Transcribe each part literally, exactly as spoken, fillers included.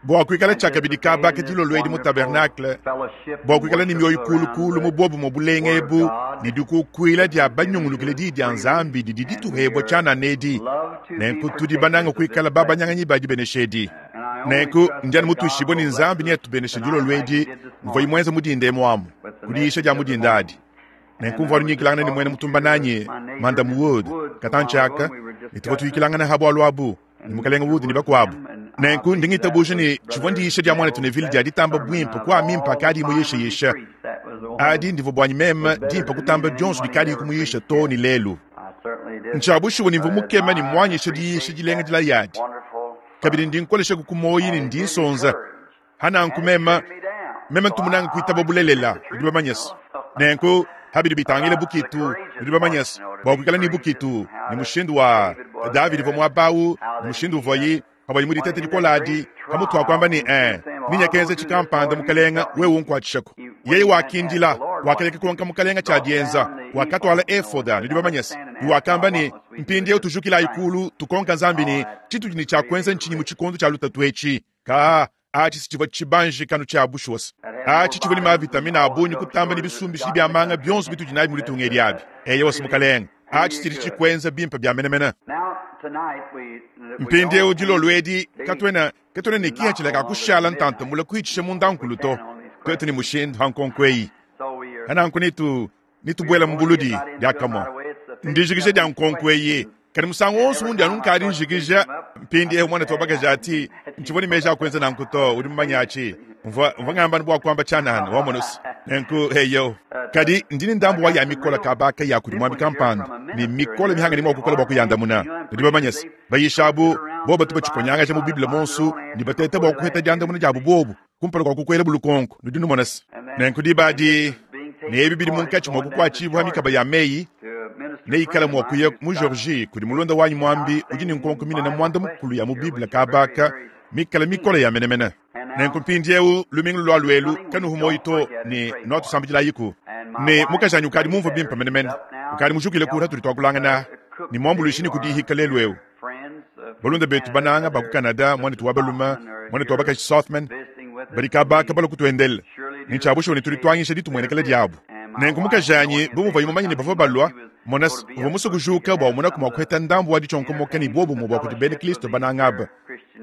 Bua kuikala tshiakabidi kaba ka dilolo edi mu tabernacle, bua kuikala ne mioyo kulukulu mu buobumue bulenga ebu ne dikukuila dia banyungulukile diyi dia Nzambi didi dituhebua tshianana edi, nenku tudi banange kuikala babanyanganyi ba dibenesha edi. Nenku ndi anu mutuishibue ne Nzambi neatubeneshe dilolo edi mvuaye muenze mu dinda emu amu, ku diyisha dia mu dinda adi. Nenku mvua nyikilangana ne muena mutumba nanyi, Madam Wood, katantshi aka, ne tuvua tuyikilangana ha bualu abu, ne Mukalenge Wood ne bakuabu. Nenku ndi ngitabuja ne tshivua ndiyisha dia muanetu Neville dia ditamba buimpe ku a mimpe akadi muyishayisha. Adi ndivua buanyi meme dimpe kutamba dionso dikadi kumuyisha too ne lelu. Ntshia bushuwa ne mvua mukema ne muanyisha diyisha dilenga dilaya adi. Kabidi ndi nkolesha ku muoyo ne ndi nsonza. Hananku meme meme ntu munange kuitaba bulelela, nudi bamanye se. Nenku habidi bitangile bukitu, nudi bamanye se, bua kuikala ne bukitu ne mushindu wa Davidi uvua muaba awu, ne mushindu uvuaye pavuaye mu diteta dikole adi, pamutu wa kuamba ne, eh, ninyakenza tshikampanda mukalenga, wewe unkuatshishako. Yeye wakindila, wakaleka konka mukalenga tshia dienza, wakatwala efoda, nudi bamanye se, ne wakamba ne, mpindieu tujukilayi kulu, tukonka Nzambi ne, tshitudi ne tshia kuenza ntshinyi mu tshikondo tshia lutatu etshi? Ka atshi tshivua tshibanji kanu tshia bushuwa. Atshi tshivua ne mavitamina a bungi kutamba ne bisumbishi bia manga bionso bitudi nabi mu ditunga edi abi. Eyo wasi mukalenga, atshi tshidi tshikuenza bimpe bia menemene. Mpindieu dilolo edi katuena katuena ne kihatshila ka kushala ntanta mule kuitshisha munda nkulu to. Tuetu ne mushindu ha nkonko eyi. Hananku nitu nitubuela mu buludi diakamue. Ndijikija dia nkonko eyi. Kadi musangu wonso undi anu nkadi njikija mpindieu muanetu wa bakaji ati ntshivua ne meji a kuenza nanku to, udi mumanye atshi. Mvua mvua ngamba bua kuamba tshianana wamona se. Nenku eyo. Kadi ndi ne ndambu wa ya mikola kabaka ya kudi muambi kampanda ne mikole mihanga ne mua kukola bua kuyandamuna. Nudi bamanye se, bayisha abu bobu batu batshikonyangaja mu Bible monsu ne bateta bua kuheta diandamuna diabu bobu kumpala kua kukuela bulukonko. Nudi numona se. Nenku diba adi ne ebi bidi munkatshi mua kukuatshibua mikaba ya meyi neikala mua kuya mu Georgie kudi mulonda wanyi muambi udi ne nkonko minene muanda mukulu ya mu Bible kabaka mikala mikole ya menemene. Nenku mpindieu lumingu lua luelu kanuhu moyo to ne nuatusambidilayiku. Ne mukajanyi ukadi mumvue bimpe menemene, ukadi mujukile ku hatudi tuakulangana ne muambuluishi ne kudihika lelu eu. Balunda betu bananga ba ku Canada, muanetu wa balume, muanetu wa bakaji Southman, badi kabaka bala kutuendela. Ne tshia bushuwa ne tudi tuanyisha ditumuenekela diabu. Nenku mukajanyi bu muvuaye mumanye ne bavua balua, mona se, uvua musue kujuka bua umonaku mua kuheta ndambu wa ditshionkomoka ne buobumue bua kudi bena Kristo bananga aba.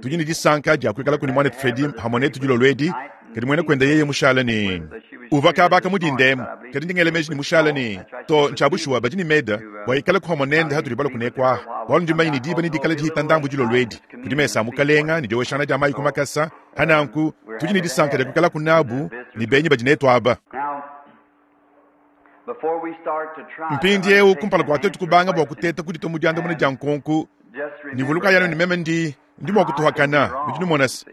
Tudi ne disanka dia kuikala kuni muanetu Fredi hamue netu dilolo edi, kadi muena kuenda yeye mushala ne uvua kabaka mu dinda emu, kadi ndi ngela meji ne mushala ne to ntshia bushuwa badi ne meda bua ikala ku hamue nende hatudi balua kunekua aha. Bualu ndi mumanye ne diba ne dikala dihita ndambu dilolo edi kudi mesa a mukalenga ne dioweshangana dia mayi ku makasa. Hananku tudi ne disanka dia kuikala kunabu ne benyi badi netu aba. Mpindieu kumpala kua tuetu kubanga bua kuteta kudita mu diandamuna dia nkonko, ne vuluka yanu ne meme ndi ndi mua kutuhakana. Nudi numona se,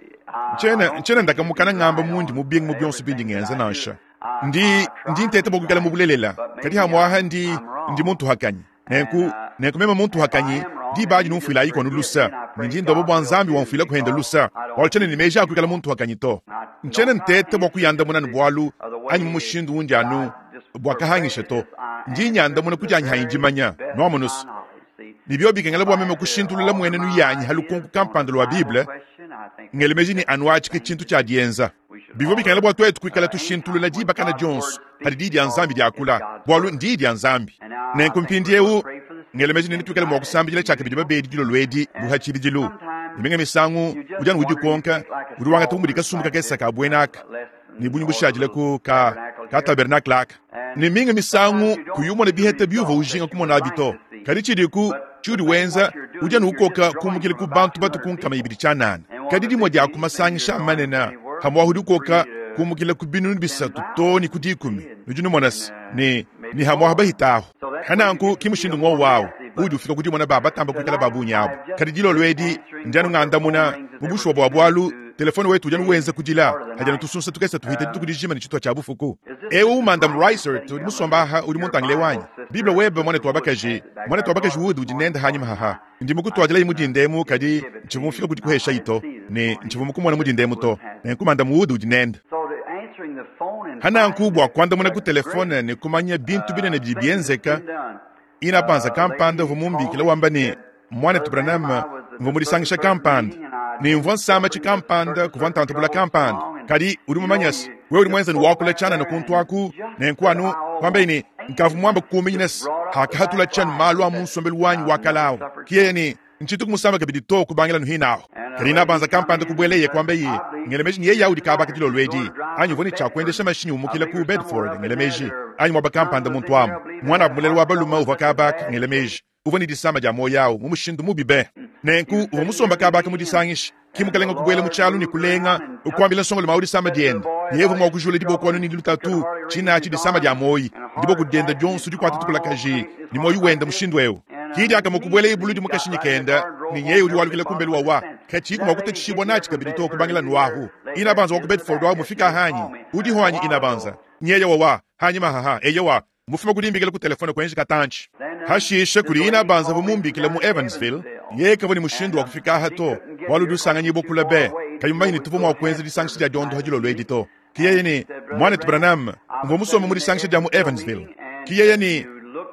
ntshiena ntshiena ndakamukana ngamba mundi mubinge mu bionso bindi ngenza nansha. Ndi ndi nteta bua kuikala mu bulelela, kadi hamuaha ndi ndi muntuhakanyi. Nenku nenku meme muntuhakanyi diba adi numfuilayi kono lusa, ne ndi ndoba bua Nzambi wamfuila kuhenda lusa, bualu tshiena ne meji a kuikala muntuhakanyi to. Ntshiena nteta bua kuyandamuna ne bualu anyi mu mushindu undi anu bua kahangisha to. Ndi nyandamuna ku dianyi hanyi dimanya, nuamona se. Ne bio bikengela bua meme kushintulula muenenu yanyi ha lukonko kampanda lua Bible, ngele meji ne anu atshi ke tshintu tshia dienza. Bivua bikengela bua tuetu kuikala tushintulula dibakana dionso hadi diyi dia Nzambi diakula, bualu ndiyi dia Nzambi. Nenku mpindieu ngele meji ne netuikale mua kusambidila tshiakabidi babedi dilolo edi bu ha tshibidilu. Ne minga misangu udi anu udikonka, udi wangata bu mudi kasumbu kakese ka buena aka ne bunyi bushadile ku ka, ka tabernacle aka. Ne minga misangu kuyi umona biheta biuvua ujinga kumona abi to. Kadi tshidiku tshiudi wenza, udi anu ukoka kumukila ku bantu batu ku nkama ibidi tshianana. Kadi dimue dia ku masangisha a manene hamuahu udi ukoka kumukila ku binunu bisatu to ne ku dikumi. Nudi numona se, ne, ne hamuahu bahita ahu. Hananku ki mushindu ngowu awu udi ufika ku dimona ba batamba kuikala ba bungi abu. Kadi dilolo edi ndi anu ngandamuna mu bushuwa bua bualu telefone wetu udi anu wenza kudila hadi anu tusunsa tukese tuhita dituku dijima ne tshituha tshia bufuku. Eu Madam Reisert udi musomba aha udi muntangile wanyi Bible webe muanetu wa bakaji, muanetu wa bakaji Wood udi nende hanyima haha. Ndi mukutuadilayi mu dinda emu, kadi ntshivua mufika kudi kuhesha ito ne ntshivua mukumona mu dinda emu to. Nenku Madam Wood udi nende. Hananku bua kuandamuna ku telefone ne kumanya bintu binene bidi bienzeka, ina panza kampanda uvua mumbikila wamba ne, muanetu Branham, Mvua mu disangisha kampanda ne mvua nsama tshikampanda kuvua ntantubula kampanda. Kadi udi mumanye se, wewe udi muenze ne wakula tshianana kuntu aku, nenku anu kwambaye ne nkavua muambe kukuminyina se hakahatula tshianu malu a mu nsombelu wanyi wa kale awu. Ki yeye ne ntshitu kumusamba kabidi to kubangila nuhina aho. Kadi nabanza kampanda kubweleye kwambaye ngele meji ni yeye audi kabaka dilolo edi anyi uvua ne tshia kuendesha mashinyi umukila ku Bedford ngele meji anyi muaba kampanda muntu amu mwana abu mulele wa balume uvua kabaka ngele meji uvua ne disama dia moyo awu mu mushindu mubi be. Nenku uvua musomba kabaka mu disangisha ki mukalenga kubwela mu tshialu ne kulenga ukuambila nsongolo mawu disama diende yeye uvua mua kujula diboko anu ne lutatu tshina tshi disama dia moyi diboko diende dionso dikuata tukulakaji ni moyi wenda mushindu eu. Kidi akamukubwela ibulu di mukashinyi kenda ni nyeye udi walukila kumbelu wawa kachi kuma kutetshishibwa nachi kabidi to kubangila nuahu inabanza wa ku Bedford wa mufika hanyi udi hwanyi inabanza nyeye wawa hanyi mahaha eyewa mufuma kudimbikila ku telefone kwenji katanchi hashisha kuli inabanza vumumbikila mu Evansville yeye kavua ni mushindu wa kufika aha to walu usanganyibwa kula be kayumbanyi ni tuvu mwa kwenza disangisha dia diondo hadilo lwedi to kiyeye ni mwanetu Branham mvua musoma mu disangisha dia mu Evansville kiyeye ni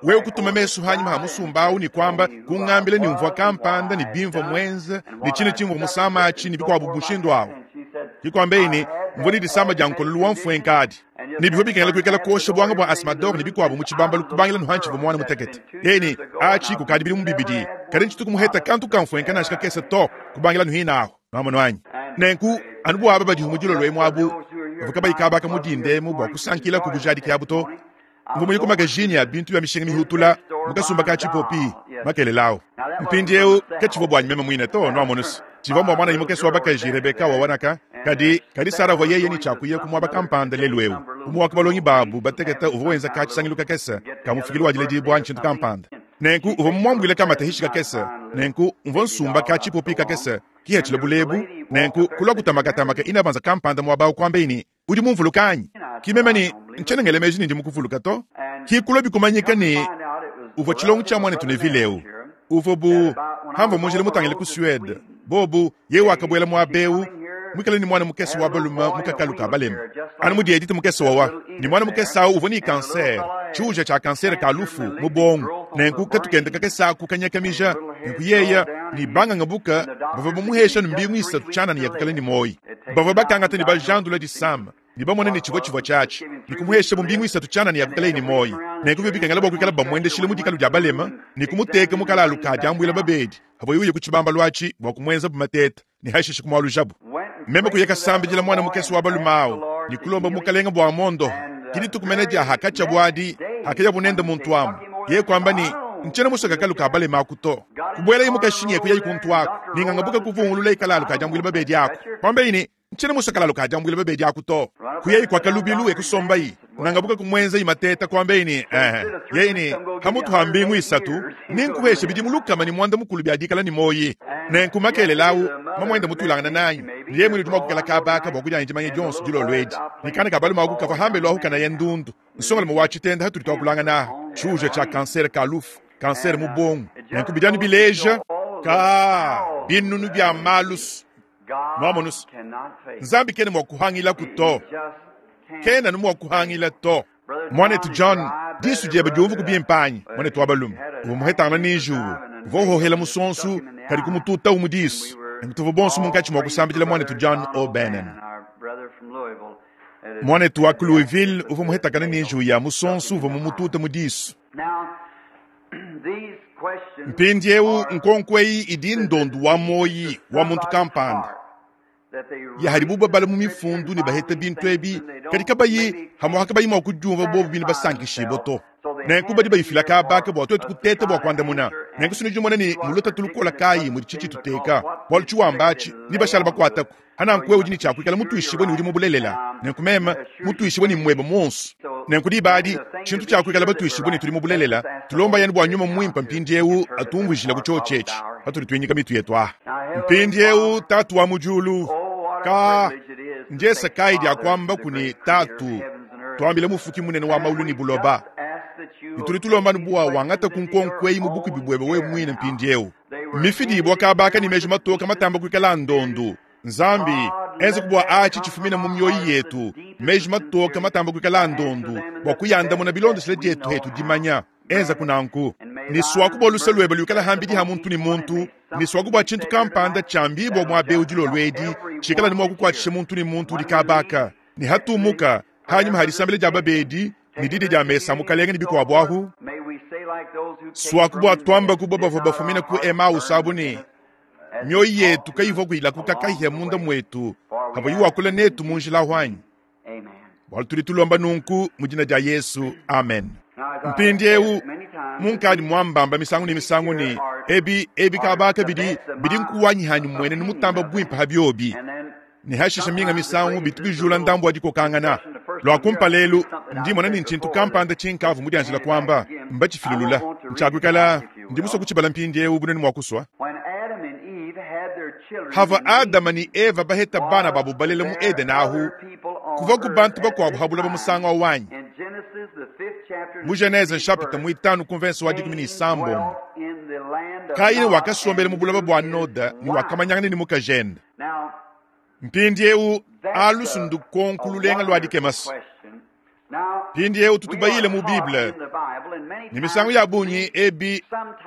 wewe kutuma mesu hanyuma ha musumba ni kwamba kungambile ni mvua kampanda ni bimvua mwenza ni chine chimvua musamachi ni bikwabu bushindu awo kikwambe ni mvua ni disamba dia nkololu wa mfuenkadi ni bivua bikengela kuikala kuosha bwanga bwa asmador ni bikwabu mu tshibamba lukubangila nuhanchi vua mwana mutekete yeni achi kukadi bili mubibidi kadi ntshituku muheta kantu kamfuenka nashi kakese to kubangila nuhina aho nwamonu anyi nenku anu bwaba badi humudilo lwemu abu bavua kabayi kabaka mudindemu bua kusankila ku bujadiki abu to mvua muyi ku magazine ya bintu bya mishinga mihutula mukasumba ka tshipopi makelelawo mpindieu ketshivua bwanyi meme muine to nwamonusi tshivua mbua mwana imukesi wa bakaji Rebeka wawanaka kadi kadi Sara uvua yeye ni tshiakuya ku muaba kampanda lelu eu umuwaka balongi babu bateketa uvua wenza ka tshisangilu kakese kamufikili wa diledibua ntshintu kampanda nenku uvua mumuambuile kamata hishi kakese nenku mvua nsumba ka tshipopi kakese kihetshila bulebu nenku kulua kutamakatamaka inabanza kampanda muaba ukuambe udi mumvuluka anyi kimeme ni ntshena ngele meji ni ndi mukuvuluka to kikulua bikumanyika ni uvua tshilongo tshia mwanetu ne vileu uvua bu hamva munjila mutangile ku Suede bobu ye wakabwela muaba mwikale ni mwana mukese wa balume mukakalu ka balema anu mudi edite mukese wawa ni mwana mukese awu uvua ni kanser tshiuja tshia kanser ka lufu mu bongo nenku katukenda kakese aku kanyakamija nenku yeya ni banganga buka bavua bamuhesha ni mbingu isatu tshianana ya kukala ni moyi bavua bakangata ni bajandula disama ni bamone ni tshivua tshivua tshiatshi ni kumuhesha mu mbingu isatu tshianana ya kukala ni moyi nenku bio bikengela bua kuikala bamuendeshile mu dikalu dia balema ni kumuteka mu kalalu ka diambuila babedi havua yuye ku tshibamba lwatshi bua kumuenza bu mateta ni hashishe kumualujabu meme kuyeka sambidila mwana mukese wa balume awu ni kulomba mukalenga bua mondo kidi tukumene dia hakatshia buadi hakeya bunende muntu amu ye kwamba ni ntshena musaka kalu ka balema aku to kubwela imukashinyi kuya ikuntu aku ninganga buka kuvungulula ikalalu ka diambuila babedi aku kwamba ini ntshena musakalalu ka diambuila babedi aku to kuya ikwakalubilu ekusomba yi nanga buka kumwenza imateta kwamba ini eh yeini hamutu ha mbingu isatu ninkuhesha bidi mulukama ni mwanda mukulu byadikala ni moyi nenku makelelawu mamwenda mutulangana nanyi niye mwini tuma kukala kabaka bua kudia ndimanye dionso dilolo edi nikana kabalu maku kava hambelu ahu kana ye ndundu nsongolo mu wachitenda hatuli twakulangana aha tshiuja tshia kanser ka lufu kanser mu bongo nenku bidianu bileja ka binunu bya malusu nwamonusu nzambi kene mua kuhangila ku to kena nu mua kuhangila to mwanetu John disu diebe diumvu kubimpanyi mwanetu wa balume uvua muhetangana ni njuwu uvua uhohela musonsu kadi kumututa umu disu nenku bonso munkatshi mua kusambidila mwanetu John O'Bannon mwanetu wa ku Louisville uvua muhetakana ni njuwu ya musonsu uvua mumututa mu disu mpindieu nkonko eyi idi ndondu wa moyi wa muntu kampanda ya hadibu babala mu mifundu ne baheta bintu ebi kadi kabayi hamwa kabayi mua kudiumva bobu bine basankishibwa to nenku badi bayifila kabaka bua tuetu kuteta bua kuandamuna nenku sinu dimona ni mulota tulukola kayi mudi tshitshi tuteka bualu tshiwamba atshi ni bashala bakuataku hananku wewe udi ni tshiakuikala mutuishibwe ni udi mubulelela nenku meme mutuishibwe ni mwebe monso nenku dibadi tshintu tshiakuikala batuishibwe ni tuli mubulelela tulomba yani bua nyuma mwimpa mpindieu atumvuijila ku chio tshetshi patudi tuinyika mitu yetu aha mpindieu tatu wa mujulu ka njesa kai dia kwamba kuni tatu twambile mufuki munene wa maulu ni buloba nituli tulomba nubuwa wangata kunkonkwei mubuku bibwebe we mwine mpindieu mifidibwa kabaka ni meji matoka matamba kuikala ndondu nzambi enze kubwa achi chifumina mu mioyo yetu meji matoka matamba kuikala ndondu bua kuyandamuna bilondeshile dietu hetu dimanya enza kunanku Ne swaku bua luse lwebe luikala hambidi ha muntu ne muntu, ne swaku bua tshintu kampanda tshiambibua muaba eu dilolo edi, tshikala ne mua kukuatshisha muntu ne muntu udi kabaka, ne hatumuka hanyuma ha disambila dia babedi ne didi dia mesa mukalenge ne bikuabu ahu. Swaku bua twamba kubo bavua bafumina ku Emmaus abu ne mioyo yetu kayivua kuyilakuka kahia munda mwetu havua yiwakula netu mu njila hwanyi. Bwalu tudi tulomba nunku mu dina dia Yesu, amen. Mpindiewu munkadi mwambamba misangu ne misangu ne ebi ebi kabaka bidi bidi nkuwanyihanyi mwene ne mutamba bwimpe ha byobi. Ne hashisha minga misangu bitu bijula ndambu wa dikokangana. Lwa kumpa lelu ndimona ni nchintu kampanda chinkavu mu dianjila kwamba mbachifilulula. Nchakwikala ndi muswa kuchibala mpindiewu bunene mwa kuswa. Hava Adama ni Eva baheta bana babu balela mu Eden ahu kuva ku bantu bakuabu habula ba musanga wanyi. Mu Genese chapitre mwitano convenção wa dikumi ni sambo. Kaini wakasombela mu bulaba bwa Noda ni wakamanyangana ni mukajende. Mpindiewu alusundu konkululenga lwa dikemasi. Mpindiewu tutubayile mu Bible. Ni misangu ya bunyi ebi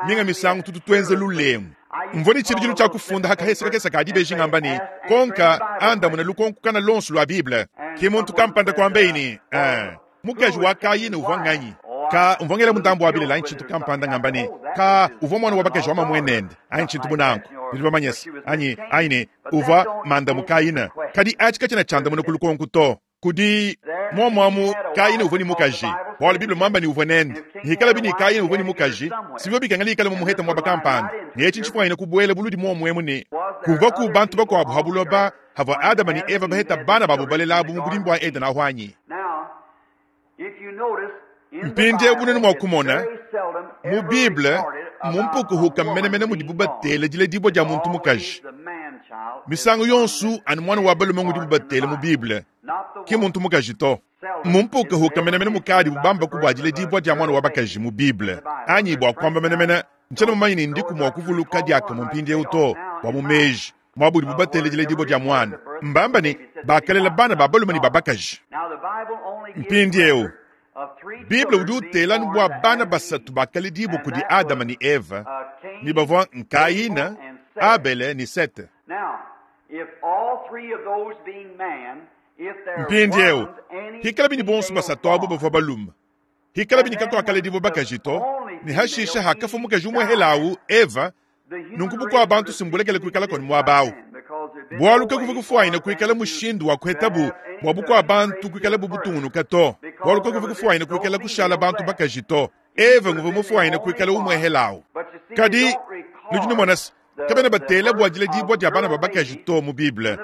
minga misangu tututwenze lulengu. Mvoni chiri cha kufunda hakahesa kakesa kadi beji ngamba ni konka anda muna lukonku kana lonsu lwa Bible. Kimuntu kampanda kwa mbeini. Eh, mukaji wa Kaini uvwa nganyi. Ka umvongela mutambo wa Biblia anchi tukampanda ngamba ni ka uvwa mwana wa bakaji wa mamwenende anchi tubunanko. Niliba manyesi anyi aine uvwa manda mukaina. Kadi achi kachina chanda muna kulukonku to. Kudi mwamwamu Kaini uvwa ni mukaji. Bwalo Biblia mwamba ni uvwa nende. Hikala bini Kaini uvwa ni mukaji. Sivyo bikangali ikala mumuheta mwaba kampanda. Ni echi nchifwa ina kubuele buludi mwamwemu ni. Kuva ku bantu bakwabu habuloba hava Adama ni Eva baheta bana babu balelabu mu budimbu wa Eden ahwanyi. Mpindiewu bunene mwa kumona mu Bible mumpukuhuka menemene mudi bubatele dile dibwa dia muntu mukaji. Misangu yonsu anu mwana wa balume ngudi bubatele mu Bible ki muntu mukaji to. Mumpukuhuka menemene mukadi bubamba kubwa dile dibwa dia mwana wa bakaji mu Bible. Anyi bwa kwamba menemene nchana mumanyi ni ndiku mwa kuvuluka diaka mu mpindiewu to bwa mu meji mwabudi bubatele dile dibwa dia mwana. Mbamba ni bakalela bana ba balume ni babakaji. Mpindiewu Bible udi utela bua bana basatu bakale dibu kudi Adama ni Eva ni bavua Kaina, Abele ni Sete. Mpindiewu hikala bini bonso basatu abo bavua balume. Hikala bini kakuakale dibu bakaji to ni hashisha hakafu mukaji umwe helawu Eva nunku bukua bantu simbulekele kuikala koni muabawu. Bwalu kakuva kufuaina kuikala mushindu wa kuhetabu bwa bukua bantu kuikala bubutungunuka to. Bwalu kakuva kufuaina kuikala kushala bantu bakaji to. Eva nguva mufuaina kuikala umwe helawu. Kadi nudi numonasi kabena batela bua dile dibwa dia bana babakaji to mu Bible.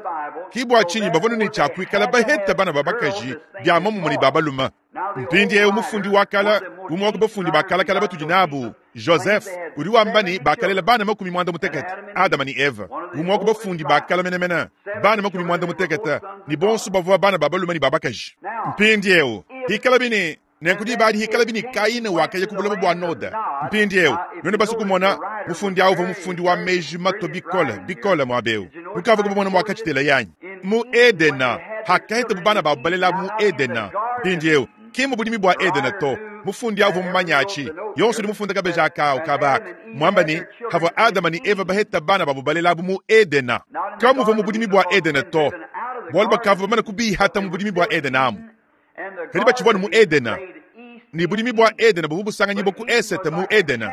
Ki bua tshinyi bavua ne tshia kuikala baheta bana babakaji bia mamumu ne babaluma. Mpindiewu mufundi wa kala umwe wa ku bafundi ba kalakala batudi nabu Joseph udi wamba ni bakalela bana makumi mwanda mutekete Adama ni Eva. Umwe wa ku bafundi ba kala menemene bana makumi mwanda mutekete ni bonso bavua bana babalume ni babakaji. Mpindiewu hikala bini nenkudi badi hikala bini Kaini wakaya kubulaba bua Noda. Mpindiewu none basi kumona mufundi awu uvua mufundi wa meji mato bikole bikole muabeu. Mukava kubona mwakachitela yanyi mu Edena hakaheta bana babalela mu Edena. Mpindiewu ki mu budimi bua Edena to mufundi awu mumanyachi yonso di mufunda kabeja akao kabaka mwamba ni havua Adama ni Eva baheta bana babubalela mu Edena. Kamuva mu budimi bua Edena to bwalu bakava bamana kubihata mu budimi bua Edena amu. Kadi batshivua mu Edena ni budimi bua Edena buvu busanganyi ku esete mu Edena.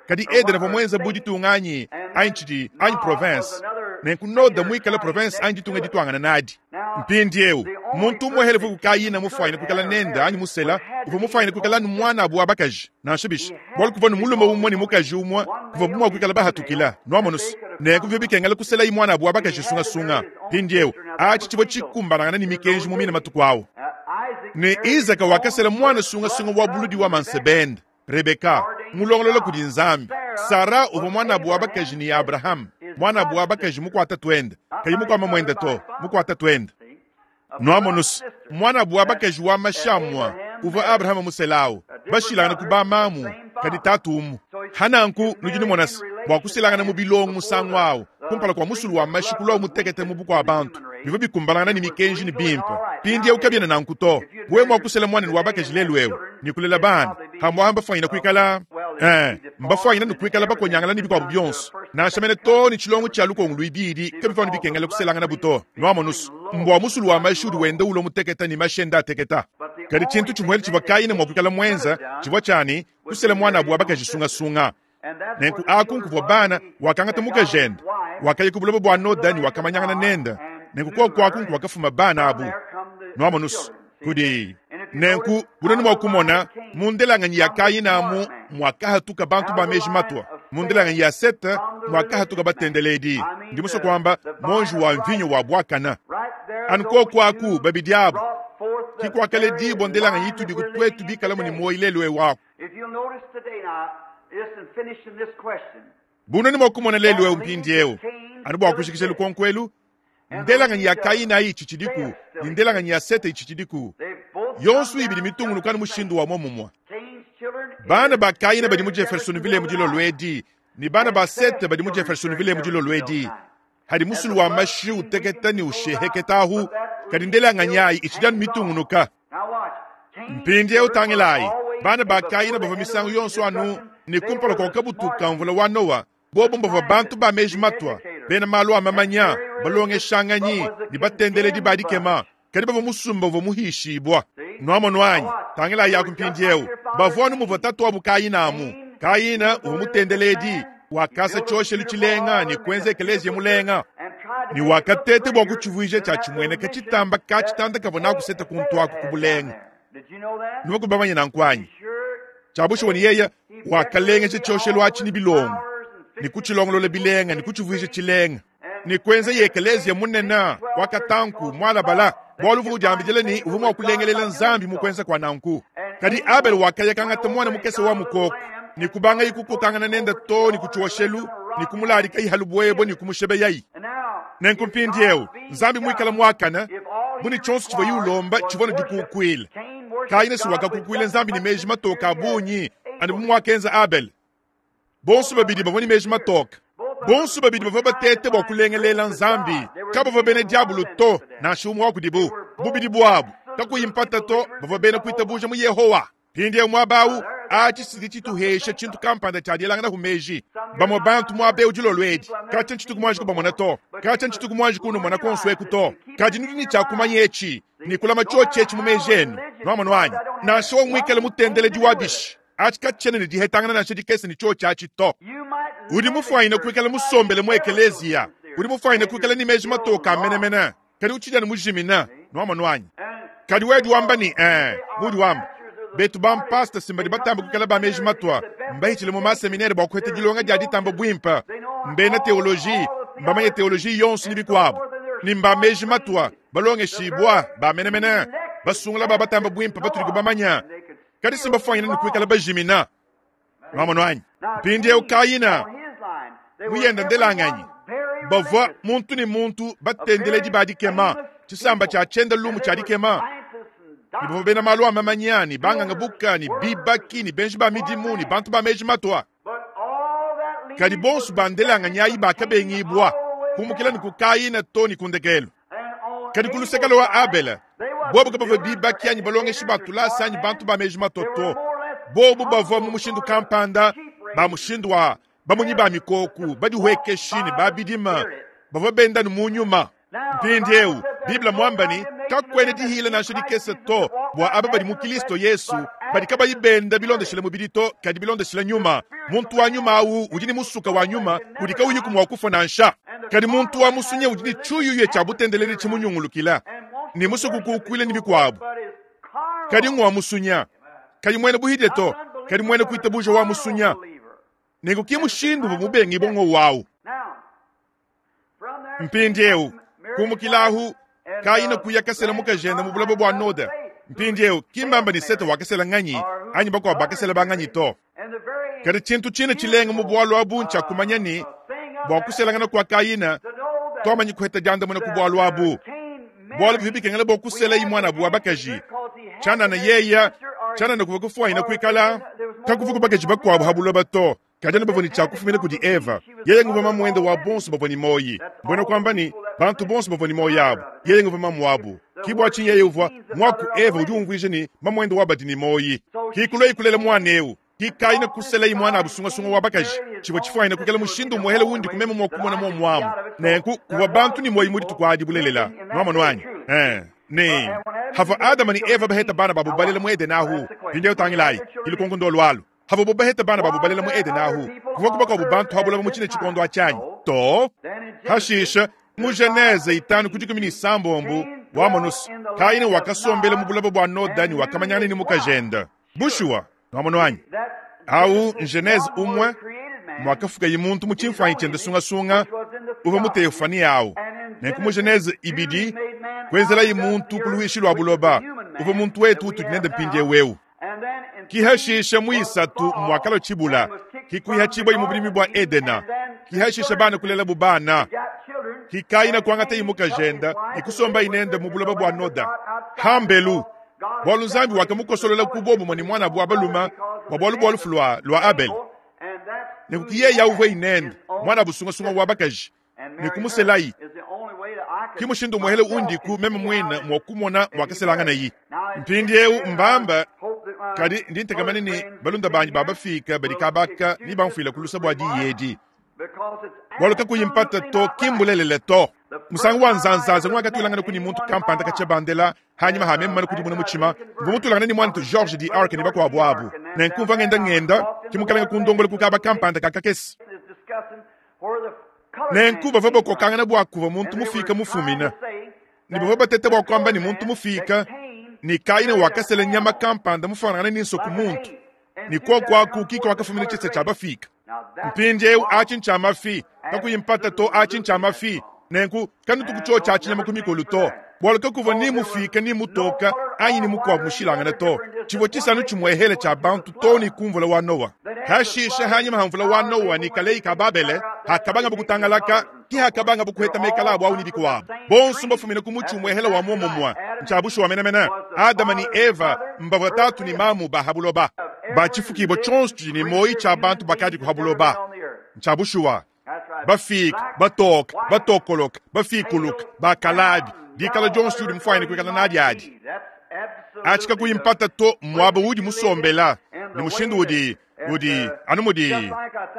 Kadi Edena vua mwenza budi tunganyi anyi tshidi anyi province nenku Noda muikala province anyi ditunga dituangana nadi. Mpindiewu muntu umwe helevu kukayina mufuaina kuikala nenda anyi musela uvua mufuaina kuikala nu mwana abu wa bakaji nansha bishi bwalu kuvua nu mulume umwe ni mukaji umwe kuvua bumwa kuikala bahatukila nwamonusi nenku vyo bikengela kusela yi mwana abu wa bakaji sungasunga. Mpindiewu achi tshivua tshikumbanangana ni mikenji mu mina matuku awu. Ne Isaka wakasela mwana sungasunga wa buludi wa mansebende Rebeka mulongolola kudi Nzambi. Sara uvua mwana abu wa bakaji ni Abraham mwana abu wa bakaji mukwata twende kayi mukwama mwenda to mukwata twende. Nwamonus mwana abu wa bakaji wa mashamwa uvua Abraham muselawu bashilangana ku bamamu kadi tatu umu. Hananku nudi numonasi bua kusilangana mu bilongo musangu awu kumpala kua musulu wa mashi kulwa mutekete mu bukua bantu bivua bikumbanangana ni mikenji ni bimpe. Mpindiewu kabiena nanku to wewe mua kusela mwana wa bakaji lelu ewu ni kulela bana hamwamba fanyina kuikala Eh, mbafwanyina nukwikala bakonyangala ni bikwabo byonso nansha mene to ni chilongo cha lukongo lwibidi kabifano bikengela kuselangana buto nwamonusu mbwa musulu wa mashudi wende ulo muteketa ni mashenda ateketa kadi chintu chimwele chivwa kayina mwakwikala mwenza chivwa chani kusela mwana abu abakajisungasunga nenku aku nkuvwa bana wakangata mukajenda wakayi kubulobo bwa noda ni wakamanyangana nenda nenku kokwaku nku wakafuma bana abu nwamonusu kudi nenku bunene mwakumona mundelanganyi ya kayina mwakahatuka bantu ba meji matwa mundelanganyi ya sete mwakahatuka batendeledi ndi muso kwamba monji wa mvinyo wa bwakana anu kokwaku babidi abu kikwakale dibo ndelanganyi itudi kutwetu bikalamu ni moyi lelu ewaku bunene mwakumona lelu eu mpindi eu anu bwakushikisha lukonkwelu ndelanganyi ya kayina ichi chidiku ni ndelanganyi ya sete ichi chidiku yonso ibili mitungulukana mushindu wa momumwa bana ba kayina badi mu jeffersonville mu dilo lwedi ni bana ba sete badi mu jeffersonville mu dilo lwedi hadi musulu wa mashi uteketa ni usheheketahu kadi ndelanganyi ayi ichidanu mitungunuka mpindi eu tangilayi bana ba kayina bava misangu yonso anu ni kumpala kwa kabutuka mvula wa nowa bobo mbava bantu ba meji matwa bena malu a mamanya balongeshanganyi ni batendeledi ba dikema kadi bava musumba uva muhishibwa nwamo nwanyi tangila yaku mpindiewu bavwanu muva tatu abu kayina amu kayina uva mutendeledi wakasa choshelu chilenga ni kwenza ekelezia mulenga ni wakatete bwa kuchivuija cha chimweneka chitamba kachitanda kava nakuseta kuntu aku kubulenga niwakubamanya nankwanyi chabushiwa ni yeya wakalengesha choshelu achi ni bilongo ni kuchilongolola bilenga ni kuchivuija chilenga ni kwenza yekelezia munena wakatanku mwalabala bwalu vuku jambijele ni uvu mwakulengelela nzambi mukwenza kwa nanku kadi abel wakayakangata mwana mukese wa mukoko ni kubanga ikukukangana nenda to ni kuchiwoshelu ni kumulalika ihalu bwebo ni kumushebeyayi nenku mpindiewu nzambi mwikala mwakana muni chonso chivwa yiulomba chivona dikukwile kayina si wakakukwile nzambi ni meji matoka abunyi andi bumwakenza abel bonso babidi bavua ni meji matoka bonso babidi bavua batete bua kulengelela nzambi kabavua bena diabulu to nansha umwe wa kudibu bubidi bwabu kakuyimpata to bavua bena kuitabuja mu yehowa pindie mwabawu achi chituhesha chintu kampanda chadielangana kumeji bamwe bantu mwabe ujilo lwedi kacha nchituku mwanji kubamona to kacha nchituku mwanji kunumona konsweku to kadi nudi ni chakumanya echi nikulama chochi echi mumeji enu nwamona wanyi nansha wamwikele mutendeledi wabishi achi kachene ni dihetangana nansha dikese ni chochi achi to udi mufwanyine kuikala musombele mu ekeleziya udi mufwanyine kuikala ni meji matoka amenemene kadi uchidyani mujimina nwamona wanyi kadi wedi wamba ni eh mudi wamba betu bampasta simbadi batamba kukala ba meji matwa mbahitshile mu maseminere bua kuheta dilonga dia ditamba bwimpa mbena teoloji mbamanye teoloji yonso ni bikuabu ni mba meji matwa balongeshibwa bamenemene basungula ba batamba bwimpa batudi kubamanya kadi simbafwanyina ni kuikala bajimina nwamona wanyi mpindiewu kayina muyenda ndelanganyi bavua muntu ni muntu batendeledi ba dikema chisamba cha chenda lumu cha dikema ni bavua bena malu a mamanya ni banganga buka ni bibaki ni benji ba midimu ni bantu ba meji matwa kadi bonso bandelanganyi ayi bakabengibwa kumukila ni kukayina to ni kundekelo kadi kulusekelo wa abela bobu kabavua bibaki anyi balongeshi batulasa anyi bantu ba meji matwa to bobu bavua mu mushindu kampanda ba mushindu wa bamunyi ba mikoku badihuekeshi ni babidima bavua benda ni munyuma mpindiewu biblia mwambani kakwene dihila nansha dikese to bua aba badi mu kilisto yesu badi kabayi benda bilondeshele mubidi to kadi bilondeshele nyuma muntu wa nyuma awu udi ni musuka wa nyuma udi kawuyiku mua kufa nansha kadi muntu wa musunye udi ni tshuyuye tshia butendeledi tshimunyungulukila ni musuku kuukwile ni bikuabu kadi ngwa musunya kadi mwene buhidile to kadi mwene kuitabuja wa musunya nenku ki mushindu bumubengi bongo wawu mpindiewu kumukilahu kayina kuya kasela mukajenda mu bulaba bua noda mpindiewu kimbamba ni sete wakasela nganyi anyi bakuabu bakasela banganyi to kadi tshintu tshine tshilenga mu bualu abu ntshia kumanya ni bua kuselangana kua kayina twamanyi kuheta diandamuna ku bualu abu bualu bivi bikengela bua kusela imwana abu wa bakaji tshianana yeya tshianana kuva kufuanyina kuikala kakuva ku bakaji bakuabu ha buloba to kadi anu bavua ni tshiakufumina kudi eva yeye nguva mamuende wa bonso bavua ni moyi mbwena kwamba ni bantu bonso bavua ni moyi abu yeye nguva mamu abu kibwa tshinyi yeye uvua mwaku eva udi umvuija ni mamuende wa badi ni moyi kikulo ikulela mwana eu Ki Kaina kuselaye muanabu sungasunga wa bakaji, tshivua tshifuanyine kuikala mushindu umuehele wundi ku meme mua kumona muomu amu. Nenku kuvua bantu ne muoyo mu dituku adi bulelela. Nuamonu anyi? Eh, ne havua Adama ne Eva baheta bana babu balela mu Edene ahu. Mpindieu tangilayi, ki lukonko ndolu alu. Havua bo baheta bana babu balela mu Edene ahu, kuvua kubakuabu bantu ha bulaba mu tshine tshikondo atshi anyi? To. Hashisha, mu Genese itanu ku dikumi ne isambombo, wamonu se, Kaina wakasombela mu bulaba bua Noda ne wakamanyangana ne mukajende. Bushuwa, nuamonu anyi? Au n'Genese umue muakafukaye muntu mu tshimfuanyi tshiende sungasunga uvua mu teofani au. Nenku mu Genese ibidi kuenzelaye muntu ku luishi lua buloba uvua muntu wetu utudi nende mpindieu eu. Ki hashisha mu isatu muakalua tshibula, ki kuihatshibua mu budimi bua Edena, ki hashisha bana kulelabu bana, ki Kaina kuangataye mukajende ne kusombaye nende mu buloba bua Noda. Hambelu, bualu Nzambi wakamukosolola ku bobumue ne muanabu wa balume bua bualu bua lufu lua, lua Abele. Nenku ki yeye uvua inende muanabu sungasunga wa bakaji ne kumuselayi. Ki mushindu umuehele undiku meme muine mua kumona muakaselanganayi. Mpindieu mbamba, kadi ndi ntekamana ne balunda banyi ba bafika badi kabaka ne bamfuila ku lusa bua diyi edi. Bualu kakuyi mpata to, ki mbulelele to. Musangu wa nzanzanza ngwakatulangana ku ne muntu kampanda katshia bandela hanyima ha meme mane kudimuna mutshima, mvua mutulangana ne muanetu George D. Ark ne bakuabu abu. Nenku mvua ngenda ngenda, ki mukalenge kundongola ku kaba kampanda ka kakese. Nenku bavua bakokangana bua kuvua muntu mufika mufumina, ne bavua bateta bua kuamba ne muntu mufika ne Kaina wakasela nyama kampanda mufuanangane ne nsoku muntu, ne kuoku aku ki kuakafumina tshisa tshia bafika. Mpindieu atshi ntshia mafi, kakuyi mpata to, atshi ntshia mafi. Nenku kanutu kutshiotshia tshinyama ku mikolo to, bualu kakuvua ni mufika ni mutoka anyi ni mukuabu mushilangane to. Tshivua tshisanu tshimuehele tshia bantu to ne ku mvula wa Noa. Hashisha hanyima ha mvula wa Noa ne kaleyi ka Babele, hakabanga bukutangalaka, ki hakabanga bukuheta mekala abu au ne bikuabu. Bonso mbafumine ku mutshi umuehele wa muomumue. Ntshia bushuwa menemene, Adama ne Eva mbavua tatu ne mamu ba ha buloba. Batshifukibua tshionso tshidi ne muoyo tshia bantu bakadi ku ha buloba. Ntshia bushuwa. Bafika, batoka, batokoloka, bafikuluka, bakalabi, dikala dionso udi mufuanyine kuikala nadi adi. Atshi kakuyi mpata to muaba udi musombela ne mushindu udi udi anu mudi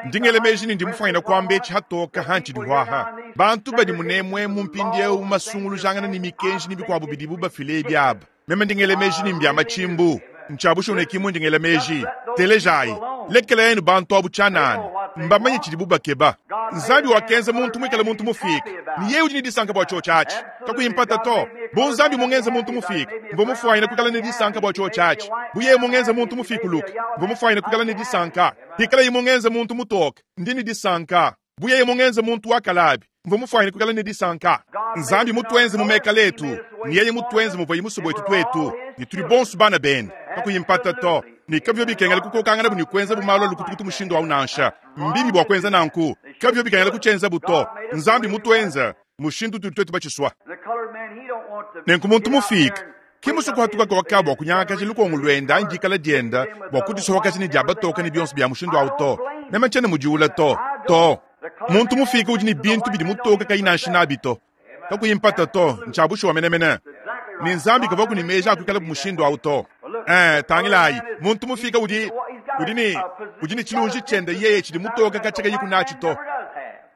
ndi ngela meji ne ndi mufuanyine kuamba etshi hatoka hantshidi huaha. Bantu badi munemuemu mpindieu masungulujangana ne mikenji ne bikuabu bidibu bafile ebi aba. Meme ndi ngela meji ne mbia matshimbu. Ntshia bushuwa ne ki mundi ngela meji. Telejayi, lekelenu bantu abu tshianana, mbamanye tshidibu bakeba. Nzambi wakenza muntu muikale muntu mufika, ne yeye udi ne disanka bua tshiotshi atshi. Kakuyi mpata to, bu Nzambi mungenze muntu mufika, mvua mufuanyine kuikala ne disanka bua tshiotshi atshi. Bu yeye mungenze muntu mufikuluke, mvua mufuanyine kuikala ne disanka. Pikalaye mungenze muntu mutoke, ndi ne disanka. Bu yeye mungenze muntu wa kalabi, mvua mufuanyine kuikala ne disanka. Nzambi mutuenze mu mekala etu, ne yeye mutuenze muvua musobo wetu tuetu, ne tudi bonso bana bende. Kakuyi mpata to, ne kabivua bikengela kukokangana bu ne kuenza bu malu a lukutukutu mushindu au nansha. Mbibi bua kuenza nanku, kabivua bikengela kutshienza bu to. Nzambi mutuenze mushindu utudi tuetu batshisua. Nenku muntu mufika ki musue kuhatuka koka bua kunyangakaja lukongo luende anyi dikala diende bua kudisohokaja ne dia batoka ne bionso bia mushindu au to. Meme ntshiena mudiula to to. Muntu mufika udi ne bintu bidi mutoka kayi nansha nabi to. Kakuyi mpata to, ntshia bushuwa menemene. Ne Nzambi kavua ku ne meji a kuikala bu mushindu au to. Eh, tangilayi, muntu mufika udi, udi ne, udi ne tshilunji tshiende yeye tshidi mutoka katshia kayi ku natshi to.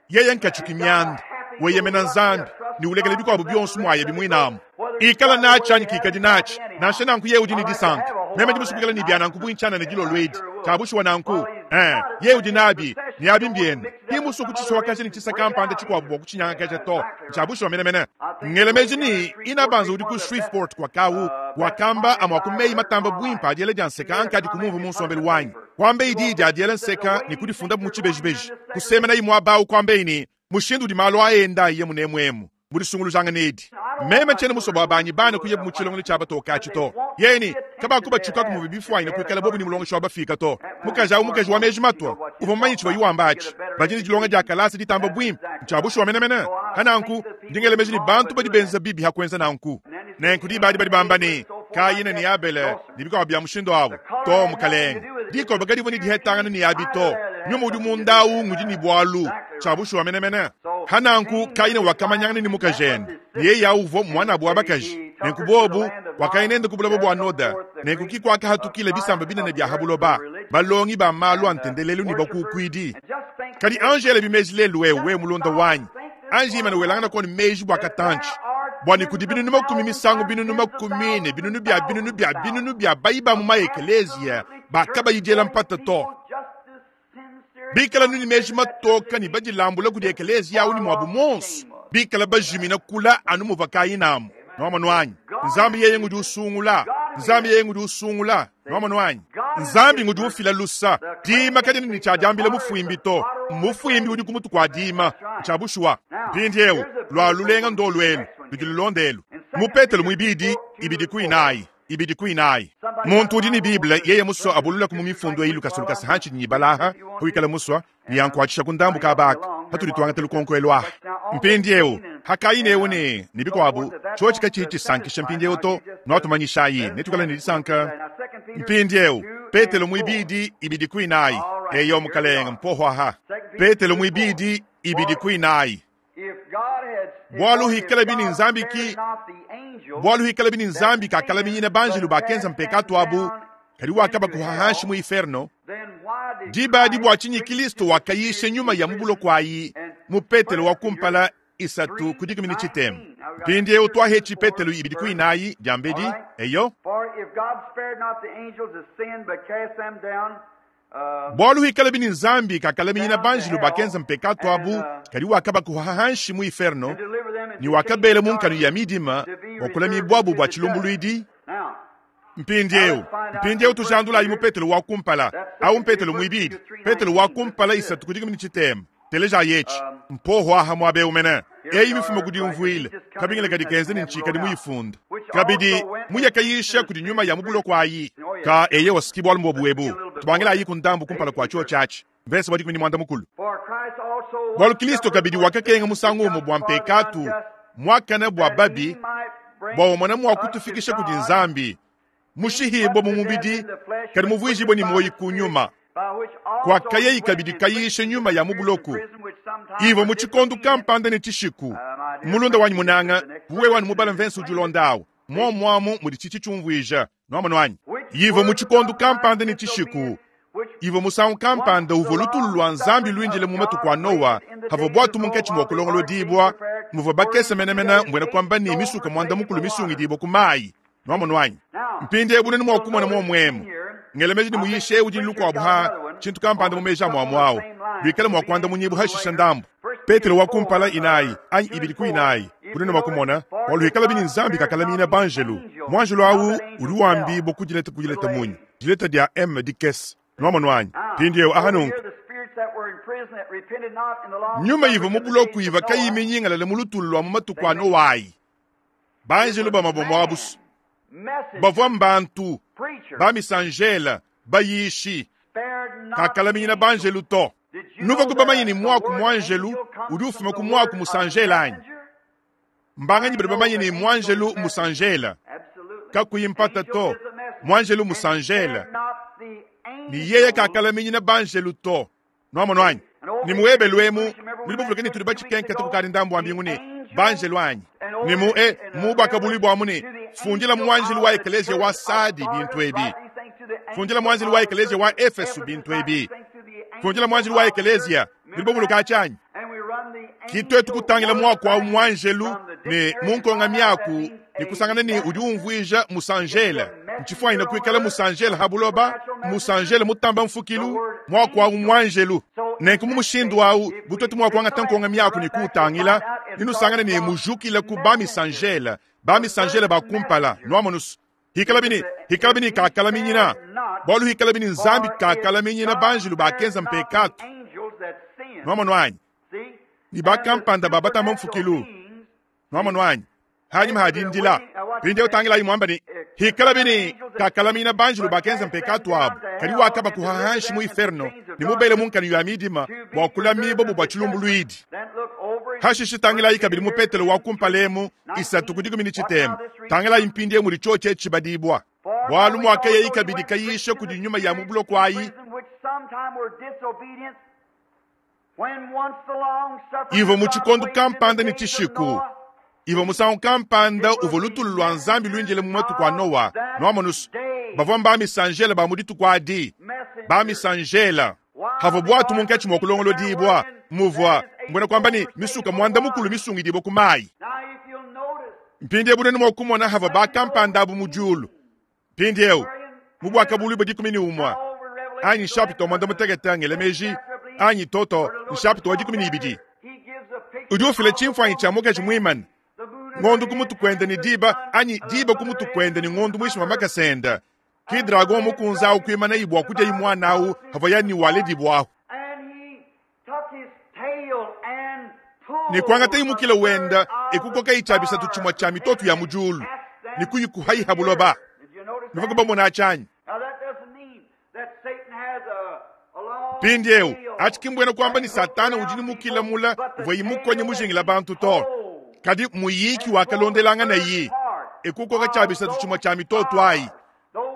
Yeye nkatshuki mianda, weyemena Nzambi, ne ulekela bikuabu bionso muaye bimuinamu. Ikala natshi anyi kikadi natshi, nansha nanku yeye udi ne disanka. Meme ndi musue kuikala ne bia nanku buintshana ne dilolo edi. Tshia bushuwa nanku, eh, yeye udi nabi, ne abi mbiende. Ki musue kutshisohakaja ne tshisa kampanda tshikuabu bua kutshinyangakaja to. Tshia bushuwa menemene. Ngela meji ne inabanza udi ku Shreveport kwa kawu, wakamba amua ku meyi matamba buimpe adiela dia nseka ankadi kumumva mu nsombelu wanyi. Kuamba idi idi adiela nseka ne kudifunda mu tshibejibeji. Kusemena imue abawu kuamba ne mushindu udi malu aenda iye munemuemu mudisungulujangana edi. Meme ntshiena musue bua banyi bana kuya mu tshilongelo tshia batoka atshi to. Yeye kabakubatshukaku muvua bifuanyine kuikala bobu ne mulongeshi wa bafika to. Mukaji au mukaji wa meji matua uvua mumanye tshivua yiwamba atshi. Badi ne dilonga dia kalasa ditamba buimpe, ntshia bushuwa menemene. Hananku ndi ngela meji ne bantu badi benza bibi ha kuenza nanku. Nenku diba adi badi bamba ne Kaina ne Abele ne bikuabu bia mushindu awu to mukalenge. Dikoba kadivua ne dihetangana ne abi to. Nyuma udi munda awu ngudi ne bualu tshia bushuwa menemene. Hananku Kaina wakamanyangana ne mukajende, ne yeye awu uvua muanabu wa bakaji. Nenku bobu wakaya nende ku buloba bua Noda. Nenku ki kuakahatukila bisamba binene bia ha buloba. Balongi ba malu a ntendelelu ne bakukuidi. Kadi anji elabi meji lelu eu, wewe mulunda wanyi. Anji imana welangana koni meji bua katantshi. Bua ne kudi binunu makumi misangu binunu makumi ne binunu bia binunu bia binunu bia bayi ba mu maekeleziya bakabayidiela mpata to. Bikala nuni meji matoka ne badilambula kudi ekeleziya awu ne muabu monso. Bikala bajimina kula anu muva kayinamu. Nwamonu anyi? Nzambi yeye ngudi usungula. Nzambi yeye ngudi usungula. Nwamonu anyi? Nzambi ngudi ufila lusa. Dima kadina ni cha diambila mufuimbi to. Mufuimbi udi kumutu kwa dima. Cha bushuwa. Mpindiewu lwa lulenga ndo lwelu. Ludi lulondelu. Mupetelo mwibidi ibidi kuinayi. Ibidi kuinayi. Muntu udi ni Bible yeye muswa abulula ku mumifundo eyi lukasulukasa hanchi ni balaha huikala muswa ni yankwatshisha ku ndambu kabaka hatuli twangata lukonko elwaha. Mpindiewu hakaine ne ni bikwabu chochi kachi chisankisha mpindiewu to nwatumanyishayi netukala ni disanka. Mpindiewu Petelo mwibidi ibidi kuinayi. Eyo mukalenga mpohwa ha. Petelo mwibidi ibidi kuinayi. Bwalu hikala bini nzambi ki bwalu hikala bini nzambi kakala minyina banjelu bakenza mpekatu abu kali wakaba kuhahanshi mu inferno. Diba di bwa chinyi Kristo wakayishe nyuma ya mubulo kwayi mu Petelo wa kumpala isatu kudikumi ni chitemu. Mpindiewu twahechi Petelo ibidi kuinayi jambedi eyo. Bwalu hikala bini nzambi kakala minyina banjelu bakenza mpekatu abu kali wakaba kuhahanshi mu inferno ni wakabele munkanu ya midima wakula mibwabu bwa chilumbuluidi. Mpindiewu mpindiewu tujandula imu Petelo wa kumpala au Petelo mwibidi Petelo wa kumpala isatu kudikumi ni chitemu. Teleja yechi mpoho aha mwabe umene eyi mifumo kudi umvuile kabingile kadi kenze ni nchika di muyifunda kabidi muyakayisha kudi nyuma ya mubulo kwayi ka eye wasikibwa alumbo buebu tubangela ayi kundambu kumpala kwa chuo chachi mvese wadi kumini mwanda mukulu. Bwalu Kristo kabidi wakakenga musangu umo bwa mpekatu mwakana bwa babi bwa umwana mwa kutufikisha kudi nzambi mushihibo mu mubidi kadi muvwijibwe ni moyi kunyuma kwa kayeyi kabidi kayishe nyuma ya mubuloku ivo muchikondu kampanda ne chishiku mulunda wanyi munanga uwe wanu mubala mvensi ujulondawo momwamu muli chichi chumvwija nwamonu wanyi ivo muchikondu kampanda ne chishiku ivo musangu kampanda uvo lutulu lwa nzambi lwinjile mu matuku a Noa havo bwatu munketshi mwa kulongolo dibwa muvo bakese menemene mbwena kwamba ni misuka mwanda mukulu misungidibwa ku mayi nwamonu wanyi mpindi ebunene mwa kumona momwemu ngelemeji ni muyishe udi lukwabu ha chintu kampanda mumeja mwamwawo lwikale mwakwanda munyibu hashisha ndambu. Petelo wa kumpala inayi anyi ibidi ku inayi bunene mwakumona waluhikala bini nzambi kakalamina banjelu mwanjelu awu uli wambi bokujileta kujileta munyi jileta dia m dikes nwamonu wanyi mpindiewu ahanunku nyuma ivo mubuloku iva kayiminyingalale mulutulu lwa mumatuku a Noayi banjelu bamabomo abusu bavwa mbantu bamisanjela bayishi kakalaminyina banjelu to nuva kubamanyi ni mwaku mwanjelu udi ufuma ku mwaku musanjela anyi mbanganyi badi bamanyi ni mwanjelu musanjela kakuyimpata to mwanjelu musanjela ni yeye kakalaminyina banjelu to nwamonu anyi ni muebelu emu nudi buvuluke ni tudi batshikenke tukukadi ndambu wa mbingu ni banjelu anyi ni mu e mu bakabuli bwamu ni fundila mwanjelu wa ekelesia wa Sadi bintu ebi fundila mwanjelu wa ekelesia wa Efesu bintu ebi fundila mwanjelu wa ekelesia nudi buvuluka achanyi kitwetu kutangila mwaku wa mwanjelu ne munkonga miaku ni kusangana ni udi umvuija musanjela nchifwanyina kuikala musanjela habuloba musanjela mutamba mfukilu mwaku wa mwanjelu nenku mumushindu awu butwetu mwakuangata nkonga miaku ni kuutangila ninusangana ni mujukila ku bamisanjela bamisanjela bakumpala nwamonusu hikala bini hikala bini kakala minyina bwalu hikala bini nzambi kakala minyina banjelu bakenza mpekatu nwamonu anyi ni bakampanda babatamba mfukilu nwamonu anyi hanyuma hadindila pinde utangila imwamba ni hikala bini kakala mina banjelu bakenza mpekatu abu kali wakaba kuhahanshi mu inferno ni mubele munkanu ya midima bwa kula mibo bwa chilumbuluidi hashishi tangila ikabili mu Petelo wa kumpalemu isatu kudikumi ni chitemu tangila impinde muli choche chibadibwa bwalu mwakeye ikabili kayishe kudi nyuma ya mubulo kwayi ivo muchikondu kampanda ni chishiku ivo musangu kampanda uvo lutulu lwa nzambi lwinjile mu matuku a Noa nwamonusu Bavua mbamisanjela ba mu dituku adi, bamisanjela. Havua bwatu munkatshi mua kulongolodibua, muvua mbuena kuamba ne misuka muanda mukulu misungidibue ku mayi. Mpindieu bunene mua kumona havua bakampanda abu mu diulu. Mpindieu mu buakabuluibua dikumi ne umue anyi nshapita wa muanda mutekete ngela meji anyi toto nshapita wa dikumi ne ibidi udi ufila tshimfuanyi tshia mukaji muimane ngondo ku mutu kuende ne diba anyi diba ku mutu kuende ne ngondo muinshi mua makasa ende. Ki dragon mukunza awu kuimana ibua kudia imwana awu havua yani waledibwaho. Ne kuangata imukila wenda ekukoka itshabisatu tshimue tshia mitoto ya mu diulu ne kuyikuha buloba. Nuvua bamona atshanyi. Mpindieu atshi ki mbuena kuamba ni Satana udi ne mukila mula uvua imukonye mujingila bantu to. Kadi muyiki wakalondelangana yi ekukoka tshabisatu tshimue tshia mitoto ayi.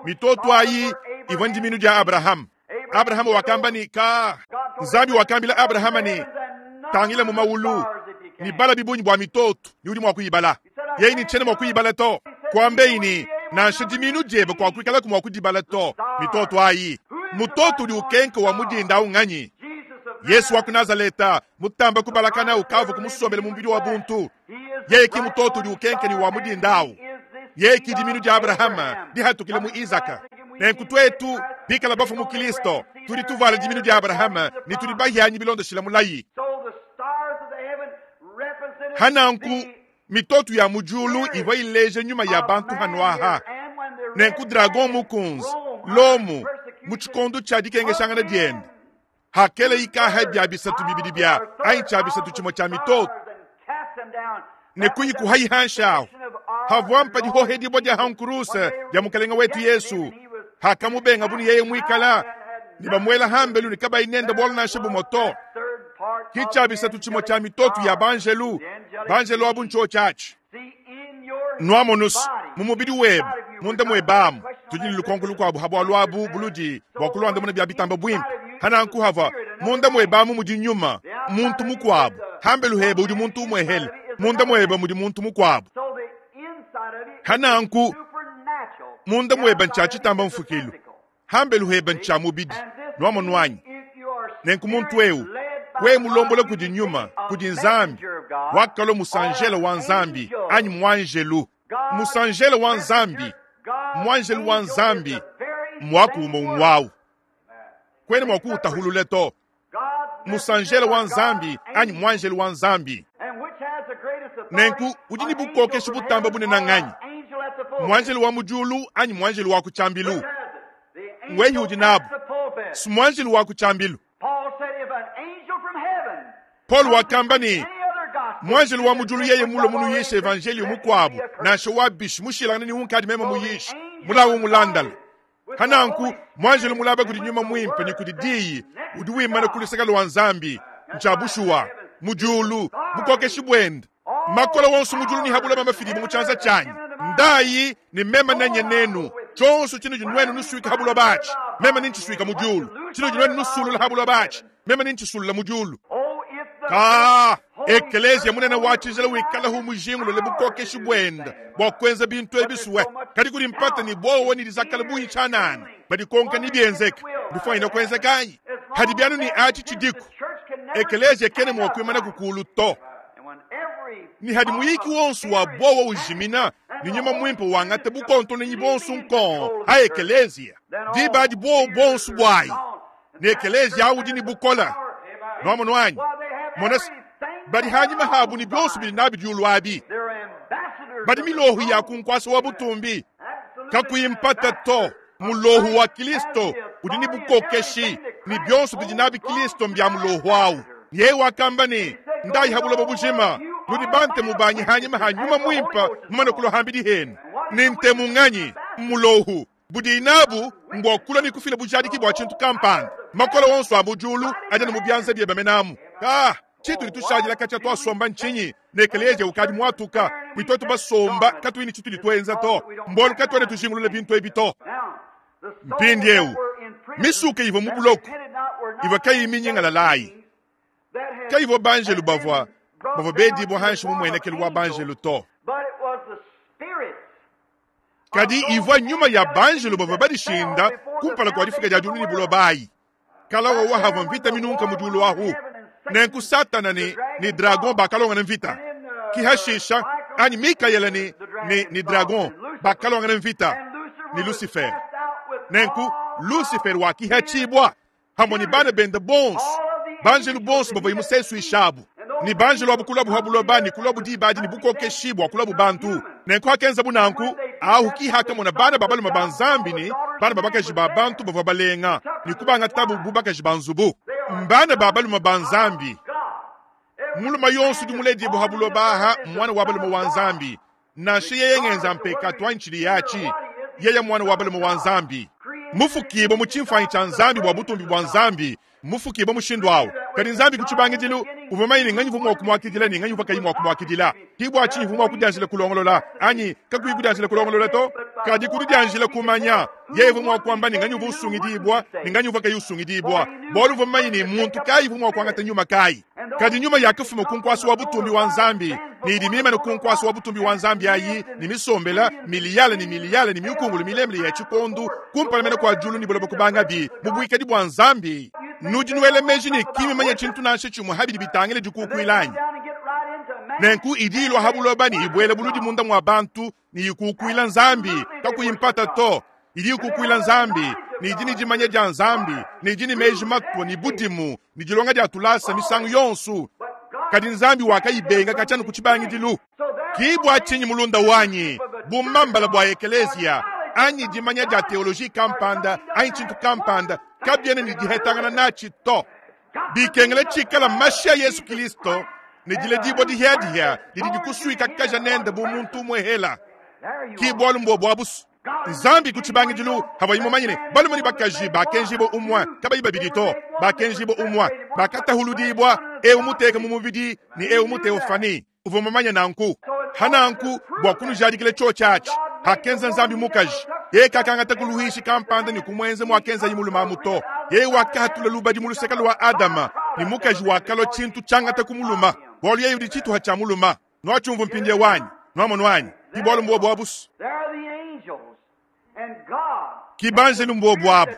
Mitoto ayi ivua ndiminu dia Abraham. Abraham wakamba ni ka Nzambi wakambila Abraham ni tangila mu maulu ni bala bibunyi bua mitoto ni udi mua kuyibala. Yeye ni tshena mua kuyibala to. Kuambe ni nansha diminu diebe kwa kuikala ku mua kudibala to mitoto ayi. Mutoto udi ukenka wa mudinda awu nganyi? Yesu wa ku Nazaleta mutamba kubalakana ukavu kumusombela mu mubidi wa buntu. Yeye ki mutoto udi ukenka ni wa mudinda awu. Yeye ki diminu dia Abrahama dihatukile mu Isaka. Nenku twetu bikala bafu mu Kristo tudi tuvala diminu dia Abrahama ni tudi bahianyi bilondoshila mulayi. Hananku mitoto ya mujulu ivua ileja nyuma ya bantu hanuaha. Nenku dragon mukunzi lomu mu tshikondo tshia dikengeshangana diende hakele ikaha bia bisatu bibidi bia anyi tshia bisatu tshimue tshia mitoto ne kuyikuhayihanshaho havua mpa dihohedibua dia hankuruse dia mukalenga wetu Yesu hakamubenga buni yeye mwikala ni bamuela hambelu ni kabayi nenda bwalo nansha bumoto. Ki tshia bisatu tshimue tshia mitoto ya banjelu banjelu abu ntsho tshatshi nwamonusu mu mubidi webe munda mwebamu tudi ne lukonko lukuabu habua lwabu buludi bua kulwandamuna bia bitamba bwimpe. Hananku hava munda mwebamu mudi nyuma muntu mukuabu hambelu hebe udi muntu umwehele munda mwebe mudi muntu mukuabu. Hananku munda mwebe ntsha tshitamba mfukilu hambelu hebe ntsha mubidi nwamonwanyi. Nenku muntu eu we mulombola kudi nyuma kudi Nzambi wakalo musanjela wa Nzambi anyi mwanjelu musanjela wa Nzambi mwanjelu wa Nzambi mwakuuma umwawu kwene mwakuutahulule to musanjela wa Nzambi anyi mwanjelu wa Nzambi. Nenku udi ni bukokesha butamba bunene nganyi mwanjelu wa mujulu anyi mwanjelu wa kuchambilu ngwehi udi nabu simwanjelu wa kuchambilu. Paul wakamba ni mwanjelu wa mujulu yeye mulo munu yisha evangelio mukwabu nansha wa bishi mushilangana ni unkadi mema muyisha mulawu mulandala. Hananku mwanjelu mulaba kudi nyuma mwimpe ni kudi diyi udi wimana kuluseka lwa Nzambi ntsha bushuwa mujulu bukokeshi bwende makola wonso mujulu ni habula mama mu tshanza tshanyi ndayi ni mema nenye nenu tshonso tshino jinwenu nusuika habula bachi mema ninchisuika mujulu tshino jinwenu nusulula habula bachi mema ninchisulula mujulu. Ka ekelezia munene wa tshijila wikala hu mujingulo le bukokeshi bwenda bua kwenza bintu ebisuwe kadi kudi mpata ni bowo ni dizakala buyi tshanana badikonka ni bienzeka bifwanyina kwenzekanyi hadi byanu ni achi tshidiku ekelezia kene mua kuimana kukulu to ni hadi muyiki wonso wa bowo ujimina ni nyuma mwimpe wangate bukonto ni bonso nkon a ekelezia diba di bowo bonso bwayi ni ekelezia audi ni bukola nwamonwanyi monas badi hanyuma habu ni byonso bili nabi diulu abi badi milohu ya kunkwasa wa butumbi kakuyimpata to mulohu wa Kristo udi ni bukokeshi ni byonso bidi nabi Kristo mbya mulohu awu. Yeye wakamba ni ndayi habulobo bujima nudi bante mubanyi hanyuma hanyuma mwimpa mumane kulohambidi henu ni ntemu nganyi mulohu budi inabu mbwakula ni kufila bujadiki bwa tshintu kampanda makola wonso abujulu aja mu byanza bye bamenamu ah tshitu litushajila katya twasomba nchinyi nekelezia ukadi mwatuka bwitwetu basomba katuini tshitu litwenza to mbolu katwene tujingulule bintu ebi to. Mpindieu misuka ivo mu buloko ivo kayiminyingala layi kayivo banjelu bavua bavua bedibua hanshi mu muenekelu wa banjelu to. Kadi ivua nyuma ya banjelo bavua badishinda kumpala kua difika dia diulu ne buloba ayi. Kala wawa havua mvita minunka mu diulu ahu. Nenku Satana ne, ne dragon bakalongana mvita. Kihashisha anyi Mikaele ne, ne, ne dragon bakalongana mvita ne Lucifer. Nenku Lucifer wakihachibwa hamwe ni bana bende bonso banjelu bonso bavua imusesuishabu ni banjelu abu kulabu habuloba ni kulabu dibadi ni bukokeshibwa kulabu bantu. Nenku hakenza bunanku ahu kihakamona bana babaluma ba Nzambi ni bana babakaji ba bantu bavua balenga ni kubanga tabu bubakaji ba nzubu. Mbana babaluma ba Nzambi muluma yonso dimuledi buhabuloba aha mwana wa baluma wa Nzambi nansha yeye ngenza mpeka twanchili yachi yeye mwana wa baluma wa Nzambi mufukibo mu chimfanyi cha Nzambi bwa butumbi bwa Nzambi mufukibo mushindu awo. Kadi Nzambi kuchibangidilu uvumanyine nganyi vumwa kumwakidila ni nganyi vakayi mwa kumwakidila kibwa chinyi vumwa kudianjila kulongolola anyi kakuyi kudianjila kulongolola to kadi kudianjila kumanya yeye vumwa kwamba ni nganyi vusungidibwa ni nganyi vakayi usungidibwa bolu vumanyine muntu kayi vumwa kwangata nyuma kayi. Kadi nyuma yakafuma kunkwasi wa butumbi wa Nzambi ni idimima no kunkwasi wa butumbi wa Nzambi ayi ni misombela miliyale ni miliyale ni miukungulu milemle ya chikondu kumpalamena kwa julu ni buloba kubanga bi mubwikadi bwa Nzambi. Nudi nuele meji ni kimi manya chintu nansha chimwe habidi bitangile dikukuilanyi. Nenku idilwa habuloba ni ibwele buludi munda mwa bantu ni ikukuila Nzambi kakuyimpata to. Idi ikukuila Nzambi ni idini jimanya ja Nzambi ni idini meji matwa ni budimu ni dilonga dia tulasa misangu yonsu. Kadi Nzambi wakayibenga kachanu kuchibangidilu. Kibwa chinyi mulunda wanyi bumambala bwa ekelezia anyi dimanya dia teoloji kampanda anyi chintu kampanda kabyene ni dihetangana nachi to. Bikengele chikala mashia Yesu Kristo ni dile dibo dihiadihia didi dikusuika kaja nende bu muntu mwehela. Kibwa lumbo bwabusu Nzambi kuchibangidilu habayimumanyine balumani bakaji bakenjibo umwa kabayi babidi to bakenjibo umwa bakatahuludibwa e umuteka mu mubidi ni e umuteofani uvumamanya nanku hananku bwa kunujadikile cho chachi hakenza Nzambi mukaji ye kakangata kuluhishi kampanda ni kumwenze mwakenza yimuluma muto ye wakahatula lubadi muluseka lwa Adama ni mukaji wakalo chintu changata kumuluma bolu ye yudi chitu hachamuluma nwachumvu mpindie wanyi nwamonu wanyi kibolu mbwo bwabusu kibanjelu mbwo bwabu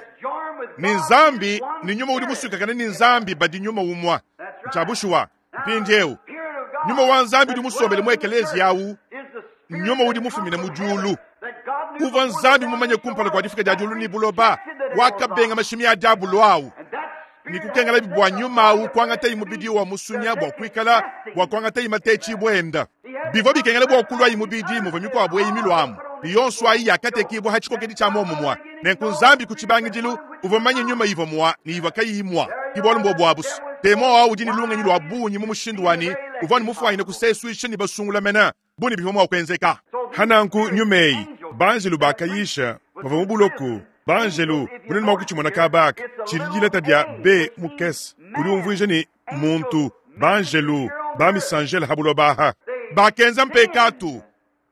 ni Nzambi ni nyuma udi musuka kana ni Nzambi badi nyuma umwa nchabushuwa mpindiewu nyuma wa Nzambi udi musombele mu ekelezi yawu nyuma udi mufumine mu julu uva Nzambi mumanye kumpala kwa difika dia julu ni buloba wakabenga mashimi ya diabulu awu ni kukengela bibwa nyuma awu kwangata imubidi wa musunya bwa kwikala bwa kwangata imatechi bwenda bivo bikengela bwa kulwa imubidi muva mikwabo eyimilwamu yonso ayi yakatekibwa hachikokedi cha momumwa nenku Nzambi kuchibangidilu uvamanye nyuma ivo mwa ni iva kayimwa kibolu mbo bwabusu temo awu udi ni lungenyi lwa bunyi mu mushindu wani uvani mufwayine kusesuisha ni basungula mena buni bivomwa kwenzeka. Hananku nyumeyi banjelu bakayisha bava mu buloku banjelu bunene mwakuchimona kabaka chilidileta dia b mukese uli umvuija ni muntu banjelu bamisanjela habulobaha bakenza mpekatu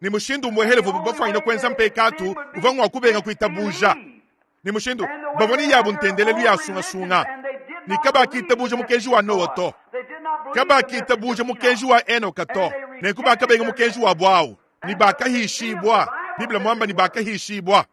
ni mushindu mwehelevu bafwayine kwenza mpekatu uvangwa kubenga kuitabuja ni mushindu bavoni yabu ntendelelu ya sungasunga ni kabakitabuja mukenji wa Noa to kabakitabuja mukenji wa Enoka to nenku bakabenga mukenji wa bwawu ni bakahishibwa Biblia mwamba ni bakahishibwa.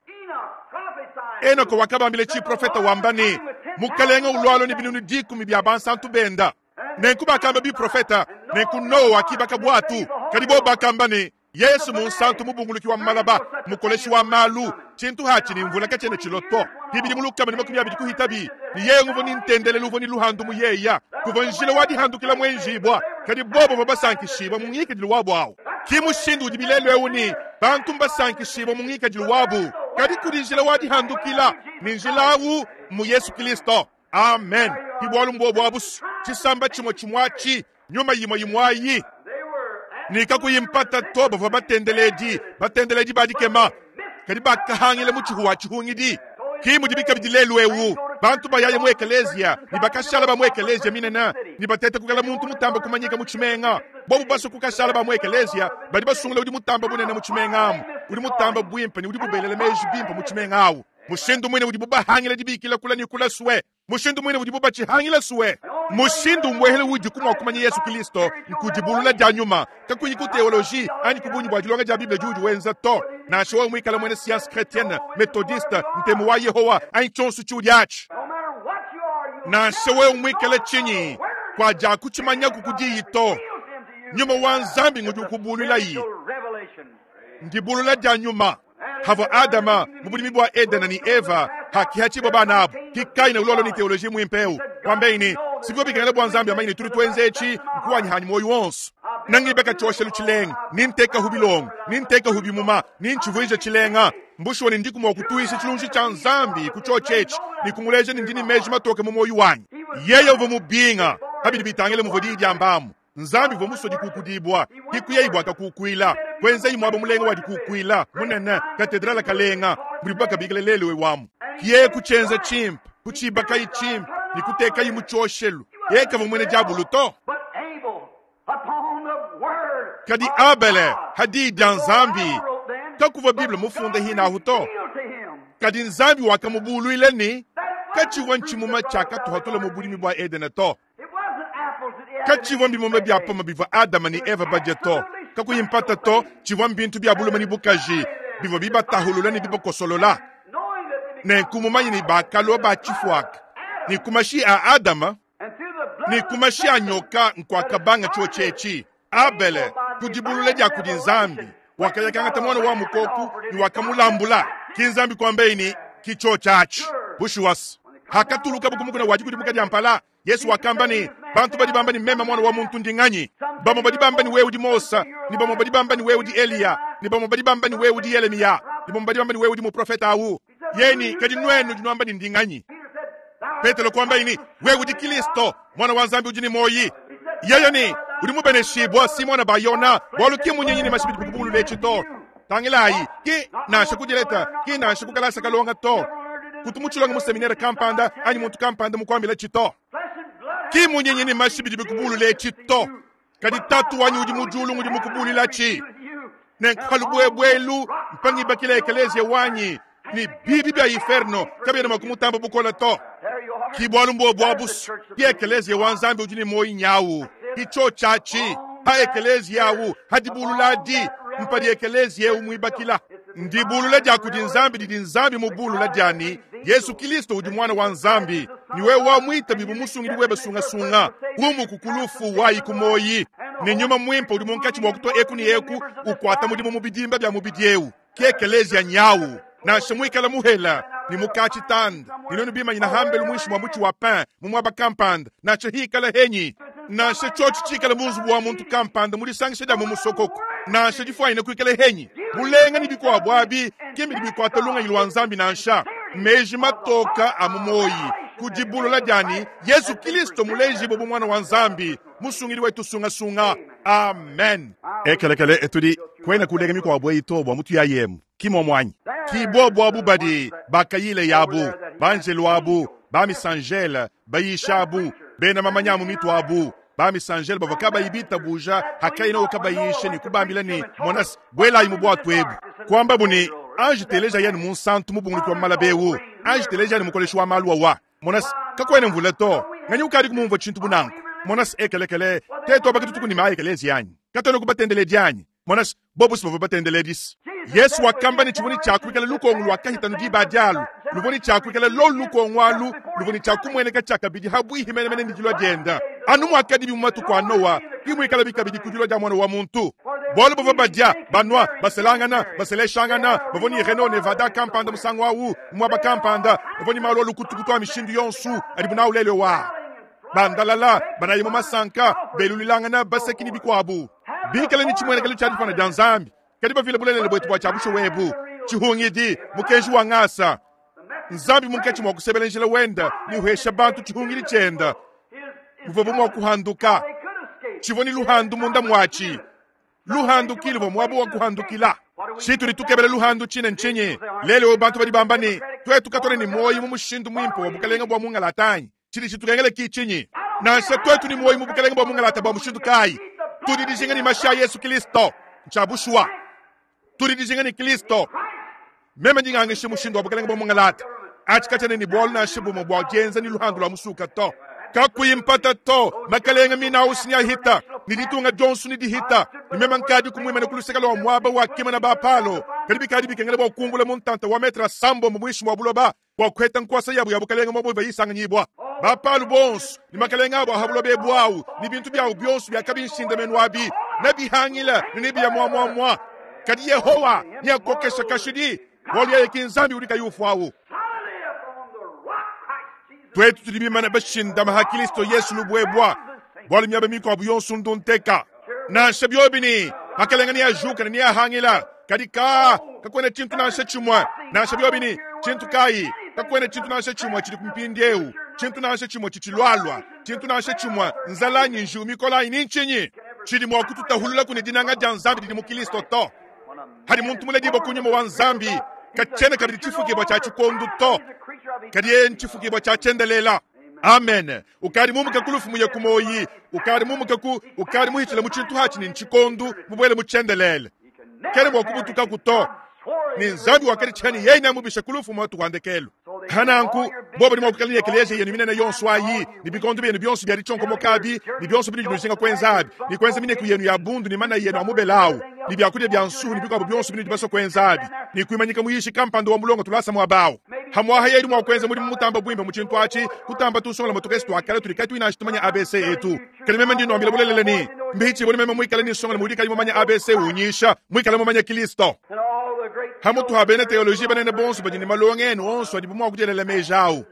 Enoka wakabambile chi profeta wambani mukalenga ulwalo ni binunu dikumi bya bansantu benda nenku bakamba bi profeta nenku Noa akibaka bwatu kadibo bakamba ni Yesu munsantu mubunguluki wa malaba mukoleshi wa malu chintu hachi ni mvula kachene chiloto bibili mulukama ni makumi abiri kuhitabi ni yeye nguvo ni ntendele luvo ni luhandu muyeya kuva njila wadi handukila mwenjibwa kadi bobo babasankishibwa mungikadilu wabu awo kimushindu udi bilelo euni bantu mbasankishibwa mungikadilu wabu kadi kudi njila wadi handukila ni njila awu mu Yesu Kristo. Amen. Kibwalu mbwo abusu chisamba chimwe chimwachi nyuma yimwe yimwayi nikakuyimpata to bava batendeledi batendeledi badikema kadi bakahangile muchihu chihungidi kimudibika bidilelu ewu bantu bayaye mu ekelezia ni bakashala ba mu ekelezia minena ni batete kukala muntu mutamba kumanyika muchimenga bobu baso kukashala ba mu ekelezia badi basungula udi mutamba bunene muchimenga amu udi mutamba bwimpe ni udi bubelele meji bimpe muchimenga awu mushindu mwine udi bubahangile dibikila kula ni kula suwe mushindu mwine udi bubachihangile suwe mushindu mwehele udi kumwa kumanya Yesu Kristo nkudibulula dia nyuma kakuyi ku teoloji anyi kubunyi bwa dilonga dia Biblia judi wenza to Nansha wewe muikale muena Science Chrétienne, Methodiste, Ntemu wa Yehowa anyi tshionso tshiudi atshi. Nansha wewe muikale tshinyi, kuajakutshimanyaku ku diyi to. Nyuma wa Nzambi ngudi ukubululayi. Ndibulula dia nyuma. Havua Adama mu bulimi bua Edena ni Eva hakihatshibua bana abu. Ki Kaina ulolo ni teoloji muimpe eu. Kwambeini, sivyo bikengela bua Nzambi amanye ne tudi tuenza etshi nkuwanyi hanyi muoyo wonso. Nangibeka tshiosha lutshilenga, ninteka hu bilongo, ninteka hu bimuma, nintshivuija tshilenga. Mbushuwa ne ndiku mua kutuisha tshilunji tshia Nzambi ku tshiotshi etshi, ne kumuleja ne ndi ne meji matoke mu muoyo wanyi. Yeye uvua mubinga, habidi bitangile muvua diyi dia mbamu. Nzambi uvua musue dikukudibua, hikuyeyi bua kakukuila. Kwenzeyi muaba mulenga wa dikukuila, munene, katedrala kalenga, budi bakabikila lelu wamu. Kiye kutshienza tshimpe, kutshibakayi tshimpe, ne kutekayi mu tshioshelu. Yeye kavua muena diabulu to. Kadi Abele hadi dia Nzambi, kakuvua Bible mufunda hinahu to. Kadi Nzambi wakamubuluila ni katshivua ntshimuma tshiakatuhatula mu bulimi bua Edene to. Katshivua mbimuma bia pama bivua Adama ne Eva badia to. Kakuyi mpata to, tshivua mbintu bia buluma ne bukaji bivua bibatahulula ne bibakosolola. Nenku mumanye ne bakalua ba tshifuaka. Ne ku mashi a Adama ne ku mashi a nyoka nkuakabanga tshiotshi etshi. Abele kudibulula dia kudi Nzambi wakayakangata mwana wa mukoku ne wakamulambula. Ki Nzambi kwambeyi ni ki tshiotshi atshi. Bushuwasi hakatuluka bukumukuna wa dikudimuka dia mpala. Yesu wakamba ni bantu badi bamba ni mema mwana wa muntu ndi nganyi? Bamwe badi bamba ni wewe udi Mosa, ni bamwe badi bamba ni wewe udi Eliya, ni bamwe badi bamba ni wewe udi Yeremia, ni bamwe badi bamba ni wewe udi muprofeta awu. Yeni kadi nwenu dinwamba ni ndi nganyi? Petero kwamba ini wewe udi Kristo mwana wa Nzambi udi ni moyi. Yeye ni udi mubeneshibwa Simona Bayona bwalu ki munyenyi ni mashibidi bukubulu lechito. Tangilayi ki nansha kudileta ki nansha kukalasa kalonga to. Kutumutshilonga mu seminaire kampanda anyi muntu kampanda mukwambila chito. Ki munyenyi ni mashibidi bukubulu lechito. Kadi tatu wanyi udi mujulu ngudi mukubulila chi. Nenkalubwebwelu mpangi bakile ekelezia wanyi ni bibi bya inferno kabena makumutamba bukola to. Ki bwalu mbwa bwabusu ki ekelezia wa Nzambi udi ni moyi nyawu. Ki cho chachi ha ekelezia yawu hadibululadi mpadi ekelezia umwibakila. Ndibulula dia kudi Nzambi didi Nzambi mubulula diani Yesu Kristo udi mwana wa Nzambi. Ni wewe wa mwita bibu musungidi webe sunga sunga umu kukulufu wayi kumoyi. Ni nyuma mwimpa udi munkatshi mwa kutoa eku ni eku ukwata mudimu mubidimba bya mubidi eu. Ki ekelezia nyawu. Nansha mwikala muhela ni mukachi tanda ni nonu bima nyina hambelu mwishi mwa muchi wa pain mu mwaba kampanda nansha hikala henyi nansha tshiotshi tshikala munzubu wa muntu kampanda mulisangisha dia mu musokoko nansha difwanyina kuikala henyi bulenga ni bikuabu abi kimbi bikwata lunganyi lwa Nzambi nansha meji matoka a mu moyi kudibulula diani Yesu Kristo muleji bobu mwana wa Nzambi musungili wetu sungasunga. Amen. Ekelekele etudi kwena kulenga mikuabu eyi bwa mutu ya yemu kimo mwanyi kibo bwabu badi bakayile yabu banjelu abu bamisangele bayishabu bena mamanyamu mitu abu bamisangele bavaka bayibita buja hakaina okabayishe ni kubambila ni monas bwela imu bwatu ebu kwamba buni ange teleja yenu munsantu mubungulu kwa malabewu ange teleja yenu mukoleshu wa maluwa wa monas kakwene mvula to nganyi ukadi kumumva tshintu bunanku monas ekelekele teto abakitutuku ni maekelezi yanyi katono kubatendele dianyi monas bobusi bava batendele disi. Yesu wakamba ni chivuni chakuikala lukongo lwakahitanu diba dialu luvuni chakuikala lolu lukongo alu luvuni chakumweneka chakabidi habwihi menemene ni dilwa dienda anu mwakadi bimatu kwa Noa kimwikala bikabidi kudilwa dia mwana wa muntu bwalu bava badia banwa baselangana baseleshangana bavoni Reno Nevada kampanda musango awu mwaba kampanda bavoni malo lukutukutu mishindu yonsu adibu na ulele wa bandalala banayimo masanka belulilangana basekini bikwabu bikala ni chimwenekelo cha difana dia Nzambi kadi bavile bulelele bwetu bwa chabusho webu chihungidi mukenji wa ngasa Nzambi munkachi mwa kusebela njila wenda ni uhesha bantu chihungidi chenda muvobo mwa kuhanduka chivoni luhandu munda mwachi luhandu kilivo mwabu wa kuhandukila chitu litukebele luhandu chine nchinyi lele bantu badi bambani twetu katone ni moyi mu mushindu mwimpe wa bukalenga bwa mungalatanyi chili chitukengele kichinyi nansha twetu ni moyi mu bukalenga bwa mungalata bwa mushindu kai tudidijinga ni mashi ya Yesu Kristo nchabushwa tudidijinga ni Kristo meme ndingangishe mushindu wa bukalenga bwa mungalata achikachane ni bwalu nansha bumwe bwa dienza ni luhandu lwa musuka to kakuyimpata to makalenga mina usinya hita ni ditunga Johnson ni dihita ni mema nkadi kumwima na kuluseka lwa mwaba wa kima na bapalo Kadi bikadi bikengela bua kumbula mu ntanta wa metre asambombo muinshi mua buloba bua kuheta nkuasa yabo ya bukalenge muaba bayisanganyibwa. Bapalu bonso ne makalenge abo aha buloba ebu ne bintu byabo byonso byakabinshinda abi nebihangila ne nebiya muamuamua. Kadi Yehowa neakokesha kashidi bualu yeye ki Nzambi udi kayi ufuawu. Twetu tudi bimane bashindama ha Kristo Yesu lubwebwa bualu miaba mikuabu yonso ndunteka nansha byobini makalenge neajuka ne neahangila. Kadi ka kakwena tshintu nansha tshimue nansha byobini tshintu kayi kakwena tshintu nansha tshimue tshidi kumpindiewu tshintu nansha tshimue tshitshilwalwa tshintu nansha tshimue nzalanyi njiwu mikolayi ni ntshinyi tshidi mua kututahulula kune dinanga dia Nzambi didi mu Kristo to. Hadi muntu muledi kunyuma wa Nzambi kachena kabidi tshifukibwa tshia tshikondu to kadi yeye ntshifukibwa tshia tshiendelela. Amen. Ukadi mumuka kulufu muye kumoyi ukadi mumuka ku ukadi muhitshila mu tshintu hatshi ni ntshikondu mubwele mu tshiendelele kene bua kubutuka kuto ni Nzambi wakadi tshani yeye namubisha kulufu mwatu kwandekelo. Hananku bobo ni mwakukala ekelesia yenu minene yonso ayi ni bikondo byenu byonso byali tshonko mokabi ni byonso bili nuzinga kwenzabi ni kwenza mineku yenu ya bundu ni mana yenu amubelawu ni byakulya bya nsuhu ni bikwabo byonso bili baso kwenzabi ni kuimanyika muyishi kampando wa mulongo tulasa mwabawo hamwaha yedi mwa kwenza muri mutamba bwimba mu tshintu atshi kutamba tusongola motokestu akala tuli katu ina shitumanya A B C etu kali meme ndi nombila bulelele ni mbichi boli meme mwikala ni songola muri kali mumanya A B C unyisha mwikala mumanya Kristo. Hamutu habene teologie banene bonso badini malonge enu onso adi bumwa kujelela mejawu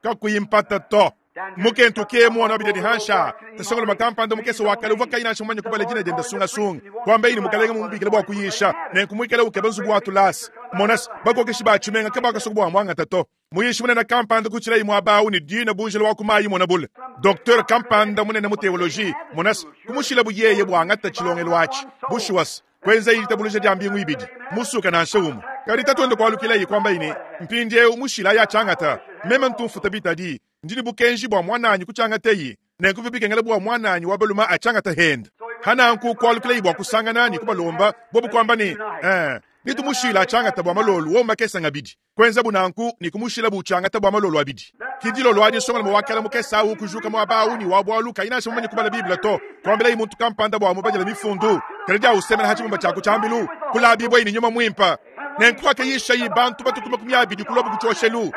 kakuyimpata to mukentu ke mwana bideni hansha tasongola makampando mukese wakale uva kayina shimanya kubale jina jenda sunga sunga kwamba ini mukalenga mumubikile bwa kuyisha nenkumwikela ukeba nzubu wa tulasi monas bakokeshi bachimenga kabaka sokubwa mwanga tato muyishi munene kampanda kuchila imwe abawu ni dina bunjela wa kumayi mona bule docteur kampanda munene mu theologie monas kumushila buyeye bwangata chilongelo achi bushuwas kwenza ilitabuluja dia mbingu ibidi musuka nansha umu kadi tatuende kwalukila yi kwamba ini mpindiewu mushila ya changata meme ntumfuta bitadi ndini bukenji bwa mwananyi kuchangata yi nenkuvi bikengela bwa mwananyi wabaluma achangata henda hananku kwalukila yi bwa kusangana ni kubalomba bobu kwamba ni eh nitumushila achangata bwa malolu womba kesa ngabidi kwenza bunanku ni kumushila buchangata bwa malolu abidi kidilo lwadi songa mwakala mukesa u kujuka mwabawu ni wabwaluka inasha mumanye kubala Biblia to kwambela yi muntu kampanda bwa mubajala mifundu kaleja usemela hachimumba chako chambilu kulabibwa ini nyuma mwimpa nenkuwa kayisha yi bantu batukuma kumyabidi kulobu kuchoshelu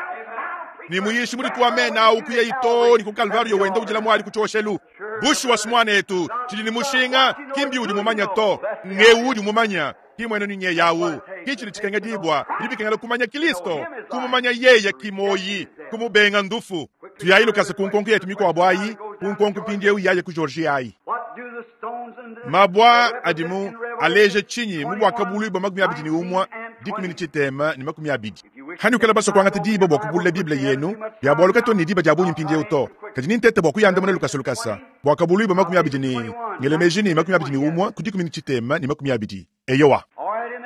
ni muyishi muri tuwamena ukuye ito ni ku Kalvario wenda ujila mwali kuchoshelu bushu wasimwana etu chili ni mushinga kimbi udi mumanya to ngewu udi mumanya kimwene ninye yawu kichili chikenga dibwa libikengela kumanya Kristo kumumanya yeye kimoyi kumubenga ndufu tuyayilu kasa kunkonko yetu mikwabo ayi kunkonko pindiewu yaye ku Georgia ayi mabwa adimu aleje chinyi mubwaka bulu ba makumi abidi ni umwa dikumi ni chitema ni makumi abidi hani ukala baso kwangata diba bwa kubula Biblia yenu bya bwaluka to ni diba jabunyi mpindiewu to kadi ni ntete bwa kuyanda mune lukasa lukasa bwaka bulu ba makumi abidi ni ngelemeji ni makumi abidi ni umwa kudikumi ni chitema ni makumi abidi eyowa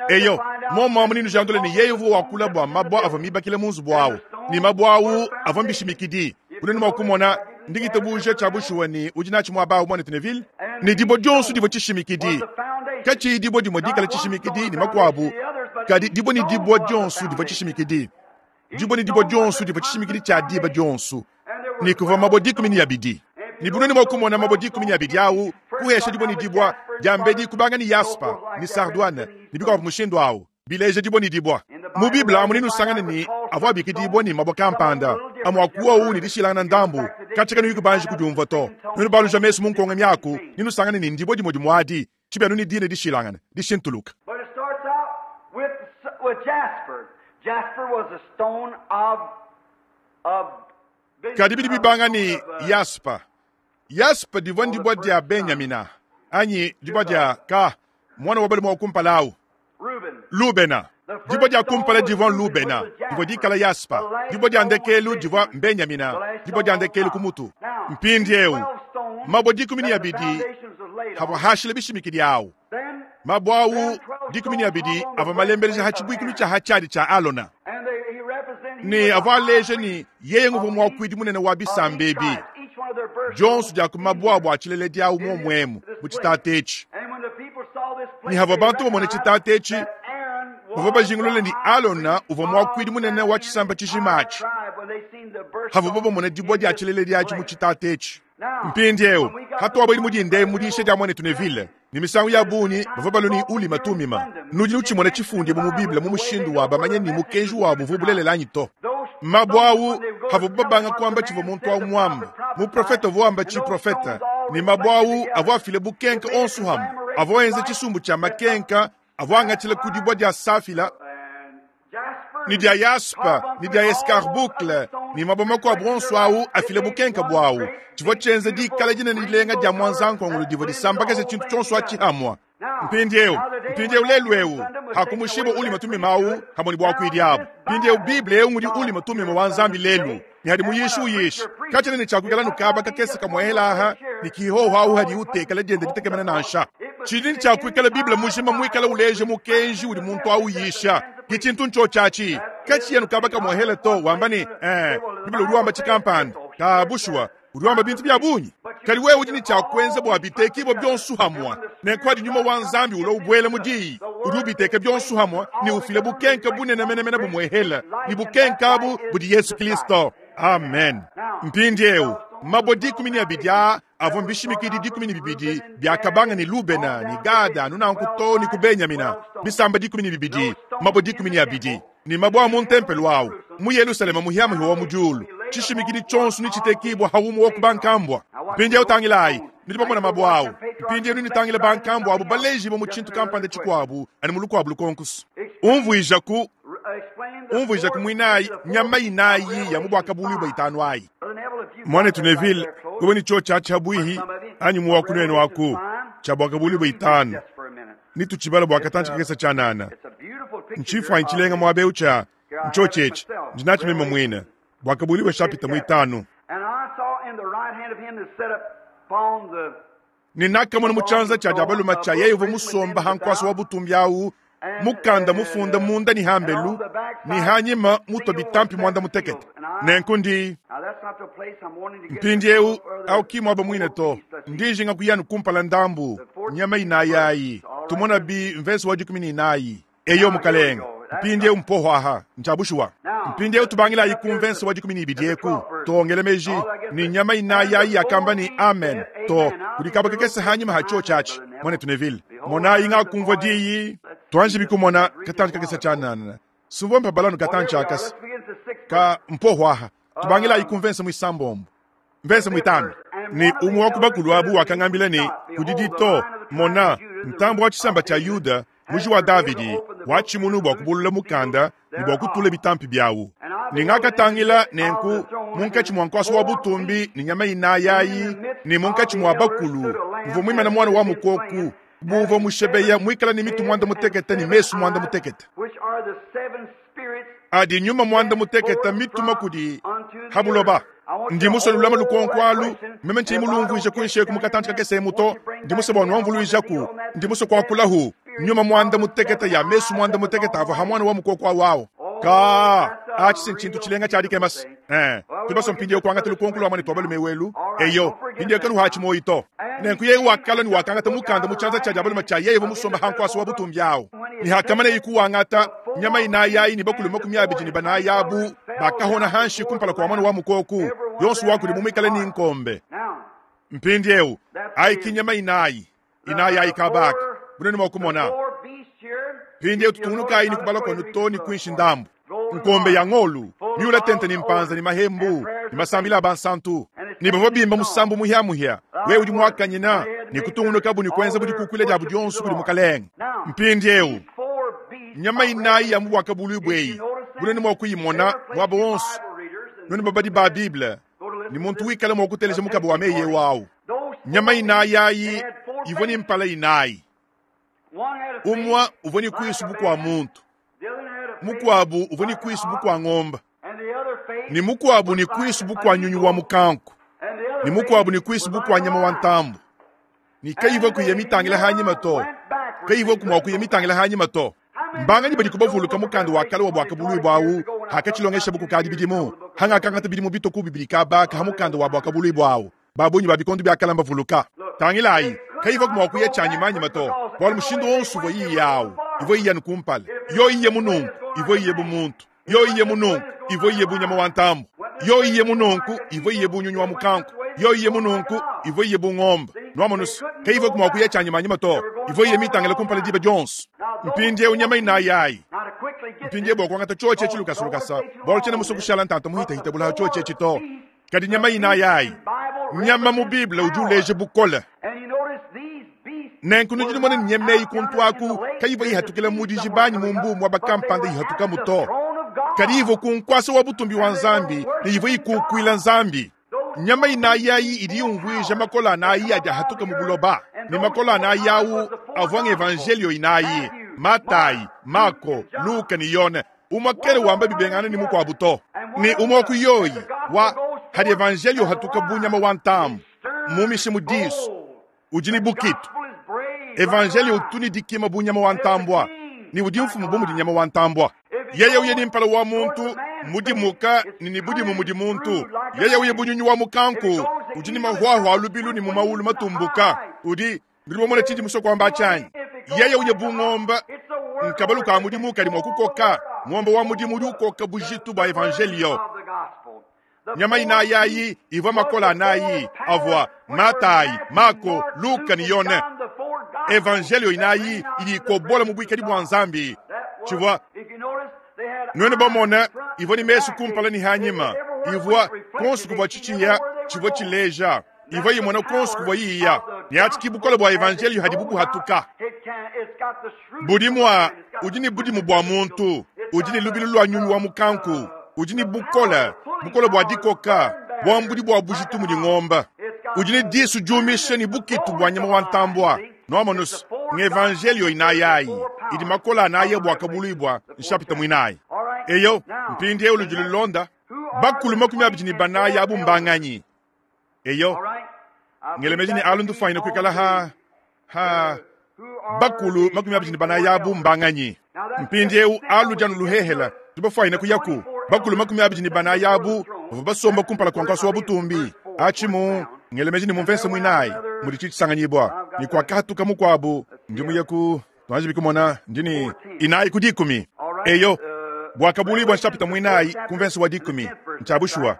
eyo momo muninu jandole ni yeyo vu wakula bwa mabwa ava mibakile munzu bwawo ni mabwawu ava mbishimikidi unenu mwakumona ndingitebuje chabushuwa ni ujinachi mwabawu mwana Teneville ni dibo dyonso divo chishimikidi kachi dibo dimo dikala chishimikidi ni makwabu kadi dibo ni dibo dyonso divo chishimikidi dibo ni dibo dyonso divo chishimikidi cha diba dyonso ni kuva mabo dikumi ni abidi ni bunoni mwakumona mabo dikumi ni abidi awu kuhesha dibo ni dibwa diambedi kubanga ni yaspa ni sardwane ni bikwa mushindo awu bileje dibo ni dibwa mu Biblia muninu sangana ni avwa bikidibwa ni mabo kampanda amwakuwa wu ni dishilana ndambu kachika ni yukubanji kujumva to ninu baluja mesu munkonga myaku ninu sangana ni ndibo dimo dimwadi chibenu ni dine dishilangana dishintuluka. But it starts out with with jasper. Jasper was a stone of of kadi bidi bibanga ni yaspa yaspa divwa ndibwa dia Benyamina anyi dibwa dia ka mwana wa bali mwakumpalau Reuben. Lubena dibwa dia kumpala divwa Lubena divwa dikala yaspa dibwa dia ndekelu divwa Benyamina dibwa dia ndekelu kumutu mpindiewu mabwa dikumi ni abidi havwa hashile bishimikidi awu mabwa awu dikumi ni abidi avwa malembeleja hachibwikilu cha hachadi cha Alona ni avwa aleje ni yeye nguvu mwakwidi munene wa bisambebi jonso dia kumabwa abwa achilele diawu momwemu muchitate echi ni hava bantu bamone chitate echi bava bajingulule ni Alona uvwa mwakwidi munene wa chisamba chishimachi hava babamone dibwa dia chilele diachi muchitate echi mpindiewu hatuwa bwili mudinde mudishe dia mwane Tuneville Ne misangu ya bungi bavua balua ne Ulima Tumima. Nudi nutshimona tshifundi mu Bible mu mushindu wa bamanye ne mukenji wabu uvua bulelela anyi to. Mabue awu avua babanga kuamba tshivua muntu awu muamba. Muprofete uvua wamba tshiprofete. Ne mabue awu avua afile bukenke onso hamwe. Avua enza tshisumbu tshia makenka, avua angatshila ku dibua dia safila, ni dia yaspa, ni dia escarboucle, ni mabue makuabu onso awu afile bukenke bwawu. Tshivua tshienza dikala dinene dilenga dia mwanzankongolo divua disambakaja tshintu tshionso atshi hamwa. Mpindieu, mpindieu lelu eu, hakumushiba Ulima Tumima awu hamwe ne bwakuidi abu. Mpindieu Bible eu ngudi Ulima Tumima wa Nzambi lelu. Ni hadi muyishi uyishi. Katshena ne tshiakuikala nukaba kakese kamwehela aha, ni kihoho awu hadi utekela diende ditekemena nansha. Tshidi ne tshiakuikala Bible mujima muikala uleje mukenji udi muntu awu uyisha. Ki tshintu ntshotshatshi. Katshiya nukaba kamwehela to, wamba ne, eh, Bible udi wamba tshikampanda. Ka bushuwa, udi wamba bintu bya bungi. Kadi wewe udi ne tshiakwenza bua bitekibua bionso hamwa. Nenku adi nyuma wa Nzambi ulo ubwela mu diyi. Udi ubiteka bionso hamwa ne ufile bukenke bunene menemene bumwehela. Ni bukenke abu budi Yesu Kristo. Amen. Mpindieu, mabue dikumi ne abidi aa avua mbishimikidi dikumi ne bibidi biakabanga ne Lubena ne Gada nunanku to ne ku Benyamina. Bisamba dikumi ne bibidi, mabue dikumi ne abidi. Ni mabue a mu ntempelo awu mu Yerusalema muhiamuhia wa mu diulu. Tshishimikidi tshionso ne tshitekibua haumu wa ku bankambua. Mpindieu tangilayi, nudi bamona mabue awu. Mpindieu nutangile bankambua abu balejibo mu tshintu kampanda tshikuabu ani mu lukuabu lukonkusu. Umvuijaku, umvuijaku muinayi nyama inayi ya mu bwakabuluibua itanu ayi. Mwanetu Neville, wewe ni cho cha chabwihi anyi mu wakunene waku cha bwakabuluibua itanu. Nituchibala bwakatanchi kakesa chanana. Nchifu ainchilenga mwabeu cha nchochechi ndinachi mema mwina bwakabuliwe shapita mwitanu. Ninakamona muchanza cha jabaluma cha yeye uvo musomba hankwasa wa butumbi awu mukanda mufunda munda ni hambelu ni hanyima muto bitampi mwanda mutekete. Nenku ndi mpindi eu au kimwa aba mwine to ndijinga kuyanu kumpala ndambu nyama inayayi tumona bi mvesi wa dikumi ni inayi eyo mukalenga. Mpindi eu mpoho aha njabushuwa. Mpindi eu tubangila ayi kumvensi wa dikumi ni ibidi eku tongele meji ni nyama inayayi yakamba ni amen to kudikaba kekese hanyima hacho chachi mwane Tuneville mona inga kumvwa diyi tuanji bikumona katanchi kakesa chanana sumvo mpa balano katanchi akasi ka mpoho aha tubangila ayi kumvensi mwisambombo mvensi mwitano ni umwe wa kubakulu abu wakangambila ni kudidi to mona ntambo wa chisamba cha Yuda muji wa Davidi wachimunu bwa kubulula mukanda ni bwa kutula bitampi byawu. Ningakatangila nenku munkatshi mwa nkwaso wa butumbi ni nyama inayayi ni munkatshi mwa bakulu muvua mwimana mwana wa mukoku buva mushebeya mwikala ni mitu mwanda mutekete ni mesu mwanda mutekete. Adi nyuma mwanda mutekete mituma kudi habuloba. Ndi musolulama lukonkwalu meme nchi mulumvuije kuishe kumukatanchi kakese muto ndi musoba nwamvuluijaku ndi muso kwakulahu nyuma mwanda mutekete ya mesu mwanda mutekete ava hamwana wa mukoko wawo. Ka achi sinchintu chilenga chali kemas. Eh, tubaso mpindi okwanga tulukonkulu amane twabalu mewelu. Eyo, hindi kanu hachi moito. Nenku yewe wakala ni wakanga tamukanda muchanza cha jabalu macha yeye musomba hankwaso wa butumbi yawo. Ni hakamana ikuwangata nyama inayayi ni bakulu makumi abiri ni banayabu bakahona hanshi kumpala kwa mwana wa mukoku. Yonsu wakuli mumikale ni nkombe. Mpindi eu, ayi kinyama inayi. Inayi ayi kabaka. Bunene mwakumona. Pindi eu tutunuka ayi ni kubala kwa nutoni kuishi ndambu. Nkombe ya ngolu, miula tente ni mpanza ni mahembu, ni masambila bansantu. Ni bavo bimba musambu muhia muhia. We udi mwakanyina, ni kutungunuka bu ni kwenza budi kukwile jabu dionsu kudi mukalenga. Mpindi eu, nyama inayi ya mubwaka bulu bweyi. Bunene mwakuyimona, mwabo wonsu. None babadi ba Bible, ni muntu wikala mwakuteleja mukabo wa meye wawu. Nyama inayi ayi, ivyo ni mpala inayi. Umwa uvyo ni kuisu bukwa muntu. Mukwabu uvyo ni kuisu bukwa ng'omba. Ni mukwabu ni kuisu bukwa nyunyu wa mukanku. Ni mukwabu ni kuisu bukwa nyama wa ntambu. Ni kaivo kuye mitangila hanyima to. Kaivo kumwa kuye mitangila hanyima to. Mbanga ni badi kubavuluka mukanda wa kale wa bwaka bului bwawu hakachilongesha buku kadi bidimu. Hanga kangata bidimu bitoku bibilika baka hamukanda wa bwaka bului bwawu. Babunyi babikondu bya kalamba vuluka. Tangilayi kaivo kumwa kuye chanyima nyima to. Bwalu mushindo wonsu vo iyi yawu. Ivo iye nukumpala. Yo iye munungu. Ivo iye bumuntu. Yo iye munungu. Ivo iye bunyama wa ntambu. Yo iye munungu. Ivo iye bunyunyu wa mukanku. Yoyi ye mununku ivua iye bu ngombe. Nwamonu se, kayivua mua kuya tshianyimanyima to, ivua iye mitangile kumpala diba dionso. Mpindieu nyama inayi ayi. Mpindieu bua kuangata tshiotshi etshi lukasalukasa, bualu tshiena musue kushala ntanta muhitahita bulaha tshiotshi etshi to. Kadi nyama inayi ayi. Nyama mu Bible udi uleja bukole. Nenku nudi numona ne nyama eyi kuntu aku kayivua ihatukila mu dijiba anyi mu mbu muaba kampanda ihatukamu to. Kadi ivua ku nkuasa wa butumbi wa Nzambi ne ivua ikukuila Nzambi. Nyama inayi ayi idi yumvuija makola anayi adi ahatuka mu buloba. Ne makola anayi awu avua ng'evanjelio inayi: Matayi, Mako, Luka ne Yone. Umue kele wamba bibengana ne mukuabu to. Ne umue wa ku yoyi wa hadi evanjelio hatuka bu nyama wa ntambu mumishe mu disu udi ne bukitu. Evanjelio utu ne dikima bu nyama wa ntambua ne udi mfumu bu mudi nyama wa ntambua. Yeye uye ni mpala wa muntu mudimuka ne ni budimu mudi muntu. Yeye uye bunyunyi wa mukanku udi ne mahwahwa a lubilu ne mu maulu matumbuka. Udi nudi bamona tshindi musue kuamba tshianyi. Yeye uye bu ngombe nkabalu ka mudimu kadi mua kukoka. Ngombe wa mudimu udi ukoka bujitu bua evanjelio. Nyama inayi ayi ivua makola anayi avua Matayi, Mako, Luka ne Yone. Evanjelio inayi idi ikobola mu buikadi bua Nzambi. Tshivua nuenu bamona ivua ne mesu kumpala ne hanyima, ivua konso kuvua tshitshiya tshivua tshileja, ivua imona konso kuvua yiya. Ne atshi bukole bua evanjelio hadi bubuhatuka. Budimua udi ne budimu bua muntu, udi ne lubilu lua nyunyu wa mukanku, udi ne bukole, bukole bua dikoka, buambudi bua bujitu mudi ngomba. Udi ne disu diumisha ne bukitu bua nyama wa ntambua. Nwamonu se, ng'evanjelio inayi ayi idi makola anayi bua kabuluibua nshapita muinayi. Eyo mpindieu ludi lulonda bakulu makumi abidi ne banayi abu mbanganyi. Eyo ngelemeji ne alu ndufanyine kuikala ha ha bakulu makumi abidi ne banayi abu mbanganyi. Mpindieu alu dianu luhehela tubafanyine kuyaku bakulu makumi abidi ne banayi abu bavua basomba kumpala kua nkuasa wa butumbi. Atshimu ngelemeji ne mumvese muinayi mudi tshitshisanganyibua ne kuakahatuka mukuabu ndi muye ku tuanji bikumona ndi ne inayi ku dikumi. Eyo bwakabulibwa nshapita muinayi ku mvese wa dikumi ntshiabushuwa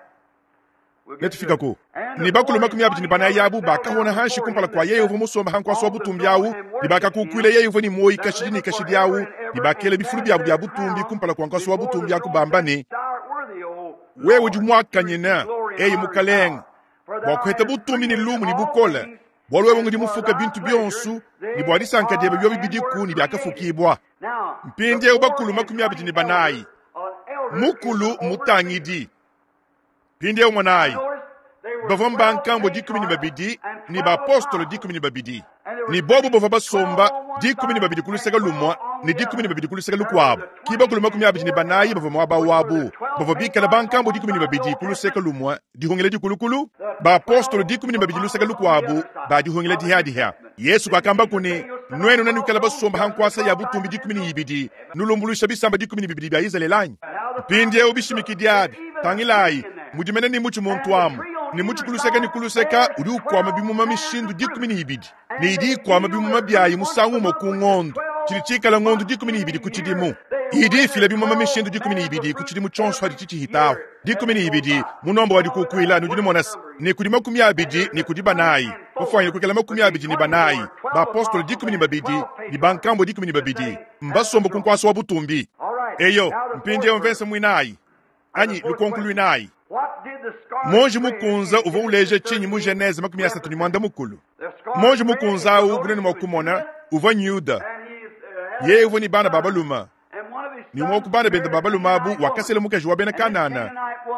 netufikaku. Ne bakulu makumi abidi ne banayi abu bakahona hanshi kumpala kua yeye uvua musomba ha nkuasa wa butumbi awu, ne bakakukuila yeye uvua ne muoyi kashidi ne kashidi awu, ne bakela bifulu biabu bia butumbi kumpala kua nkuasa wa butumbi aku bamba ne, wewe udi muakanyine eyi mukalenga bua kuheta butumbi ne lumu ne bukole, bualu wewe ngudi mufuka bintu bionso ne bua disanka diebe biobi bidiku ne biakafukibua. Mpindieu bakulu makumi abidi ne banayi, mukulu mutangidi. Mpindieu monayi bavua mbankambo dikumi ne babidi ne baapostolo dikumi ne babidi, ne bobu bavua basomba dikumi ne babidi ku luseke lumue ne dikumi ne babidi ku luseke lukuabu. Ki bakulu makumi abidi ne banayi bavua muaba wabu, bavua bikala bankambo dikumi ne babidi ku luseke lumue dihungila dikulukulu, baapostolo dikumi ne babidi luseke lukuabu ba dihungila dihadiha. Yesu kakamba kune nuenu nanukala basomba ha nkuasa ya butumbi dikumi ne ibidi nulumbulusha bisamba dikumi ne bibidi bia Izraeli anyi? Mpindieu bishimikidi abi tangilayi mudimene ne mutshi muntu amu ne mutshi kuluseka ne kuluseka udi ukwama bimuma mishindu dikumi ne ibidi ne idi ikwama bimuma byayi musangu umue ku ngondo tshidi tshikala ngondo dikumi ne ibidi ku tshidimu. Idi ifila bimuma mishindu dikumi ne ibidi ku tshidimu tshionso hadi tshitshihitaho dikumi ne ibidi munombo wa dikukuila nudi numona se ne kudi makumi abidi ne kudi banayi bafwanyine kuikala makumi abidi ne banayi baapostolo dikumi ne babidi ne bankambo dikumi ne babidi mbasomba ku nkuasa wa butumbi. Eyo mpindieu mvese muinayi anyi lukonko luinayi. Monji mukunza uvua uleja tshinyi mu Genese makumi asatu ne mwanda mukulu. Monji mukunza awu bunene mua kumona uvua Yuda. Yeye uvua ne bana ba balume. Ne umue wa ku bana bende ba balume abu wakasela mukaji wa bena Kanana.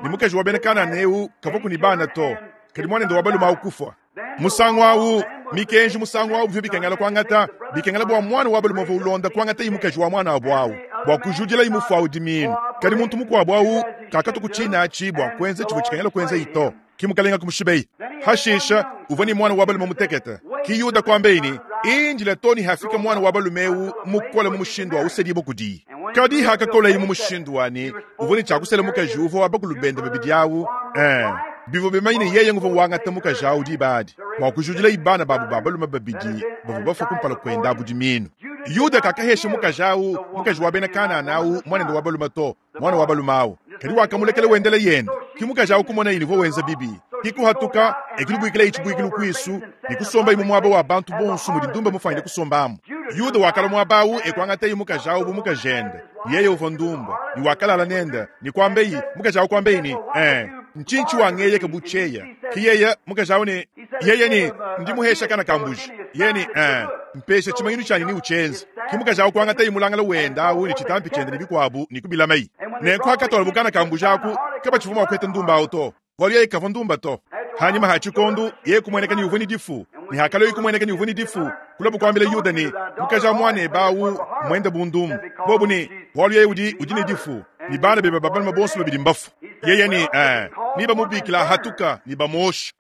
Ne mukaji wa bena Kanana eu kavua ne bana to, kadi muanende wa balume awu kufua. Musangu awu mikenji musangu awu bivua bikengela kuangata, bikengela bua mwana wa balume uvua ulonda kuangata yi mukaji wa mwana wabu awu bua kujudila yi mufu awu diminu. Kadi muntu mukuabu awu kakatu kutshina atshi bua kuenza tshivua tshikengela kuenza ito. Ki mukalenga kumushibeyi. Hashisha uvua ne mwana wa balume mutekete. Ki Yuda kuambeyi ne indila to ne hafika mwana wa balume eu mukole mu mushindu wa usedibo kudiyi. Kadi hakakolayi mu mushindu wani uvua ne tshiakusela mukaji uvua wa bakulu bende babidi awu. Eh, bivua bimanye ne yeye nguvua wangata mukaji awu diba adi bua kujudila ibana babu ba balume babidi bavua bafua kumpala kuenda abu diminu. Yuda kakahesha mukaji awu mukaji wa bena Kanana awu mwanende wa balume to mwana wa balume awu, kadi wakamulekela wendela yende. Ki mukaji awu kumona yini uvua wenza bibi. Kikuhatuka ekilubwikila ichibwikilu kwisu nikusomba imu mwaba wa bantu bonso mudi ndumba mufanyile kusombamu. Yuda wakala mwabawu ekwangata imukajawu bu mukajende. Yeye uva ndumba, ni wakalala nenda, ni kwambeyi mukajawu kwambeyi eh nchinchi wangeye kabucheya. Kiyeya mukajawu ni yeye ni ndimuhesha kana kambuji. Yeye ni eh mpesha chimanyinu chanyi ni uchenzi. Kimukajawu kwangata imulangala wenda awu ni chitampi chende ni bikwabu ni kubilamai. Nenko akatola bukana kambuji aku kaba chivuma kwete ndumba auto. Wali yeye kava ndumba to. Hanyuma hachikondo yeye kumweneka ni uvuni difu. Ni hakalo ikumweneka ni uvuni difu. Kulabu kwambile Yuda ni mukaja mwane bawu mwenda bundumu. Bobu ni wali yeye udi udini difu. Ni bana beba babana mabonso babidi mbafu. Yeye ni eh niba mubikila hatuka ni bamoshi.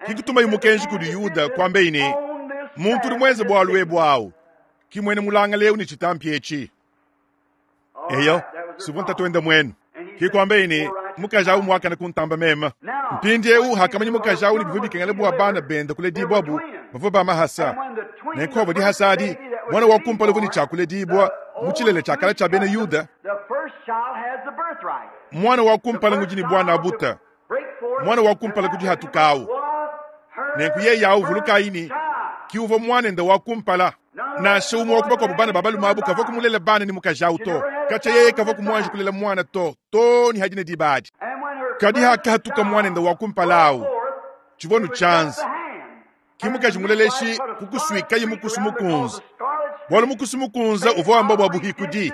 Kikutuma yumukenji kuli Yuda kwambe ini muntu uli mwenze bwalwe bwawu. Kimwene mulanga leo ni chitampi echi. Eyo sivunta twenda mwenu. Kikwambe ini mukajawu mwaka na kuntamba mema. Mpindi eu hakamanyi mukajawu ni bivubi kengele bwa bana benda kule dibwabu bavo ba mahasa. Nenkobo di hasadi mwana wa kumpala vuni chakule dibwa muchilele chakala cha bene Yuda. Mwana wa kumpala ngujini bwana abuta. Mwana wa kumpala kuji hatukau. Nenku ye yawu vulukaini kiuvo mwana nda wa kumpala. Na shaumu wa kubako bana babalu mabu kavo kumulela bana ni mukajawu to. Kacha yeye kavo kumwanji kulela mwana to. To ni hajine dibadi. Kadi haka hatuka mwana nda wa kumpalau. Chivonu chanzi. Kimukaji muleleshi kukuswika yimukusumukunza. Bwalu mukusumukunza uvo amba bwa buhikudi.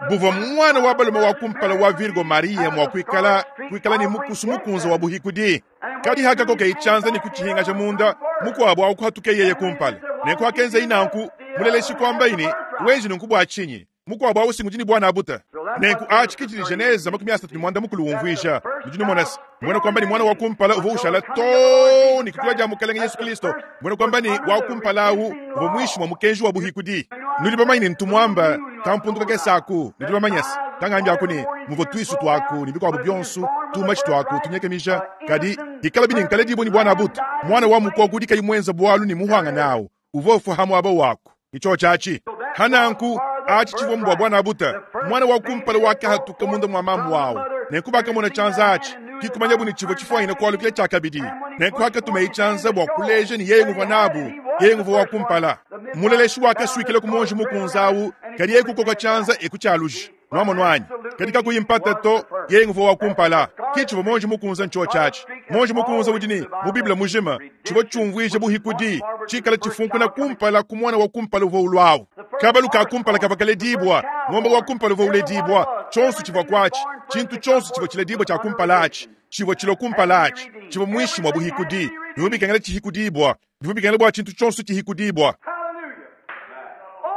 Buva mwana wa balume wa kumpala wa Virgo Maria mwa kuikala kuikala ni mukusumukunza wa buhikudi. Kadi haka koke ichanza ni kuchihinga cha munda mukwabo au kuhatuke yeye kumpala. Nenko akenza inanku muleleshi kwamba ini wenji nkubwa achinyi. Mukwabo au singujini bwana abuta. Nenku achikichili Geneza makumi asatu ni mwanda mukulu umvwisha. Mujini mwanasi. Mwana kwamba ni mwana wa kumpala uvo ushala to ni kukula ja mukalenge Yesu Kristo. Mwana kwamba ni wa kumpala u uvo mwishi mwa mukenji wa buhikudi. Nuli bamanyine ntumwamba tampunduka kesaku nuli bamanyasi. Tangambya akuni muvo twisu twaku ni bikwabo byonsu tumachi twaku tunyekemisha kadi ikala bini nkale dibo ni bwana abuta. Mwana wa mukogudi kayimwenza bwalu ni muhwanga nawo. Uvo ufahamu abo wako. Icho chachi. Hananku achi chivo mbwa bwana abuta. Mwana wa kumpala wake hatuka munda mwa mamu wao. Nenkubaka mwana chanza achi. Kikumanya buni chivo chifwa ina kwa lukile chakabidi. Nenku haka tumeichanza bwa kuleje ni yeye nguva nabu. Yeye nguva wa kumpala. Muleleshi wake swikile kumonji mukunzawu. Kadi yeye kukoka chanza ekuchaluji. Nwamo nwanyi. Katika kuyimpata to yeye nguva wa kumpala. Kichivo monji mukunza ncho chachi. Monji mukunza ujini mu Biblia mujima. Chivo chumvwije buhikudi. Chikala chifunku na kumpala kumwana wa kumpala uvo ulwawu. Kabalu ka kumpala kavakale dibwa. Ngomba wa kumpala uvo ule dibwa. Chonsu chivo kwachi. Chintu chonsu chivo chile dibwa cha kumpalachi. Chivo chilo kumpalachi. Chivo mwishi mwa buhikudi. Bivumbi kengele chihikudibwa. Bivumbi kengele bwa chintu chonsu chihikudibwa.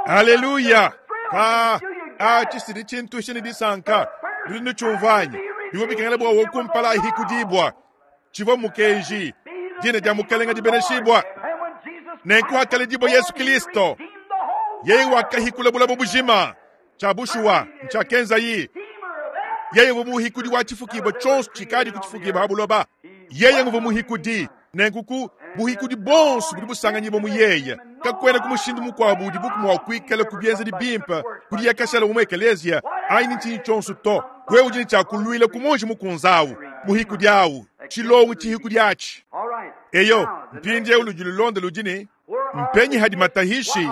Haleluya. Ka a chisiri chintu shini disanka. Nuli chumvanyi. Bivumbi kengele bwa wokumpala hikudibwa. Chivo mukenji. Dine dia mukalenga di beneshibwa. Nenku hakale dibwa Yesu Kristo. Yeye wakahikula bula bubujima. Chabushua nchakenza yi. Yeye vumuhikudi wa chifukibwa chonsu chikadi kuchifukibwa habuloba. Yeye nguvumuhikudi. Nenkuku buhikudi bonsu budi busanganyibo muyeye. Kakwena kumushindu mukwabu di buku mwakwikala kubyenza di bimpa kudi yakashala umwe ekelezia aini nchini chonsu to. Wewe ujini chakulwila kumonji mukunzawu muhikudi awu. Chilongu chihikudi achi. Eyo mpindi eu lujululonda lujini mpenyi hadi matahishi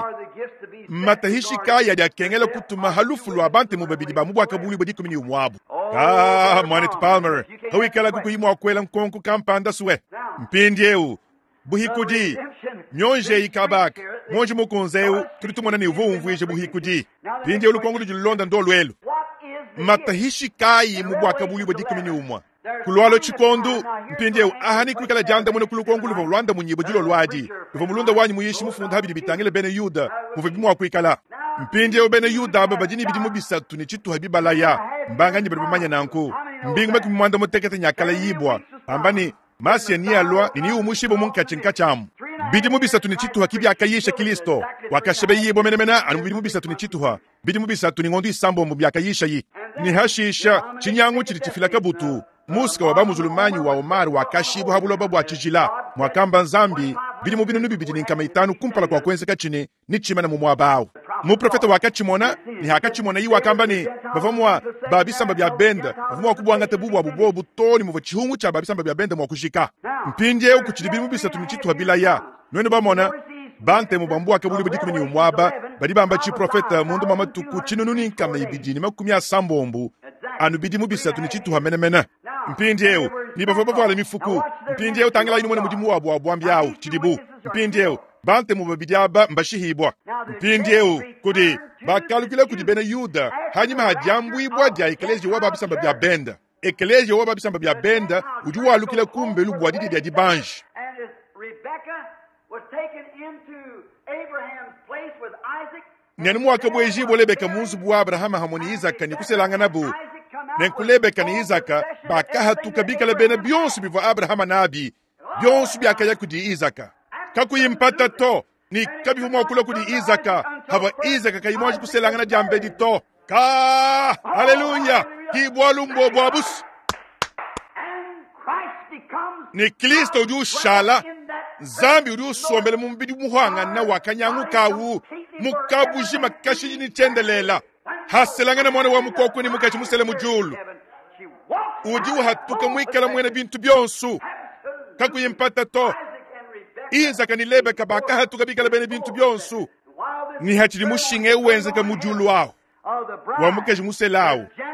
matahishi kaya ya kengela kutuma halufu lwa bante mubabidi ba mubwaka buli bodi kumini umwabu. Ah, Mwanet Palmer, hawikala kukuyimwa kwela nkonku kampanda suwe. Mpindi eu buhikudi nyonje ikabaka monji mukunzeu tulitumona ni uvumvwije buhikudi. Mpindi eu lukongo lujululonda ndo lwelu. Matahishi kayi mubwaka buli bodi kumini umwa. Kulwalo chikondu mpindi eu ahani kwikala janda mune kulukongo luvo lwanda munyibo julo lwadi. Luvo mulunda wanyi muyishi mufunda habidi bitangile bene Yuda muve bimwa kwikala. Mpindi eu bene Yuda aba bajini bidimu bisatu ni chitu habibalaya. Mbanga nyi bali bamanya nanku. Mbingu meku mwanda mutekete nyakala yibwa. Ambani Masia ni alwa ni umushibo munkachi nkachamu. Bidimu bisatu ni chituha kibya akayisha Kristo. Wakashebe yibo menemena anu bidimu bisatu ni chituha. Bidimu bisatu ni ngondi isambo mu byakayisha yi. Ni hashisha chinyangu chili chifila kabutu. Muska wa bamuzulumanyi wa Omar wakashibu habuloba bwa chijila. Mwakamba nzambi bidimu binu nubibidi ni nkama itanu kumpala kwa kwenzeka chini ni chima na mumwabao. Muprofete wakatshimona ne hakatshimona yi wakamba ne bavua mua ba bisamba bia benda bavua mua kubuangata bu buabu bobu to ne muvua tshihungu tshia ba bisamba bia benda mua kujika. Mpindieu kutshidi bidimu bisatu ne tshituha bilaya. Nuenu bamona bantemu ba mbuaka buli dikumi ne umwaba badi bamba tshiprofeta mundu mwa matuku tshinunu ne nkama ibidi ne makumi asambombo anu bidimu bisatu ne tshituha menemene. Mpindieu ni bavua bavuala mifuku. Mpindieu tangilayi numone mudimu wabu wa buambi awu tshidibu. Mpindieu bantemu babidi aba mbashihibwa. Mpindieu kudi bakalukila kudi bena Yuda hanyima ha diambuibwa dia ekelezia wa ba bisamba bia benda. Ekelezia wa ba bisamba bia benda udi walukila kumbelu bua didi dia dibanji. And as Rebekah was taken into Abraham's place with Isaac, Nenu mwakabwejibwa Lebeka mu nzubu wa Abrahama hamwe ne Isaka ne kuselangana nabo. Nenku Lebeka ne Isaka bakahatuka bikala bena bionso bivua Abrahama nabi, bionso biakaya kudi Isaka. Kakuyi mpata to, ni kabivua mua kulua kudi Isaka, havua Isaka kayi muanji kuselangana diambedi to. Ka, haleluya, ki bualu mbo bua busu. and Christ becomes Ni Kristo udi ushala, Nzambi udi usombela mu mubidi muhangana wa kanyangu kawu, mukabujima kashiji ni tyendelela. Haselangana mwana wa mukoko ni mukaji musele mu julu. She walks Udi uhatuka mwikala mwene bintu byonso. Kakuyi mpata to. Isaac and Rebekah. Isaka ni Lebeka bakahatuka bikala bene bintu byonso. While this Ni hachili mushinga ewenzeka mu julu awo. of the bride, Wa mukaji musele awo. Gentile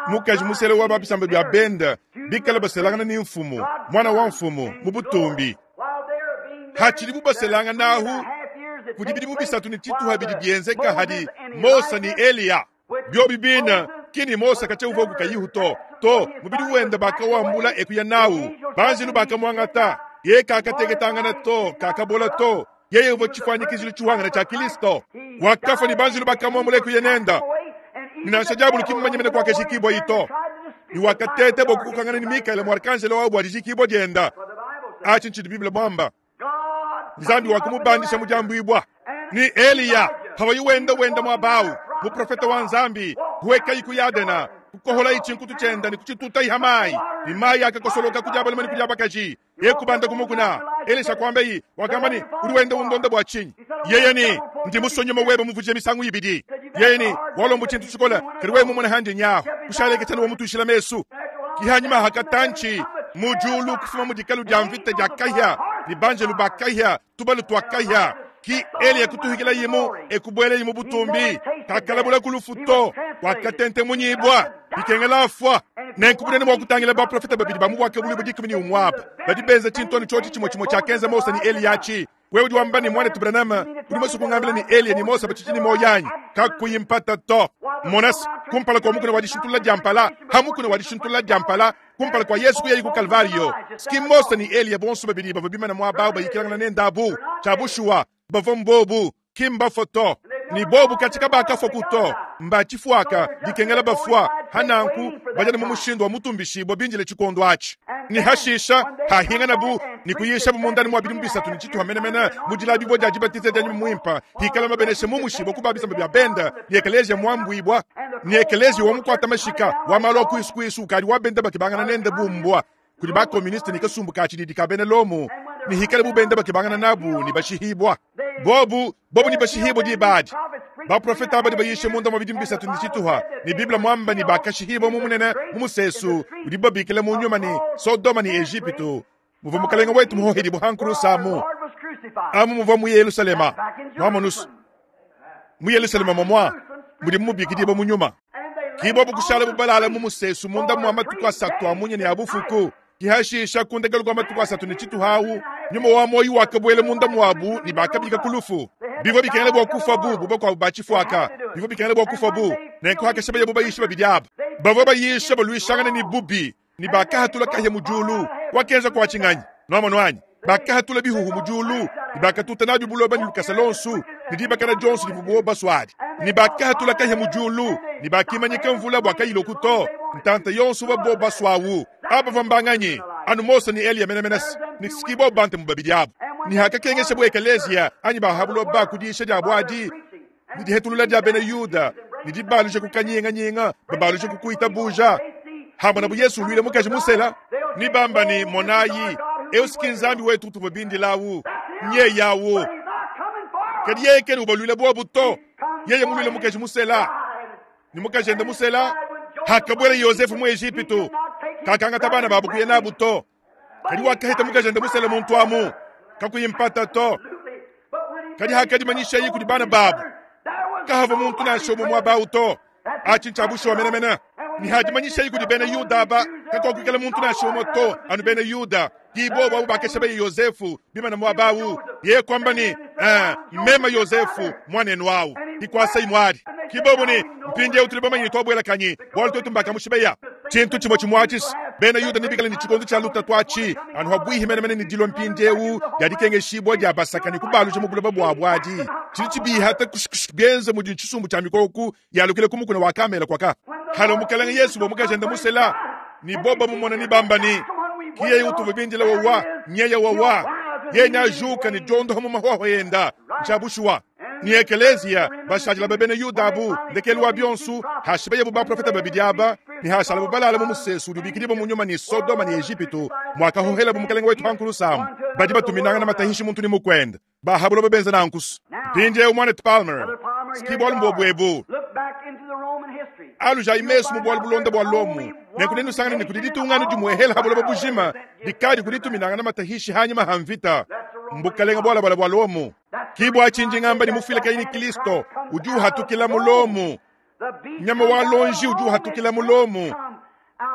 Mukaji musele wa babisamba bya benda bikala baselangana ni mfumu, mwana wa mfumu mu butumbi. while they are being married, Hachili bubaselanga nahu three and a half years that kudi take bidimu place bisatu ni tituha while bidi the byenzeka hadi Moses and Mosa ni Elijah Eliya. Byobi bina kini Mosa kacheuva kukayihu to to mubidi wenda bakawambula ekuya nawu banjilu bakamwangata ye kakateketangana to kakabola to yeye uvo chifanyikizilo chiwangana cha Kristo wakafa ni banjilu bakamwambula ekuya nenda Ninansha diabulu kimumanyemene kwake shikibwa ito ni wakatete bokukangana ni Mikaele mwarkanjelo wabo adijikibwa dienda achi nchidi Biblia mwamba Nzambi wakumubandisha mujambwibwa ni Eliya hawayi wenda wenda mwabawu muprofeta wa Nzambi kuweka iku yadena kukohola ichinkutu chenda ni kuchituta ihamayi ni mayi akakosoloka kujaba limani kujaba kaji yekubanda kumukuna Elisha kwambeyi wakamba ni uri wenda undonda bwa chinyi yeye ni ndi musonyoma webe muvuje misangu ibidi yeye ni walombo chintu chikola kari wewe mumona handi nyaho kushaleke chana wamutushila mesu kihanyuma hakatanchi mujulu kufuma mudikalu dia mvita dia kahya ni banjelu ba kahya tubalu twa kahya ki Eliya kutuhikila yimu ekubwele yimu butumbi kakalabula kulufuto wakatente munyibwa bikengela afwa nenkubunene mwa kutangila baprofeta babidi bamubwake buli budikumi ni umwapa badi benza chintoni choti chimwe chimwe cha kenza Mosa ni Eliya achi wewe udi wamba ni mwana Branham udi mwesu kungambila ni Eliya ni Mosa bachichini moyanyi kakuyimpata to monas kumpala kwa mukuna wadishintula jampala hamukuna wadishintula jampala kumpala kwa Yesu kuyayi ku Kalvario ski Mosa ni Eliya bonso babidi bava bimana mwabao bayikilangana nendabu chabushuwa bava mbobu kimba foto ni bobu katika bakafwa kuto mbachifuaka dikengela bafwa hananku bajana mu mushindu wa mutumbishibwa binjile chikondo achi ni hashisha hahinga nabu ni kuyisha mundani mwa bidimu bisatu ni chituha menemene mujila bibo dia jibatize dia muimpa hikala mabeneshe mu mushibo kubabisa bya benda ni ekelezia mwambwibwa ni ekelezia wa mukwata mashika wa malo kuisu kuisu kali wa benda bakibangana nende bumbwa kuli ba komuniste ni kasumbu ka chididi ka bene lomu ni hikale bubenda bakibangana nabu ni bashihibwa bobu bobu ni bashihibwa dibadi baprofeta abadi bayishe munda mwa bidimu bisatu ni chituha ni biblia mwamba ni bakashihibwa mumunene mumusesu udi babikile mu nyuma ni Sodoma ni Egipitu muva mukalenga wetu muhohedi buhankurusamu amu muva mu Yerusalema mwamonusu mu Yerusalema momwa mudi mubikidibwa mu nyuma kibo bukushala bubalala mumusesu munda mwa matuku asatu amunye ni abufuku kihashisha kundekelu kwa matuku asatu ni chituhawu nyuma wa moyi wakabwele munda mwabu ni bakabika kulufu bivo bikengele bwa kufa bu buba kwa bachifuaka bivo bikengele bwa kufa bu nenko hakesha baye bubayisha babidi aba bavo bayisha balwishangana ni bubi ni bakahatula kahya mujulu wakenza kwa chinganyi nomonwanyi bakahatula bihuhu mujulu ni bakatuta nabyo buloba ni lukasa lonsu ni dibakana jonsu ni bubo baswadi ni bakahatula kahya mujulu ni bakimanyika mvula bwakayilo kuto ntanta yonsu babo baswawu aba vambanganyi anu Mosa ni Eliya menemenesi ni sikibo bante mubabidi abo ni hakakengesha bu ekelezia anyi bahabulo ba kudisha dia bwadi ni dihetulula dia bena Yuda ni dibalusha kukanyinganyinga babalusha kukuita buja hamona bu Yesu lwile mukaji musela ni bamba ni monayi eusiki nzambi wetu tuvabindilawu nye yawu kadi yekeni ubalwile bwa buto Yeye mulwile mukaji musela ni mukaji ende musela hakabwela Yosefu mu Egipitu kakangata bana babu kuya nabu to kadi wakahita mukaji ende musela muntu amu kakuyimpata to kadi hakadimanyisha yi kudi bana babu kahava muntu nansha umwe muaba to achi ntsha menemene ni hadimanyisha yi kudi bena Yuda aba kakuakukela muntu nansha umwe to anu bena Yuda kibobo abo bakesha be Yosefu bimana muabawu ye kwamba ni eh, mema Yosefu mwanenu wawu ikwasa imwali kibobo ni mpindi utuli bamanyi twabwela kanyi bwali twetu mbaka mushibeya chintu chimo chimwachis bena Yuda nibikala ni chikondo cha luta twachi anu habwihi menemene ni dilo mpindi ewu yadikengeshibwa dya basakani kubaluja mu buloba bwabwadi chili chibiha ta kushikush byenze mu chisumbu cha mikoku yalukile kumukuna wa kamela kwaka halo mukalanga Yesu bo mukajenda musela ni boba mumona ni bambani kiye utuvu bindila wawa nyeya wawa yenya juka ni jondo hamu mahwaho yenda nchabushwa ni ekelezia bashajila babene Yuda abu ndekelu wa bionsu hashibeye bu baprofeta babidi aba ni hashala bu balala mu musesu dubikili mu nyuma ni Sodoma ni Egipitu mwakahohela bu mukalenge wetu hankulu samu badi batuminanga na matahishi muntu ni mukwenda bahabulo babenza nankusu mpindie umwana Palmer skibol mbobwebu alu ja imesu mu bwalo bulonda bwa lomu nekunenu sangana ni kudiditungana jumuehela habulo babujima dikadi kudituminanga na matahishi hanyuma hamvita mbukalenga bwala bwala bwa lomu kibwa chinji ngamba ni mufila kaini Kristo uju hatukila mulomu nyama wa lonji uju hatukila mulomu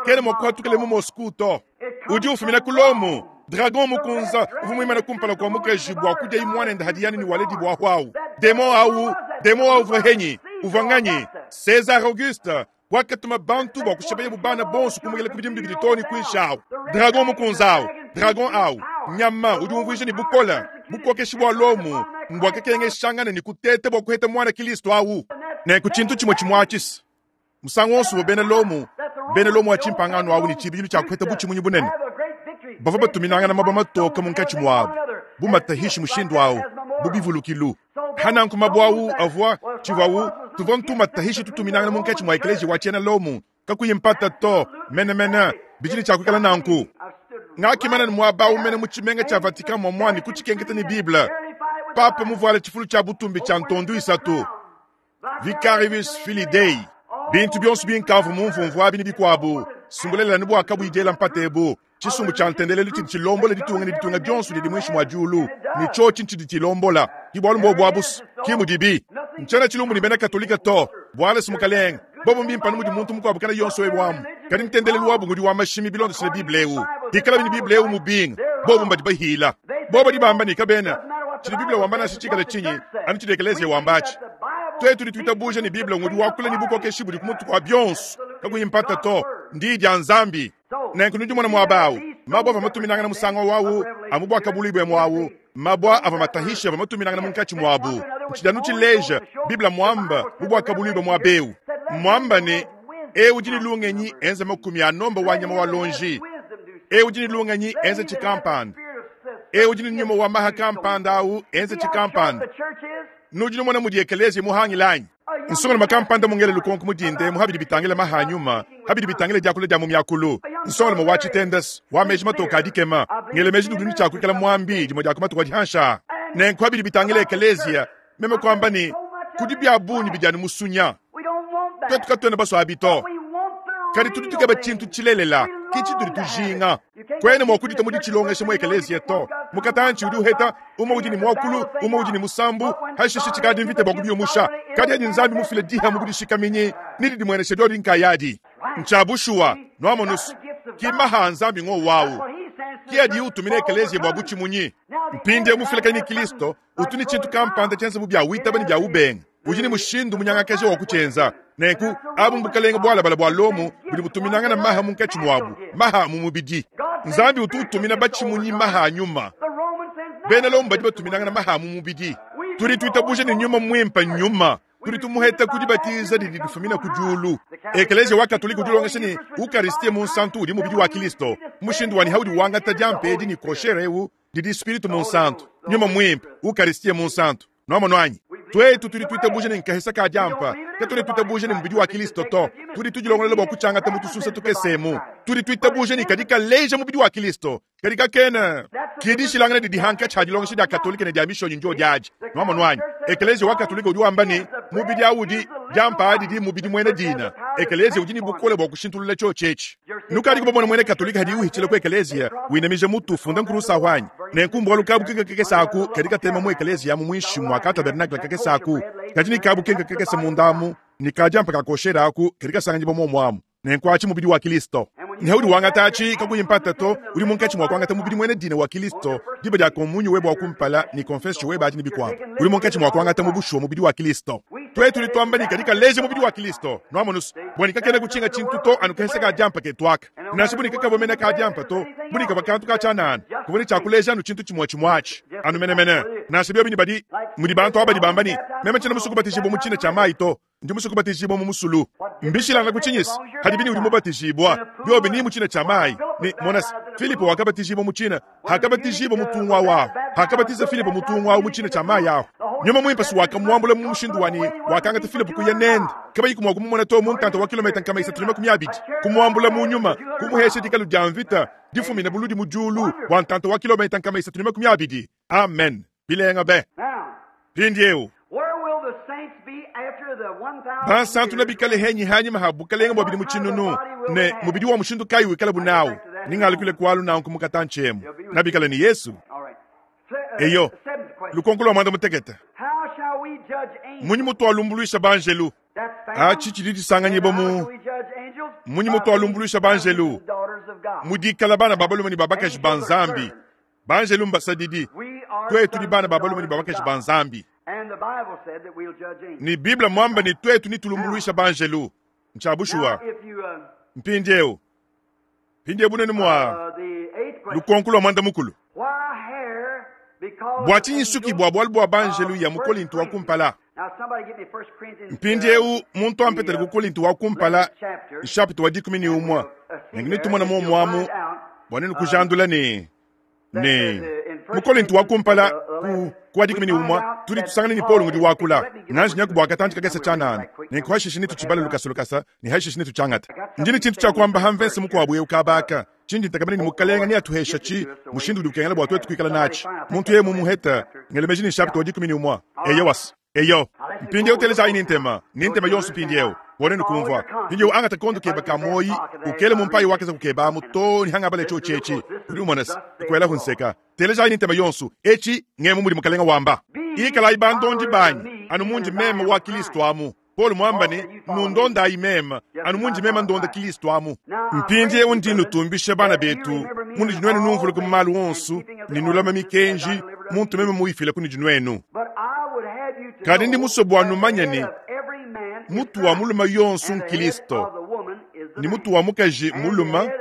kene mokwatukile mu Moskuto uju ufumina kulomu dragon mukunza uvumwimana kumpala kwa mukaji bwa kuja imwana nda hadiyani ni waledi bwa hwau demo au demo au vrahenyi uvanganyi César Auguste wakatuma bantu bwa kushabeye bubana bonso kumugele kubidimu biditoni kwinshao dragon mukunzao dragon au nyama udi umvuisha ni bukola bukokeshi bwa lomu mbwa kekenge shangana ni kutete bwa kuheta mwana Kristo au ne kuchintu chimwe chimwachis musango wonso bo bene lomu bene lomu achimpangano au ni chibilu cha kuheta buchimunyi bunene bava batuminanga na maba matoka munkachi mwabo bumatahishi mushindu au bubivulukilu hananku mabwawu avwa chivawu tuvwa ntuma tahishi tutuminanga munkachi mwa eklesia wachena lomu kakuyimpata to mene mene bijili cha kukala nanku ngakimana ni mwaba umene muchimenga cha Vatican mwa mwani kuchikengeta ni Bible papa muvuale chifulu cha butumbi cha ntondu isatu Vicarius Filii Dei bintu byonso binkavu mumvumvu abi ni bikwabu sumbulela ni bwaka bwidela mpatebu chisumbu cha ntendelelu chidi chilombola ditunga ni ditunga byonso didi mwishi mwa julu ni cho chinchi chilombola kibwalu mbo bwabus kimudibi nchana chilumbu ni bena katolika to bwale sumukalenga bobo mbimpa numudi muntu mukwabu kana yonso ebwamu kadi ntendelelu wabu ngudi wa mashimi bilondo sile Bible ewu dikala bini Bible ewu mubinga bobo mbadi bahila bobo dibamba ni kabena chili Bible wambana shichikala chinyi anu chidi ekelezia wambachi twetu litwitabuja ni Bible ngudi wakula ni bukokeshi budi kumutu kwa byonso kakuyimpata to ndi dya nzambi nenku mwana mwabawu mabwa ava matuminanga na musango wawu amubwa kabulibwe mwawu mabwa ava matahisha ava matuminanga na munkachi mwabu nchidanu chileja Biblia mwamba bubwa kabulibwe mwabeu mwamba ni ewu jini lungenyi enze makumi anomba wanyama wa lonji ewu jini lungenyi enze chikampanda ewu jini nyuma wa maha kampanda au enze chikampanda nujini mwana mudi ekelezi muhangilanyi nsonga makampanda mungele lukonko mudinde muhabidi bitangile mahanyuma habidi bitangile dyakula dya mumyakulu nsonga mo wachitendas wa meji matoka adikema ngele meji duduni chakukela mwambi dimo dya kumatuka dihansha nenku habidi bitangile ekelezia meme kwamba ni kudi bya buni bijani musunya twetu katwene baso abito kadi tudi tukeba chintu chilelela kichi tudi tujinga kwene mwakudita mudi chilongesha mu ekelezia to mukatanchi udi uheta uma udi ni mwakulu uma udi ni musambu hashishi chikadi mvite bwa kubyomusha kadi adi nzambi mufile diha mukudishikamenye nidi dimweneshe dyodi nkayadi nchabushuwa nwamonusu kimaha nzambi ngo wawu kiadi utumine ekelezia bwa buchimunyi mpinde mufile kani Kristo utuni chintu kampanda chenza bubya witaba ni bya ubenga ujini mushindu munyangakeshe wa kuchenza nenku abu mbukalenga bwala bala bwa lomu buli butuminanga na maha munkachi mwabu maha mumubidi nzambi ututumina bachimunyi maha nyuma bena lomu badi batuminanga na maha mumubidi tuli tuitabuje ni nyuma mwimpa nyuma tuli tumuheta kudibatiza didi difumina kujulu ekelezia wa katolika udilongesha ni ukaristia munsantu udi mubidi wa Kristo mushindu wani haudi wangata dyampedi ni kosherewu didi spiritu munsantu nyuma mwimpa ukaristia munsantu nwamonwanyi twetu tuli tuitabuje ni nkahesa ka dyampa ke tuli tuitabuje ni mubidi wa Kristo to tuli tujilongolele bwa kuchangata mutususa tukesemu tuli tuitabuje ni kadika leja mubidi wa Kristo kadika kena kidishilangana didi hanka cha dilongesha dya katolika ne dya mishonyi njo dyaji nwamonwanyi ekelezia wa katolika udi wamba ni Mubidi awu udi diampa didi mubidi mwena dina. Ekelezia udi ne bukole bwa kushintulula tshiotshi etshi. Nukadi kubamona mwena Katolika hadi uhitshila ku ekelezia, winamija mutu ufunda nkulusa ahwanyi. Nenku mbwalu kabu kenka kakese aku kadi katema mu ekelezia amu muinshi mwa ka tabernakle kakese aku. Kadi ni kabu kenka kakese munda amu, ni kadiampa kakoshera aku kadi kasanganyibwa momwe amu. Nenku atshi mubidi wa Kilisto. Ne udi wangata atshi kakuyi mpata to, udi munkatshi mwa kuangata mubidi mwena dina wa Kilisto, diba dia komunyo webe wa kumpala ni confession webe adi ni bikwabo. Udi munkatshi mwa kuangata mu bushuwa mubidi wa Kilisto. Twetu litwamba ni kadi kaleja mubidi wa Kilisto. Nwamonusu, bwani kakena kuchinga chintu to anu kehesa ka diampa ketwaka. Nansha buni kakabomena ka diampa to, buni kaba kantu ka tshanana. Kubuni tshakuleja anu chintu chimwe chimwachi. Anu menemene. Nansha byobi ni badi mudi bantu aba bamba ni meme tshina musuku batishibwa mu tshina tsha mayi to. Ndi musuku batishibwa mu musulu. Mbishilanga kuchinyisi hadi bini udi mubatishibwa. Byobi ni mu tshina tsha mayi. Ni monas Filipo wakabatishibwa mu tshina, hakabatishibwa mutungwa wawo. Hakabatiza Filipo mutungwa wawo mu tshina tsha mayi awo. Nyuma mwimpa si wakamwambula mu mushindu wani wakangata Filipo kuya nende. Kaba yiku mwa kumumona to mu ntanta wa kilomita nkama isatu ne makumi abidi. Kumwambula mu nyuma, kumuhesha dikalu dia mvita, difumina buludi mu julu wa ntanta wa kilomita nkama isatu ne makumi abidi. Amen. Bilenga be. Mpindieu. Where will the saints be after the one thousand Bansantu na years? bikale henyi hanyima ha bukalenga bwa bidi mu tshinunu ne mubidi wa mushindu kayi wikala bunawu ningalukile kwalu nanku mukatanchemu na bikale ni Yesu. All right. Se- uh, Eyo seventh question. lukonko lwa mwanda mutekete. How shall we judge angels? Munyi mutu alumbuluisha banjelu. That's found. Achi chidi disanganyibwa And how mu shall we judge angels? munyi By mutu being alumbuluisha banjelu. sons and daughters of God. Mudikala bana babalume ni babakaji ba Nzambi. Banjelu mbasadidi. We are Twetu sons ni bana and babalume ni daughters of babakaji God. ba Nzambi. And the Bible said that we'll judge angels. Ni Biblia mwamba ni twetu ni tulumbuluisha banjelu. Now, Nchabushua. if you, uh, Mpindieu. Mpindieu bunene mwa uh, the eighth question, lukonko lwa mwanda mukulu. why hair? Because Bwa of tshinyi nsuki angels bwa bwalu bwa banjelu of ya mu First Kolinto wa Corinthians. kumpala. Now, somebody get me First Corinthians, uh, Mpindieu muntu the ampetele uh, ku Kolinto wa kumpala eleventh chapter, chapter wa dikumi ni and umwa. we'll uh, see Nengine there tumona that mo you'll mwamu find out bwanenu uh, kujandula ni that ne uh, the, in mu First Kolinto wa Corinthians kumpala uh, ku eleven, ku wa we dikumi ni find umwa out tudi that tusangane ni Paulo Paul ngudi is wakula. let me get Nanji over nyaku to bwa it katanji and kakese we'll read chanana. right quick Ne and nkwashishi nitu we'll have chibale done. lukasa lukasa ni hashishi nitu changata. I got Njini something to chintu say cha in kwamba this hamvense verse here. mukwabwe Uh, ukabaka. Chinji ntakamene ni hope the mukalenga Lord ni atuhesha gives it chi to us the way mushindu we udi ukengela should bwa twetu have it. kuikala Somebody nachi. find, I think Muntu that's ye the eleventh mumuheta chapter. ngelemeji ni chapter Yeah. wa dikumi ni umwa. All Eyo right. was. Eyo. Now let's Mpindieu go over teleza the ayi ni book now. ntema. Ni So ntema you'll yonso understand mpindieu. how Wone with all nukumvwa. your Mpindieu confidence angata kondo and put keba it in your best kamoyi pocket there ukele if I mumpayi read it. wakeza kukeba muto ni hangabale Listen cho to chechi. look, this Uri is umonas. thus saith Kwela the Lord. hunseka. Teleza ayi ni ntema yonso. Echi ngemu muri mukalenga wamba. Be ye Ikala ibandondi followers of banyi. me, Anu even munji as I mema am wa of Kristo Christ. amu. Paul mwamba Paul ni said, You follow me, nundonda ayimema just anu as munji I mema follow ndonda Christ. Kristo amu. Now I pray Mpindieu you, ndi brethren, nutumbishe bana that you betu remember me mundi in jinwenu all numvuluka mu things malu and onsu keeping of the ninulama ordinances as I mikenji delivered unto muntu you. meme muifile kuni jinwenu. But I would have you to Kadi ndi know musobwa that the numanya head ni of every man is mutu wa Christ, muluma yonsu and the head nkilisto of the woman is the ni man, mutu wa mukaji and the muluma head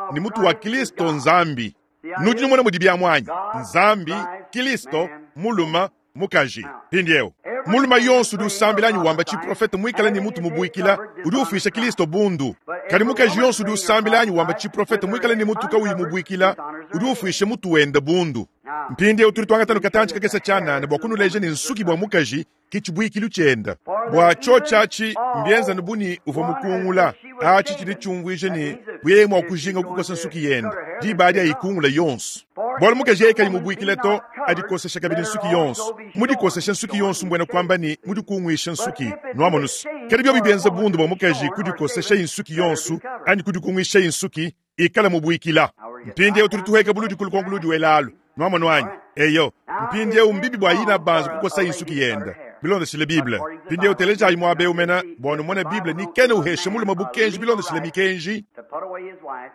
of ni mutu wa Christ is Kristo God. nzambi. See how it Nudi is? numona mudi bya mwanyi God, nzambi Christ, Kristo man, muluma woman. mukaji. Now, Mpindieu every muluma man yonsu udi praying or usambilanyi wamba prophesying, chiprofeta mwikala ni having mutu his head mubuikila covered, udi dishonors ufisha Christ. Kristo bundu. But Kadi every mukaji woman yonsu udi praying or usambilanyi wamba prophesying with chiprofeta her mwikala ni head mutu kauyi uncovered mubuikila dishonors her udi head. ufisha mutu wenda bundu. Now, Mpindieu tuli twangata we show nukatanji that the kakesa hair chanana is bwa the kunuleja woman ni is the nsuki bwa covering. mukaji kichibuikilu chenda. For Bwa that cho even chachi mbienza all nubuni uva one as mukungula if she was achi chili shaven. chungwije That ni means if, buyeye mwa if she's kujinga going kukosa to nsuki cut yenda her hair, then diba she's not. ayikungula yonso. For Bwalo if mukaji the yeye kali woman be mubuikile to not covered, adikosesha kabili let her nsuki also yonso. be shorn, Mudikosesha nsuki shorn yonso means mbwena shaven. kwamba ni See? mudikungwisha But nsuki if it be a nwamonusu. shame Kadi byo for a bibenza woman bundu to bwa be mukaji shorn or kudikosesha shaven, insuki let her be yonso covered. ani kudikungwisha insuki ikala mubuikila. Now we're getting Mpindieu right tuli down to tuheka the buludi question kulukonkuludi now. welalu. Nwamonu All anyi. right. Eyo Now, mpindieu is it mbibi bwa yina wrong banza for a, kukosa a insuki lady to cut her yenda. hair? Bilondeshile Bible. According to the Mpindieu Bible, teleja ayi mwabe now umena see bwa if the numone Bible Bible ni don't kene give a uheshe man muluma a bukenji legal bilondeshile right mikenji to put away his wife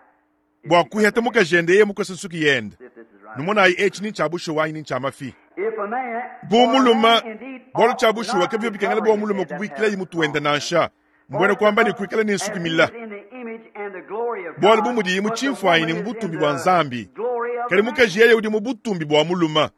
if bwa she cuts kuheta her hair. mukajende ye mukosa nsuki yenda. See if this is right or Numona not. ayi echi ni chabusho wanyi ni chamafi. If a man, Bu for a man muluma indeed bwalo ought chabushuwa not kebyo to bikengela cover bwa his muluma head, that's kubuikila how yi mutu wenda wrong. Huh? nansha. For Mbwena it's kwamba ni the, kuikala ni as nsuki he mila. is in the image and the glory of Bwalo God, bumudi but the muchimfwanyi woman ni is in mubutumbi bwa the nzambi. glory of the Kali man. mukaji yeye udi mubutumbi bwa muluma.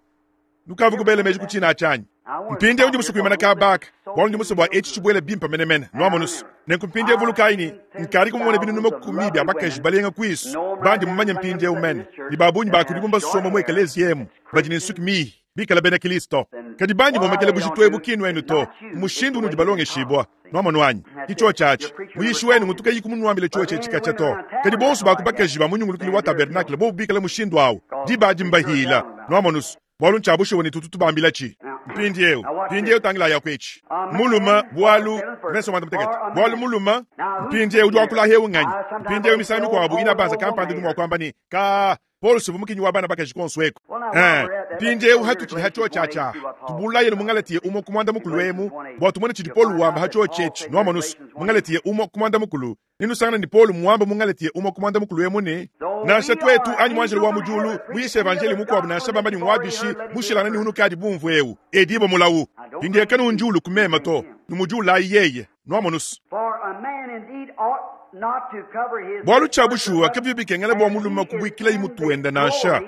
Nukavu You ever kubele think meji of that? kuchina achanyi. I want to Mpindieu stop ndi here musukuimana because I want kabaka. this to Bwalo soak ndi in musobwa real echi good. chibwele bimpa menemene. And I Nwamonusu. remember, Nenkumpindieu I've vulukaini seen tens nkali of kumumona binu thousands of numakumibi lovely abakaji women, balenga kwisu. know 'em right Bandi down mumanye singing mpindieu in mene. this church Ni babunyi that have bakudi short basoma mu hair, ekelezi yemu. that's Badi ni nsuki Christians, mihi. Bikala bena Kristo. and Kadi bandi what are momekele they don't bushitwe do bukinu enu is to. not you, it's Mushindu the unudi way you've been balonge taught. shibwa. See? Nwamonu anyi. That's Kicho it. chachi. Your preacher never Muyishi wenu taught you. ngutuka yikumunuambile chuo But chechi men and kacha women to. around Kadi bonso tabernacle like that, bakubakaji bamunyungulukili then wa they're tabernakle guilty. bo bikala mushindu awo. Because Diba the preacher dimbahila. tell them about it. Nwamonusu. Bwalo nchabushe woni tutu tubambila chi. Now, Mpindieu, mpindieu tangilayi kwetshi. Muluma bwalu verse mwanda mutekete. Bwalu muluma mpindieu udi wakula heu nganyi. Mpindieu misangu mikuabu ina banza kampanda ndi mwa kwamba ni ka Paul sivumukinyi wa bana bakaji konso eko. Eh, mpindieu hatuchili hacho chacha. Tubulaye mungalatiye umo kumwanda mukulu emu bwa tumone chidi Paul wamba hacho chechi nwamonusu. Mungalatiye umo kumwanda mukulu. Ninusangana ni Paul muwamba mungalatiye umo kumwanda mukulu emu ni nansha twetu anyi mwanjelo wa mujulu muyishe evangeli mukwabu nansha bamba ni mwabishi mushilana ni hunukadi bumvu eu edibo mulawu pindiye kanu njulu kumema to numujula yeye nwamonusu. For a man indeed ought not to cover his Bwalu chabushuwa kabibikengela bwa muluma kubwikila imutuenda nansha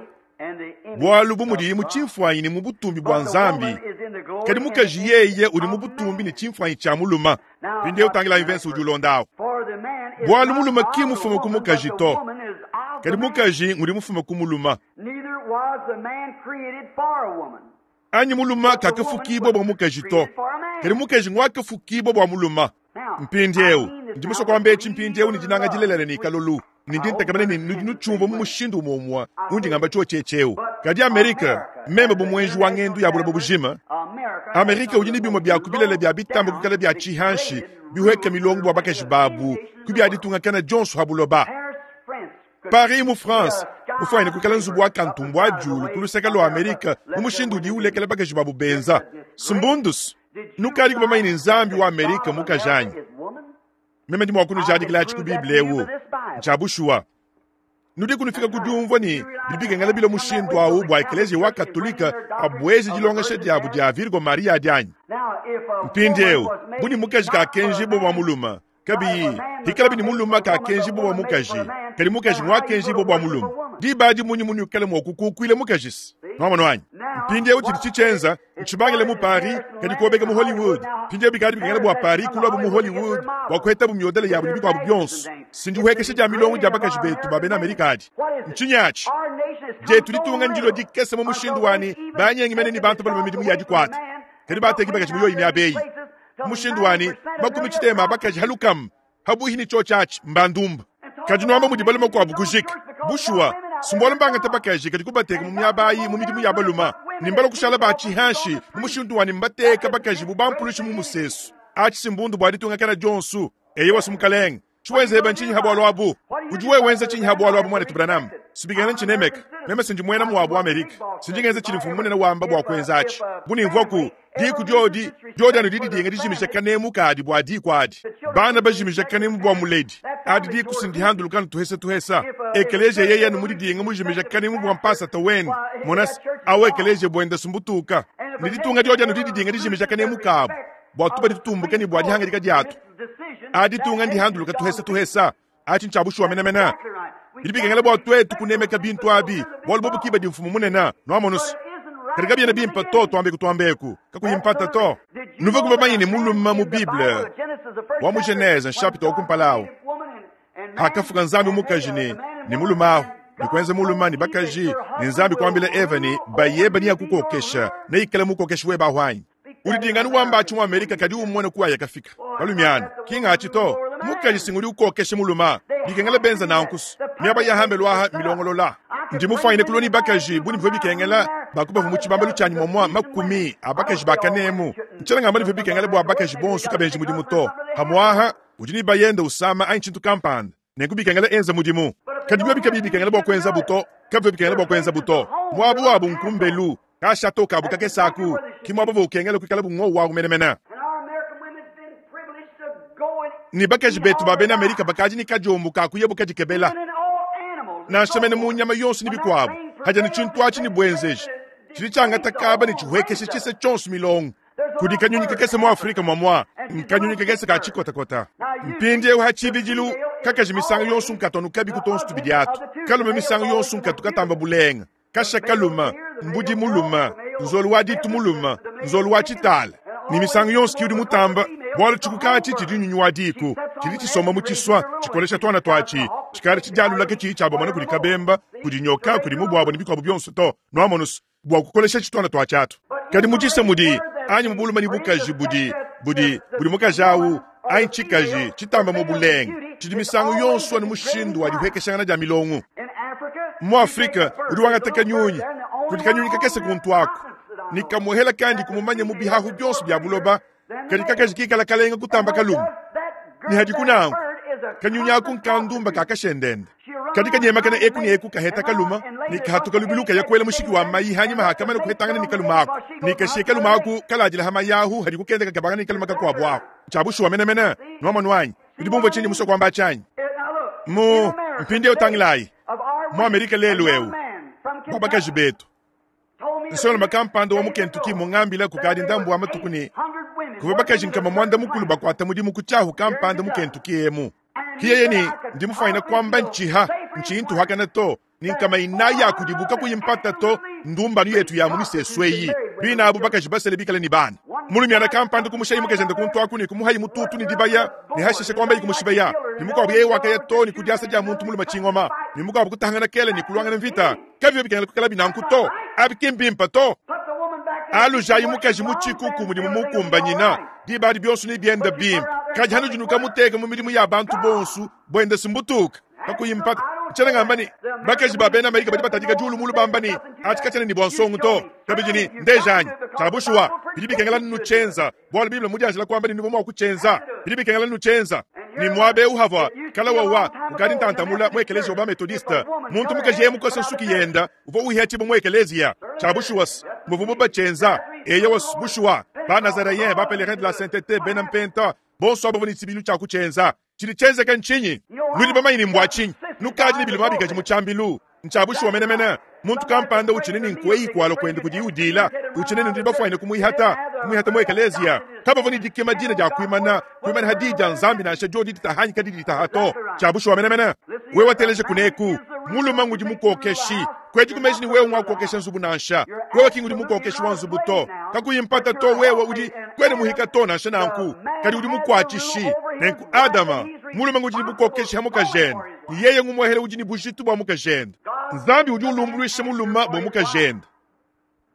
bwalu bumudi mu chimfwanyi ni mu butumbi bwa nzambi kadi mukaji yeye uli mu butumbi ni chimfwanyi cha muluma pindiye utangila invensi udi ulondawo bwalu muluma ki mufume ku mukaji to kadi mukaji ngudi mufume ku muluma Neither was the man created for a woman. anyi muluma kakafukibwa bwa mukaji to kadi mukaji ngwakafukibwa bwa muluma mpindieu ndimuso kwamba echi mpindieu ni dinanga dilelele ni kalulu ni ndintakamene ni nudi nuchumva mu mushindu umomwa undi ngamba cho checheu kadi Amerika membe bumwenji wa ngendu ya bulabo bujima Amerika udi ni bimwe bya kubilele bya bitambo kukala bya chihanshi bihweka milongo bwa bakaji babu kubya ditunga kana Johnson habuloba Paris mu France ufanye kukala nzubu wa kantumbu ajulu kuluseka lwa Amerika mu mushindu udi ulekela bakaji babu benza sumbundus nukali kubamaini nzambi wa Amerika mukajanyi meme ndi mwakunujadikila achi ku Biblia ewu nchabushua nudi kunufika kudiumvwa ni bibikengela bilo mushindu awu bwa ekeleziya wa katolika abwezi dilongesha diabu dia Virgo Maria dianyi mpindieu buni mukaji kakenji bo bwa muluma kabiyi hikala bini muluma kakenji bo bwa mukaji kadi mukaji ngwakenji bo bwa muluma dibadi munyi muni ukale mwokukukwile mukajisi nwamano wanyi mpindieu chidi chichenza nchibangile mu Paris kadi kuobeka mu Hollywood mpindieu bikadi bikengela bwa Paris kulwabu mu Hollywood bwakuheta bu myodele yabu ni bikwabu byonso sindihuhekesha dia milongo dia bakaji betu ba bena Amerika adi nchinyachi jetu litunga ndilo dikese mu mushindu wani banyengi mene ni bantu balume midimu ya dikwata kadi bateki bakaji muyoyi myabeyi mushindu wani makumi chitema bakaji halukam habuhi ni chochachi mbandumba kadi nwamba mudi balume kwabu kujika bushuwa sumbola mbanga tabakaji kadi kubateka mu myabayi mu midimu ya baluma nimbala kushala ba chihanshi mu mushindu wani mbateka bakaji bubampulushi mu musesu achi simbundu bwa ditunga kana Jonsu eye wasumukalenga chiwenza heba nchinyi habwalo abu udi wewe wenza chinyi habwalo abu mwana tubranam sibigana nchinemeka meme sinji mwena muwabu Amerika sinjingenza chili mfumu munene wamba bwa kwenza achi bunimvwaku diku dyodi dyodi anu didi dinga dijimisha kanemu kadi bwa diku adi bana bajimisha kanemu bwa muledi adi diku sindihandulukanu tuhesa tuhesa ekeleziya yeye anu mudi dinga mujimisha kanemu bwa mpasa tawene monasi awo ekeleziya bwenda sumbutuka ni ditunga dyodi anu didi dinga dijimisha kanemu kabu bwa tuba ditutumbuke ni bwa dihanga diatu adi tunga ndihanduluka tuhesa tuhesa achi nchabushuwa menamena bilibikengela bwa twetu kunemeka bintu abi bwalu bobukiba dimfumu munena nwamonusu katika byene bimpa to twambeku twambeku kakuyimpata to nuve kuva manyini muluma mu Bible wa mu Genese chapitre okumpalawo hakafuka nzambi mukaji ni ni mulumaho nikwenza muluma ni bakaji ni nzambi kwambila Eva ni bayeba ni yakukokesha neikala mukokesha we bahwanyi ulidingani wamba achi mu Amerika kadi umone kuwa yakafika balumiano kinga achi to mukaji singuli ukokeshe muluma bikengela benza nankusu miaba yahambe lwaha milongolola ndi mufanyine kuloni bakaji buni bivwe bikengela bakubavu mu chibambalu chanyi momwa makumi abakaji bakanemu nchela ngamba nivwe bikengela bwa bakaji bonso kabenji mudimu to hamwaha udi ni bayenda usama anyi chintu kampanda nenku bikengela enza mudimu kadi bivwe bikabi bikengela bwa kwenza buto kabivwe bikengela bwa kwenza buto mwabu wabu nkumbelu kashato kabu kakesaku kimwabo bukengela kwikala bungo wa kumenemena ni bakaji betu ba bena Amerika bakaji ni kajombu kakuye bukajikebela nansha mu nyama yonso ni bikwabu haja ni chintu achi ni bwenzeji chili changata kaba ni chihwekeshe chise chonso milongo kudi kanyunyi kakese mu Afrika mwamwa nkanyunyi kakese ka chikotakota mpindi eu hachibijilu kakaji misango yonso nkatonu kabi kutonso tubidiatu kalume misango yonso nkatu katamba bulenga kasha kaluma mbudi muluma nzolu wa ditu muluma nzolu wa chitala ni misango yonso kiudi mutamba bwalo chikukachi chili nyunyu wa diku chili chisoma muchiswa chikolesha twana twachi chikali chijalulake chili chabomana kuli kabemba kuli nyoka kuli mubwabo ni bikwabu byonso to nwamonusu bwa kukolesha chitwana twachatu kadi muchise mudi anyi mubuluma ni bukaji budi budi budi mukaji awu anyi chikaji chitamba mubulenga chidi misango yonso ni mushindu wa dihwekeshangana dia milongo mu Afrika udi wangateka nyunyi kudi kanyunyi kakese kuntu ako Ne kamuhela kandi kumumanya mu bihahu byonso bya buloba kadi kakaji kikala kalenga kutamba kalume ne hadi kunangu kanyunyaku nkandumba kakashendende kadi kanyemakana eku ne eku kaheta kaluma ne kahatuka lubiluka yakwela mushiki wa mayi hanyima hakamana kuhetangana ne kaluma ako ne kashe kaluma aku kaladila hama yahu hadi kukendeka kabanga ne kaluma kakuabu ako chabushuwa menemene nwamwanwanyi udi bumva chinyi muso kwamba chanyi mu mpindi utangilayi mu Amerika lelu eu babakaji betu nsolo makampanda wa mu Kentucky mungambila kukadi ndambu wa matuku ne kuva bakaji nkama mwanda mukulu bakwata mudimu kuchahu kampanda mu Kentucky emu kiyeye ni ndi mufaina kwamba nchiha nchintu hakana to ni nkama inaya kudibuka kuyimpata to ndumbanu yetu ya mumisesweyi bina abu bakaji basele bikale ni bana mulumyana kampanda kumushayi mukajenda kuntwaku ni kumuhayi mututu ni dibaya ni hashishe kwamba ikumushibeya ni mukwabu yeye wakaya to ni kudyasa dya muntu muluma chingoma ni mukwabu kutahangana kele ni kulwangana mvita kavyo bikengela kukala binanku to abikimbimpa to alujayi mukaji muchikuku mudimu mukumbanyina dibadi byonso ni byenda bimpa kaji hanu junuka muteka mu midimu ya bantu bonsu bwenda simbutuka kakuyimpata nchena ngamba ni bakaji ba bena Amerika badi batadika julu mulu bamba ni achi kachene ni bwansongo to kabiji ni ndejanyi chabushuwa bidi bikengela nuchenza bwalo biblia mudianjila kwamba ni nubomo kuchenza bidi bikengela nuchenza ni mwabe uhava kala wawa ukadi ntantamula mwekelezi oba methodiste muntu mukaji yemukose nsuki yenda uvo uhiachibo mwekelezia chabushuwa muvumu bachenza eye was bushuwa ba nazaréen ba pèlerin de la sainteté bena mpenta bonso abo ni tsibilu cha kuchenza chili chenzeka nchinyi nuli bamayini mbwa chinyi nukaji ni bilima bikaji muchambilu nchabushuwa menemene muntu kampanda uchinene nkwei kwalo kwenda kujiudila uchinene ndi bafwaine kumuihata kumuihata mu ekelezia kabavo ni dikema dina ja kuimana kuimana hadija nzambi na shajodi ditahanyi kadi ditahato chabushuwa menemene wewe wateleje kuneku muluma ngudi mukokeshi kweji kumeji ni wewe mwakokesha nzubu nansha wewe kingudi mukokeshi wa nzubu to kakuyimpata to wewe udi kwene muhika to nansha nanku kadi udi mukwachishi nenku adama muluma ngudi ni bukokeshi hamukajene yeye ngumwehele udi ni bujitu bwa mukajene nzambi udi ulumbuluisha muluma bwa mukajene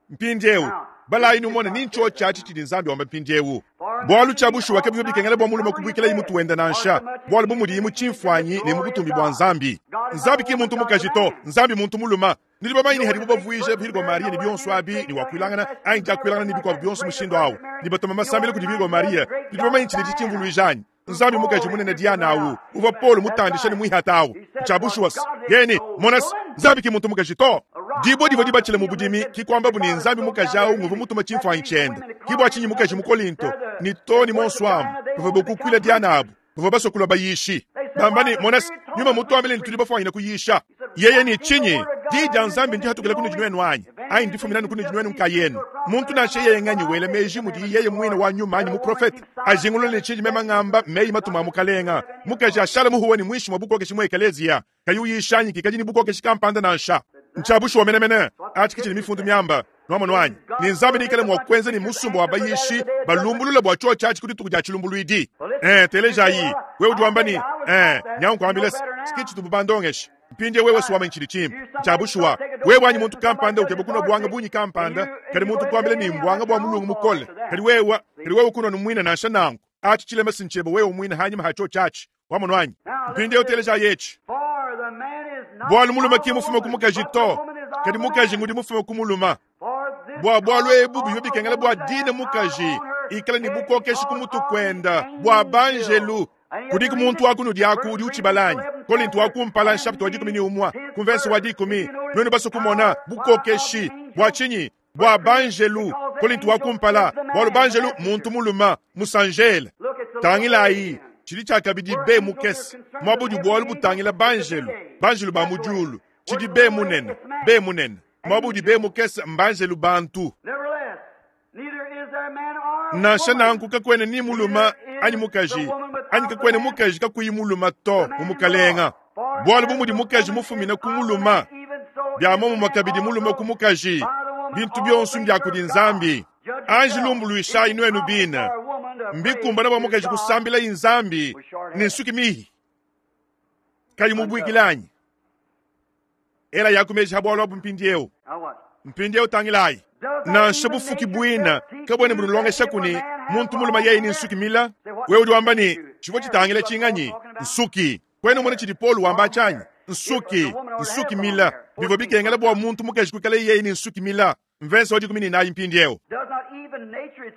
mpindiewu balayi numona nincho chachi chili nzambi wamba mpindiewu bwalu chabushuwa kebivyo bikengela bwa muluma kubwikila imutu wenda nansha bwalu bumudi imu chimfwanyi ne mubutumbi bwa nzambi nzambi ki muntu mukaji to nzambi muntu muluma nili bamayini hadi bubavuije bihirwa Maria ni byonso abi ni wakwilangana anyi jakwilangana ni bikwa byonso mushindo awo ni batoma masambile kudi bihirwa Maria nili bamayini chili chimvuluijanyi nzambi mukaji munene Diana awu uva Paulo mutandisha ni mwihata awu chabushuwa yeni monas nzambi ki muntu mukaji to dibo divo dibachile mu budimi kikwamba buni nzambi mukaji awu nguvu mutuma chimfwanyi chenda kibwa chinyi mukaji mu Korinto ni to ni monswamu bava bokukwila Diana abu bava basokula bayishi bambani monas nyuma mutu ambele ni tuli bafwanyina kuyisha yeye ni chinyi dija nzambi ndi hatukela kuni jinwenu anyi ayi ndifuminani kuni jinwenu nkayenu muntu nashe yeye nganyi wele meji mudi yeye mwine wa nyuma anyi muprofeti ajingulule ni chinyi mema ngamba meyi matuma mukalenga mukaji ashala muhuwa ni mwishi mwa bukokeshi mwa ekelezia kayi uyishanyi kikaji ni bukokeshi kampanda nansha nchabushuwa menemene achi kichili mifundu myamba nwamonu wanyi ni nzambi nikale mwakwenza ni musumba wa bayishi balumbulula bwa cho chachi kuti tukuja chilumbuluidi eh telejayi wewe udi ni eh nyankwambile sikichi tububandongeshi mpindie wewe suwama nchili chimbi nchabushuwa wewe wanyi muntu kampanda ukebe kuno bwanga bunyi kampanda kali muntu kwambile ni mbwanga bwa mulungu mukole kali wewe kali wewe kuno numwina nansha nangu achi chilema sinchebo wewe umwina hanyuma hacho chachi wamonu wanyi mpindie uteleja yechi bwalu muluma ki mufume kumukaji to kadi mukaji ngudi mufume kumuluma bwa bwalu ebu bivyo bikengela bwa dina mukaji ikala ni bukokeshi kumutu kwenda bwa banjelu kudi kumuntu waku nudi aku udi uchibalanyi Korinto wakumpala nshapita wa dikumi ni umwa kumvesi wa dikumi nwenu baso kumona bukokeshi bwa chinyi bwa banjelu Korinto wakumpala bwalu banjelu muntu muluma musanjele tangilayi chili chakabidi be mukesi mwabudi bwalu butangila banjelu banjelu ba mujulu chidi be munene be munene mwabudi be mukesi mbanjelu bantu nansha nanku kakwene ni muluma anyi mukaji anyi kakwene mukaji kakuyi muluma to mumukalenga bwalu bumudi mukaji mufumina kumuluma bya momo makabidi muluma kumukaji bintu byonso mbya kudi nzambi anji lumbuluishayi nwenu bina mbikumbana bwa mukaji kusambila inzambi ni nsuki mihi kayi mubwikilanyi ela yakumeji habwalwa abu mpindiewu mpindiewu tangilayi nansha bufuki bwina kabwene bunulongesha kuni muntu muluma yeye ni nsuki mila wewe udi wamba ni chivyo chitangile chinganyi nsuki kwene mone chili Paulo wamba chanyi nsuki nsuki mila bivyo bikengela bwa muntu mukaji kukala yeye ni nsuki mila Mvese wa dikumi ne inayi mpindieu.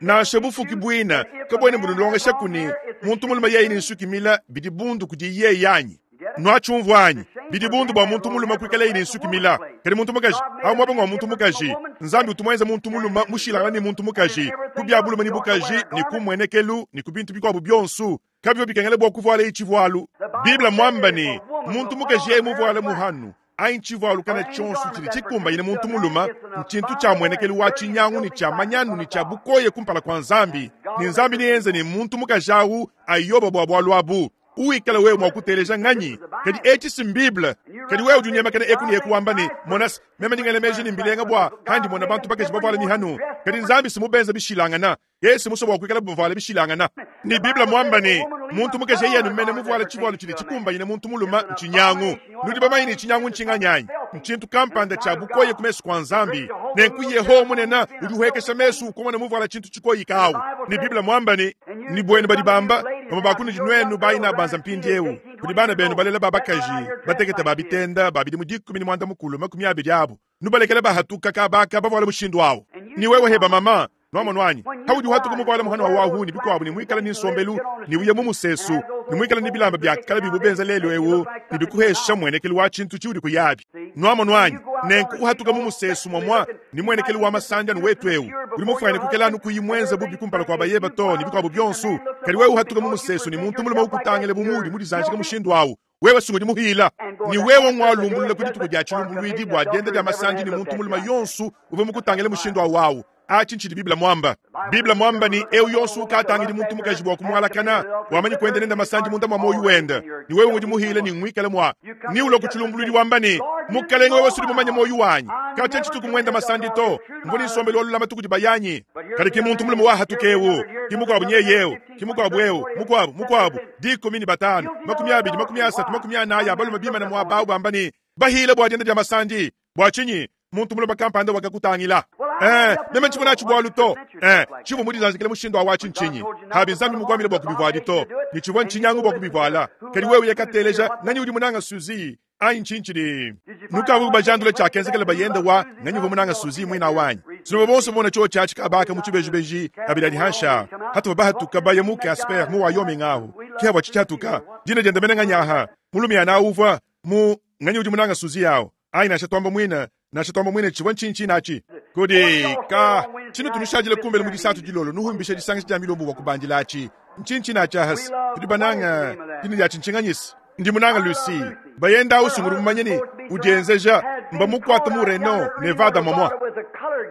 Nansha bufuki buina kabwena bunulongesha kuni muntu mulume yeye ne nsuki mila bidi bundu kudi yeye anyi? Nwachumvwa anyi? Bidi bundu bua muntu mulume kuikala yeye ne nsuki mila. Kadi muntu mukaji, awu muaba ngwa muntu mukaji. Nzambi utu muenze muntu mulume mushilangana ne muntu mukaji. Ku bia bulume ne bukaji ne ku mmuenekelu ne ku bintu bikuabu bionso. Kabivua bikengela bua kuvuala itshivualu. Biblia mwamba ne muntu mukaji yeye muvuale muhanu anyi tshivualu kana tshionso tshidi tshikumbanyine muntu mulume ntshintu tshia muenekelu wa tshinyangu ne tshia manyanu ne tshia bukoye kumpala kua Nzambi. Ne Nzambi neyenze ne muntu mukaji awu ayoba bua bualu abu. Uikala wewe mua kuteleja nganyi? Kadi etshi si Bible. Kadi wewe udi unyemakana eku ne eku wamba ne monas meme ndingele meji ne mbilenga bua kandi mona bantu bakaji bavuala mihanu. Kadi Nzambi si mubenza bishilangana. Yesu muso bua kuikala bavuala bishilangana. Ni Bible mwamba ne muntu mukaji yeye numene muvuala tshivualu tshidi tshikumbanyine muntu mulume ntshinyangu. Nudi bamanye ne tshinyangu ntshinganyanyi. Ntshintu kampanda tshia bukoye ku mesu kua Nzambi. Nenku Yehowa munene udi uhekesha mesu ukomona muvuala tshintu tshikoyika awu. Ni Bible mwamba ne ni bwenu badi bamba bamwe bakunudi nwenu bayina banza mpindiewu. Kudi bana benu balela babakaji batekete babitenda babidi mu dikumi ne mwanda mukulu makumi abidi abu. Nubalekele bahatuka kabaka bavuala mushindu awu. Ni wewe heba mama nwamonu anyi haudi uhatuka muvuala muhanu wa wahu ni bikuabu ni mwikala ni nsombelu ni uye mu musesu ni mwikala ni bilamba bya kala bibu benza lelu ewu ni bikuhesha mwenekelu wa tshintu tshiudi kuyabi. Nwamonu anyi nenku uhatuka mu musesu mwamwa ni mwenekelu wa masanja ni wetu ewu uli mufwene kukela nukuyi mwenza bubi kumpala kwa bayeba to ni bikuabu bionso. Kadi wewe uhatuka mu musesu ni muntu mulume ukutangele bumudi mudizanjika mushindu awu. Wewe sungudi muhila ni wewe ngwalumbulula kudi tuku dia tshilumbuluidi bua dienda dia masanja ni muntu mulume yonsu uve mukutangele mushindu awu awu. Achi nchidi Biblia mwamba. Biblia mwamba ni eu yonsu ukatangidi muntu mukaji bua kumwalakana wamanyi kwenda nenda masanja munda mwa moyo wenda. Ni wewe ngudi muhila ni ngwikala mwa. Ni ulo kuchilumbululi wamba ni mukalenge wewe sudi mumanye moyo wanyi. Kacha nchituku mwenda masandi to. Mvuni sombelo lolula matuku dibayanyi. Kadi ki muntu mulume wa hatukewu. Ki mukwabu nyeyeu. Ki mukwabu eu. Mukwabu mukwabu. Dikumi ni batano. Makumi abidi makumi asatu makumi anaya balume bima na mwa bawu bamba ni bahila bua dienda dia masandi. Bua chinyi muntu mulume kampanda wakakutangila. Eh, meme nchibona chibwalu to. Eh, chibu mudi zanzikele mushindo wa chinchinyi. Habi Nzambi mukwamile bwa kubivwadi to. Ni chibwa nchinyangu bwa kubivala. Kadi wewe yakateleja nani udi munanga Suzi ayi nchinchidi. Nukavu bajandule cha kenzekele bayenda wa nani udi munanga Suzi mwina wanyi. Sino bonso bona cho cha chikabaka mu chibejibeji abira dihansha. Hatu bahatu kabaya mu Casper mu Wyoming aho. Kia wa chichatuka. Dina jenda menanga nyaha. Mulumi ana uva mu nani udi munanga Suzi yao. Ayi na shatwamba mwina. Na shatwamba mwina chibwa nchinchi nachi. Kodi ka chino tunushajile kumbele mu disatu dilolo nuhumbisha disangisha dia milombo wa kubandilachi. Nchinchi na chahas tudi bananga dini ya chinchinganyisi. Ndi munanga Lucy bayenda usunguru mumanyeni udienzeja mba mukwata mu Reno Nevada mamwa.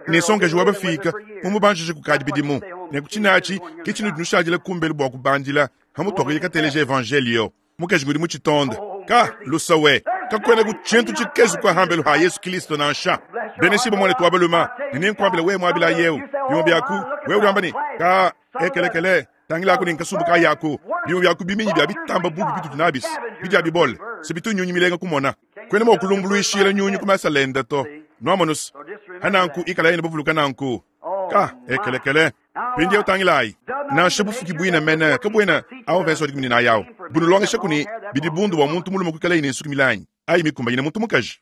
Ne songa juwa bafika mumubanjije kukadi bidimu. Ne kuchinachi kichino tunushajile kumbele bwa kubandila hamutwako yikateleje evangelio. Mukaji ngudi muchitonda ka lusawe kakwena kuchintu chikezu kwa hambelu ha Yesu Kristo nansha. Benesibo mwana tuwabaluma nini nkwambila we mwabila yeu bimo byaku we ulamba ni ka ekelekele tangila ku ninkasumbuka yaku bimo byaku biminyi bya bitamba bubi bitu tunabis bijya bibole sibitu nyunyi milenga kumona kwena mo kulumbuluishila nyunyi kumasalenda to nwamonus hananku ikala yene buvuluka nanku ka ekelekele pindi utangilai nansha bufuki bwina mene kabwena awo verso dikumi na yao bunulongesha kuni bidibundu wa muntu mulume kukala ine nsuki milanyi ayi mikumba ine muntu mukaji.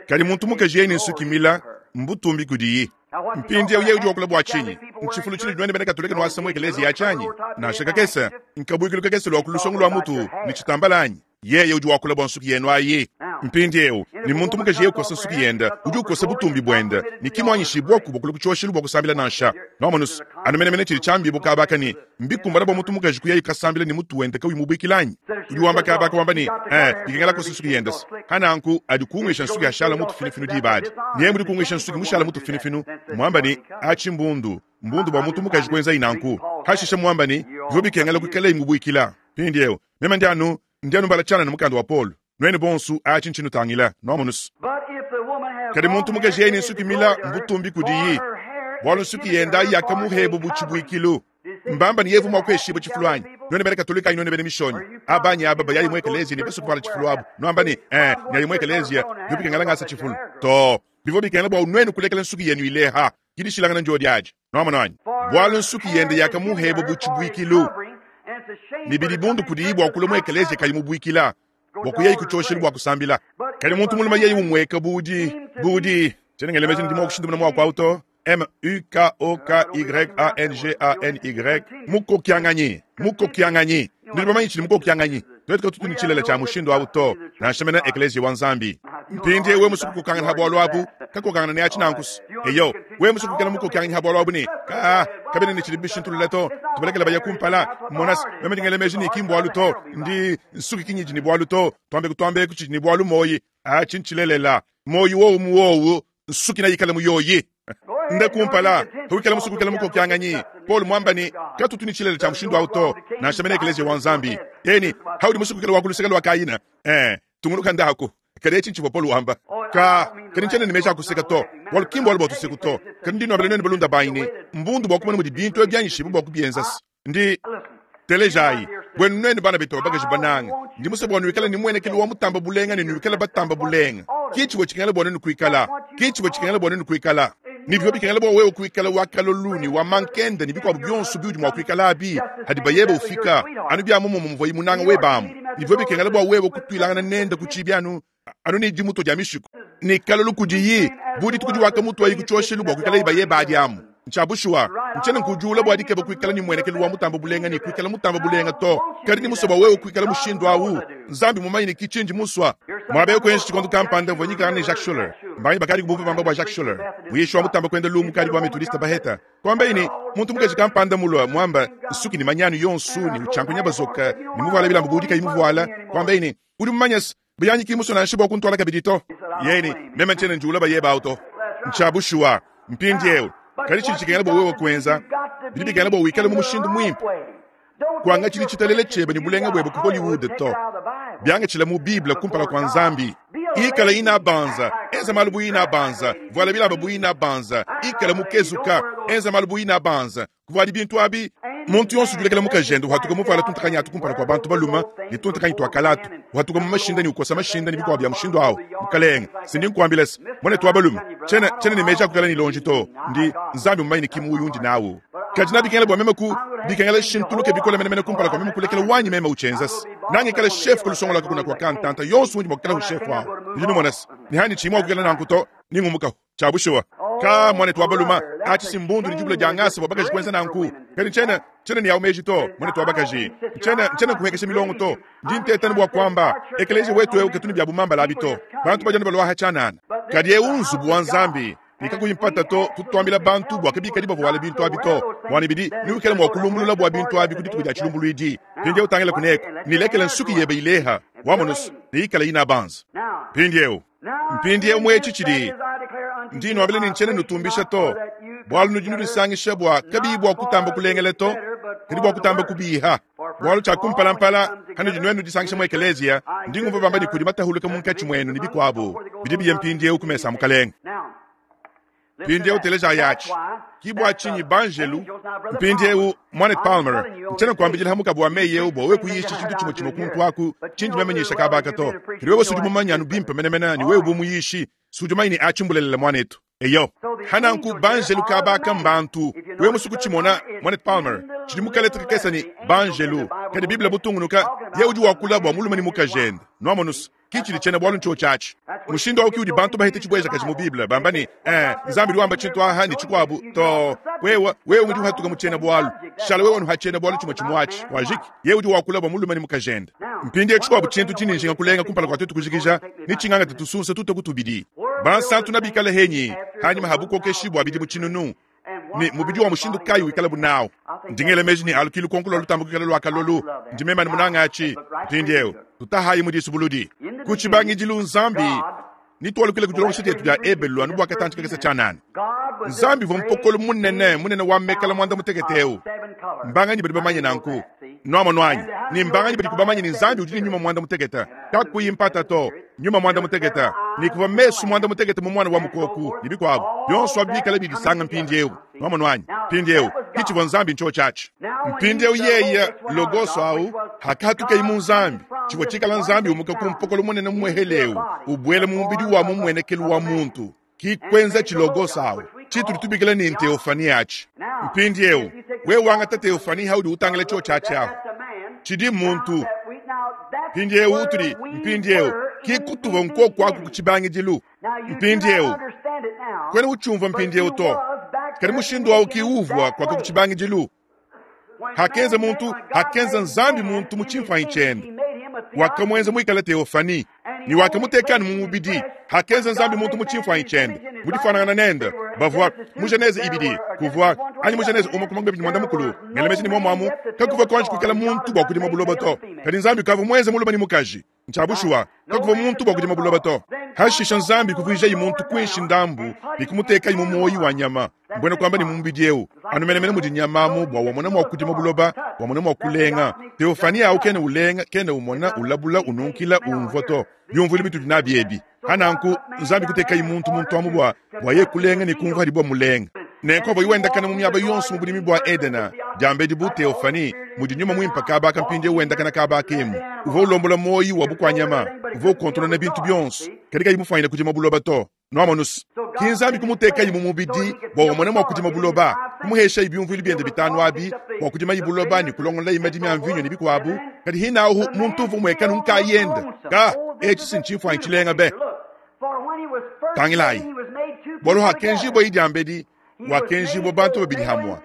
Kadi muntu mukaji yene nsuki mila mbutumbi kudiyi. Mpindi yeye udi wakula bwa chinyi. Nchifulu chili nwene bene katolika no asamwe ekelezi ya chanyi. Na shaka kesa nkabuikilu kakesa lwa kulusongo lwa mutu ni chitambalanyi. Yeye udi wakula bwa nsuki yenu ayi. Mpindi yeo ni muntu mukaji yeye kosa nsuki yenda udi ukosa butumbi bwenda ni kimwanyishibwa kubwa kuchoshilu bwa kusambila nansha. Nomanus anumene mene chili chambi bukabaka ni mbikumbana bwa muntu mukaji kuyayi kasambila ni mutu wenda kawi mubikilanyi. Udi wamba kabaka wamba ni eh ikengela kosa nsuki yenda. Hananku adi kungisha nsuki ashala mutu finifinu dibadi. Niye muri kungisha nsuki mushala mutu finifinu mwamba ni achimbundu mbundu bwa muntu mukaji kwenza inanku. Hashisha mwamba ni vyo bikengela kukela imubwikila. Pindi yeo mema ndianu ndianu mbala chana na mukanda wa Paul. Nwene bonsu achinchinu tangila nomonus. Kadi muntu mukaji yene nsuki mila mbutumbi kudiyi. Bwalo nsuki yenda yakamuhebo buchibwikilu. Mbamba ni yevu mwakweshibo chifulwanyi. Nwene bene katolika nwene bene mishoni. Abanyi aba bayali mwekelezi ni besu kwala chifulwabu. Nwamba ni eh nyali mwekelezi ya yupika ngasa chifulu. To bivo bikengela bwa nwene kulekela nsuki yenu ileha. Kidishilangana njodi aje. Nomonani. Bwalo nsuki yenda yakamuhebo buchibwikilu. Ni bidibundu kudiyi bwa kulomwe ekelezi kayimubwikila. Bwa kuyeyi kuchoshelu bwa kusambila. Kadi muntu mulume yeye umueka budi budi tshiena ngela meji ndi mua kushindamuna muaku awu to M U K O K Y A N G A N Y mukokianganyi mukokianganyi nudi bamanyi tshidi mukokianganyi tuetu katutu ne tshilele tshia mushindu awu to nansha mena ekeleziya wa Nzambi. Mpindiewu wewe musue kukokangana ha bualu abu kakokangana ne atshi nankusu eyo wewe musue kukala mukokianganyi ha bualu abu ne ka kabena ne tshidi bishintulula to tubalekela baya kumpala monasi meme ndi ngela meji ne ki mbualu to ndi nsuki kinyidi ne bualu to tuambe kutuambe kutshidi ne bualu moyi atshi ntshilelela moyi wowu muwowu nsuki nayikala muyoyi nde kumpala wikala musue kuikala mukokianganyi Paul mwamba ne katutu ne tshilele tshia mushindu awu to nansha mena ekeleziya wa Nzambi eni haudi musue kuikala wa kuluseka lua Kaina eh tungunuka ndaku kadi etshi ntshivua Paul wamba ka kadi ntshiena ne meji a kuseka to bualu ki mbualu bua tuseku to kadi ndi nuambila nuenu balunda banyi ne mbundu bua kumona mudi bintu ebi bianyishibue bua kubienza ndi telejayi bwenu nuenu bana betu ba bakaji bananga ndi musue bua nuikale ne muenekelo wa mutamba bulenga ne nuikale batamba bulenga ki tshivua tshikengela bua nuenu kuikala ki tshivua tshikengela bua nuenu kuikala ni bivua bikengela bua wewe kuikala wa kalolu ni wa mankenda ni bikuabu bionso biudi mua kuikala abi hadi bayebe ufika anu bia muomumue muvua munanga webamu ni bivua bikengela bua wewe kutuilangana nende ku tshibi anu anu ne dimuto dia mishiku ni kalolu kudiyi bu dituku diwaka mutu ayi kutshioshelu bua kuikala ibayeba adi amu ntshia bushuwa ntshiena nkudiula bua dikeba kuikala ne muenekelo wa mutamba bulenga ne kuikala mutamba bulenga to kadi ni musue bua wewe kuikala mushindu awu Nzambi mumanye ne kitshindi musua mwabe kwenshi tshikondo kampanda mvua nyikala ne Jacques Schuller mbanyi bakadi kubumva bamba bua Jacques Schuller muyishi wa mutamba kwenda lumu kadi bua metodiste baheta kwamba ini muntu mukaji kampanda mulwa mwamba nsuki ni manyanu yonsu ni uchankunya bazoka ni muvuala bilamba budi kayi muvuala kwamba ini udi mumanyasi bayanyi ki musua nansha bua kuntwala kabidi to yeni meme ntshiena njiula bayeba awu to ntshia bushuwa mpindiewu kadi tshidi tshikengela bua wewe kuenza bidi bikengela bua wikale mu mushindu muimpe kuanga tshidi tshitalele tshiebe ne bulenga bwebe ku Hollywood to biangatshila mu Bible kumpala kua Nzambi ikala ina banza enza malu bu ina banza vuala bilamba bu ina banza ikala mukezuka enza malu bu ina banza kuvuadi bintu abi muntu yonso udi mukajende uhatuka muvuala tuntakanyi atu kumpala kua bantu baluma ne tuntakanyi tua kalatu uhatuka mu mashinda ne ukosa mashinda ne bikuabu bia mushindu awu mukalenga sindi nkuambila se muanetu wa balume tshiena tshiena ne meji a kuikala ne lonji to ndi Nzambi mumanye ne kimuuyu undi nawu kadi nabikengela bua meme ku bikengela shintuluke bikole menemene kumpala kua meme kulekela wanyi meme uchenzasi nangikala chef kulusongola kuna kwa kantanta yonso undi mua kukala chef wawu ndi numonasi ni hani tshimua kukala nanku to ningumukaho tshia bushuwa ka mwanetu wa baluma atshi simbundu ni dibula dia ngasa bua bakaji kuenza nanku kadi ntshiena ntshiena ne yawu meji to mwanetu wa bakaji ntshiena ntshiena nkuhekesha milongo to ndi ntetani bua kuamba ekeleziya wetu ewu ketuni bia bumambala abi to bantu badi anu baluaha tshianana kadi ewu nzubu wa Nzambi nikakuyimpata to tutuambila bantu bua kabikadi bavuala bintu abi to mwana bidi niwikala mua kulumbulula bua bintu abi ku dituku dia tshilumbuluidi mpindiewu utangila kuneko nilekela nsuki yebe ileha wamonusu neikala ina banza mpindiewu mpindiewu mwetshi tshidi ndi nuambila ne ntshiena nutumbisha to bualu nudi nudisangisha bua kabiyi bua kutamba kulengela to kadi bua kutamba kubiha bualu tshia kumpalampala hanudi nuenu nudisangisha mu ekeleziya ndi ngumva bamba ne kudi matahuluka munkatshi muenu ne bikuabu bidi biye mpindiewu ku mesa a mukalenga mpindiewu teleja yatshi ki bua tshinyi banjelu mpindiewu mwanet Palmer ntshiena nkuambidila hamukabu wa meyi ewu bua wewe kuyisha tshintu tshimue tshimue kuntu aku tshindi memanyisha kabaka to kadi wewe sudi mumanye anu bimpe menemene ne wewe bu muyishi sudi umanyi ne atshi mbulelela mwanetu eyo hananku banjelu kabaka mbantu wewe musu kutshimona mwanet Palmer tshidi mukaleta kakesa ni banjelu kadi Biblia butungunuka ye udi wakula bua mulume ne mukajende nuamonusu ki tshidi tshiena bualu ntshio tshiatshi mushindu awu ki udi bantu bahete tshibwejakaji mu Bible bamba ne eh Nzambi udi wamba tshintu aha ne tshikuabu to wewe wewe udi uhatuka mu tshiena bualu shala wewe nuha tshiena bualu tshimue tshimuatshi wajiki ye udi wakula bua mulume ne mukajende mpindiewu tshikuabu tshintu tshini njinga kulenga kumpala kua tuetu kujikija ne tshinganga tetusunsa tute kutubidi bansantu nabikale henyi hanyima habukokeshi bua bidi mu tshinunu ne mubidi wa mushindu kayi wikala bunawu ndingele meji ne alukilu konkulo lutambo kuikala lua kalolu ndi mema ne munanga atshi mpindiewu tutahayi mu disubuludi ku tshibangidilu Nzambi nitualukile ku dilongesha dietu dia Ebelu anu bua katantshi kakese tshianana Nzambi uvua mpokolo munene munene wa mekala muanda mutekete ewu mbanganyi badi bamanye nanku nuamono anyi ni mbanganyi badi kubamanye ni Nzambi udi ne nyuma muanda mutekete kakuyi mpata to nyuma muanda mutekete ni kuva mesu muanda mutekete mu mwana wa mukoku ni bikuabu bionso abi bikala bidisanga mpindiewu nuamono anyi mpindiewu kitshivua Nzambi ntsho tshiatshi mpindiewu yeye logoso awu hakatukeyi mu Nzambi tshivua tshikala Nzambi umuka ku mpokolo munene muehelewu ubwele mu mubidi wa mumuenekelu wa muntu ki kwenza tshilogoso awu tshitudi tubikila ni teofani atshi mpindiewu wewe wangata teofani haudi utangila tshio tshiatshi awu tshidi muntu mpindiewu utudi mpindiewu Ki kutuvua nkoku aku ku tshibangidilu. Mpindieu kwena utshiumvua mpindieu to, kadi mushindu awu ki uvua kwaka ku tshibangidilu. Hakenza muntu, hakenza Nzambi muntu mu tshimfuanyi tshiende, wakamuenza muikale teofani ne wakamutekanu mu mubidi. Hakenza Nzambi muntu mu tshimfuanyi tshiende, mu difuanangana nende, bavua mu Genese ibidi kuvua anyi mu Genese umue kuma ngabidi mwanda mukulu ngelemeji ne muamu kakuvua kuanji kuikala muntu bua kudima buloba to. Kadi Nzambi kavua muenze mulume ne mukaji. Ntsha bushuwa kakuvua muntu bua kudima buloba to. Hashisha Nzambi kuvuijayi muntu kuinshi ndambu ne kumutekayi mu muoyi wa nyama, mbwena kuamba ne mu mubidi eu anu menemene mudi nyama amu bua wamona mua kudima buloba, wamona mua kulenga. Teofani awu kena ulenga, kena umona, ulabula, ununkila, umvua to. Byumvuilu bitudi nabi ebi. Hananku Nzambi kutekayi muntu muntu amu bua bua ye kulenga ne kumvua hadi bua mulenga. Nenku avua wendakana mu miaba yonso mu budimi bua Edena, diambedi bu Teofani mudi nyuma muimpe kabaka mpindieu wendakana kabaka emu. Uvua ulombola moyi wa bukwanyama, uvua ukontrolona bintu byonso, kadi kayi mufuanyine kudima buloba to. Nwamonus ki Nzambi kumutekayi mu mubidi bua wamona mua kudima buloba, kumuheshayi byumvuilu biende bitanu abi bua kudimayi buloba ne kulongololayi madimi a mvinyo ne bikuabu. Kadi hinahu muntu uvua muekanu nkayende ka etshi si ntshimfuanyi tshilenga be. Tangilayi bualu hakenjibua idi ambedi, wakenjibua bantu babidi hamwa.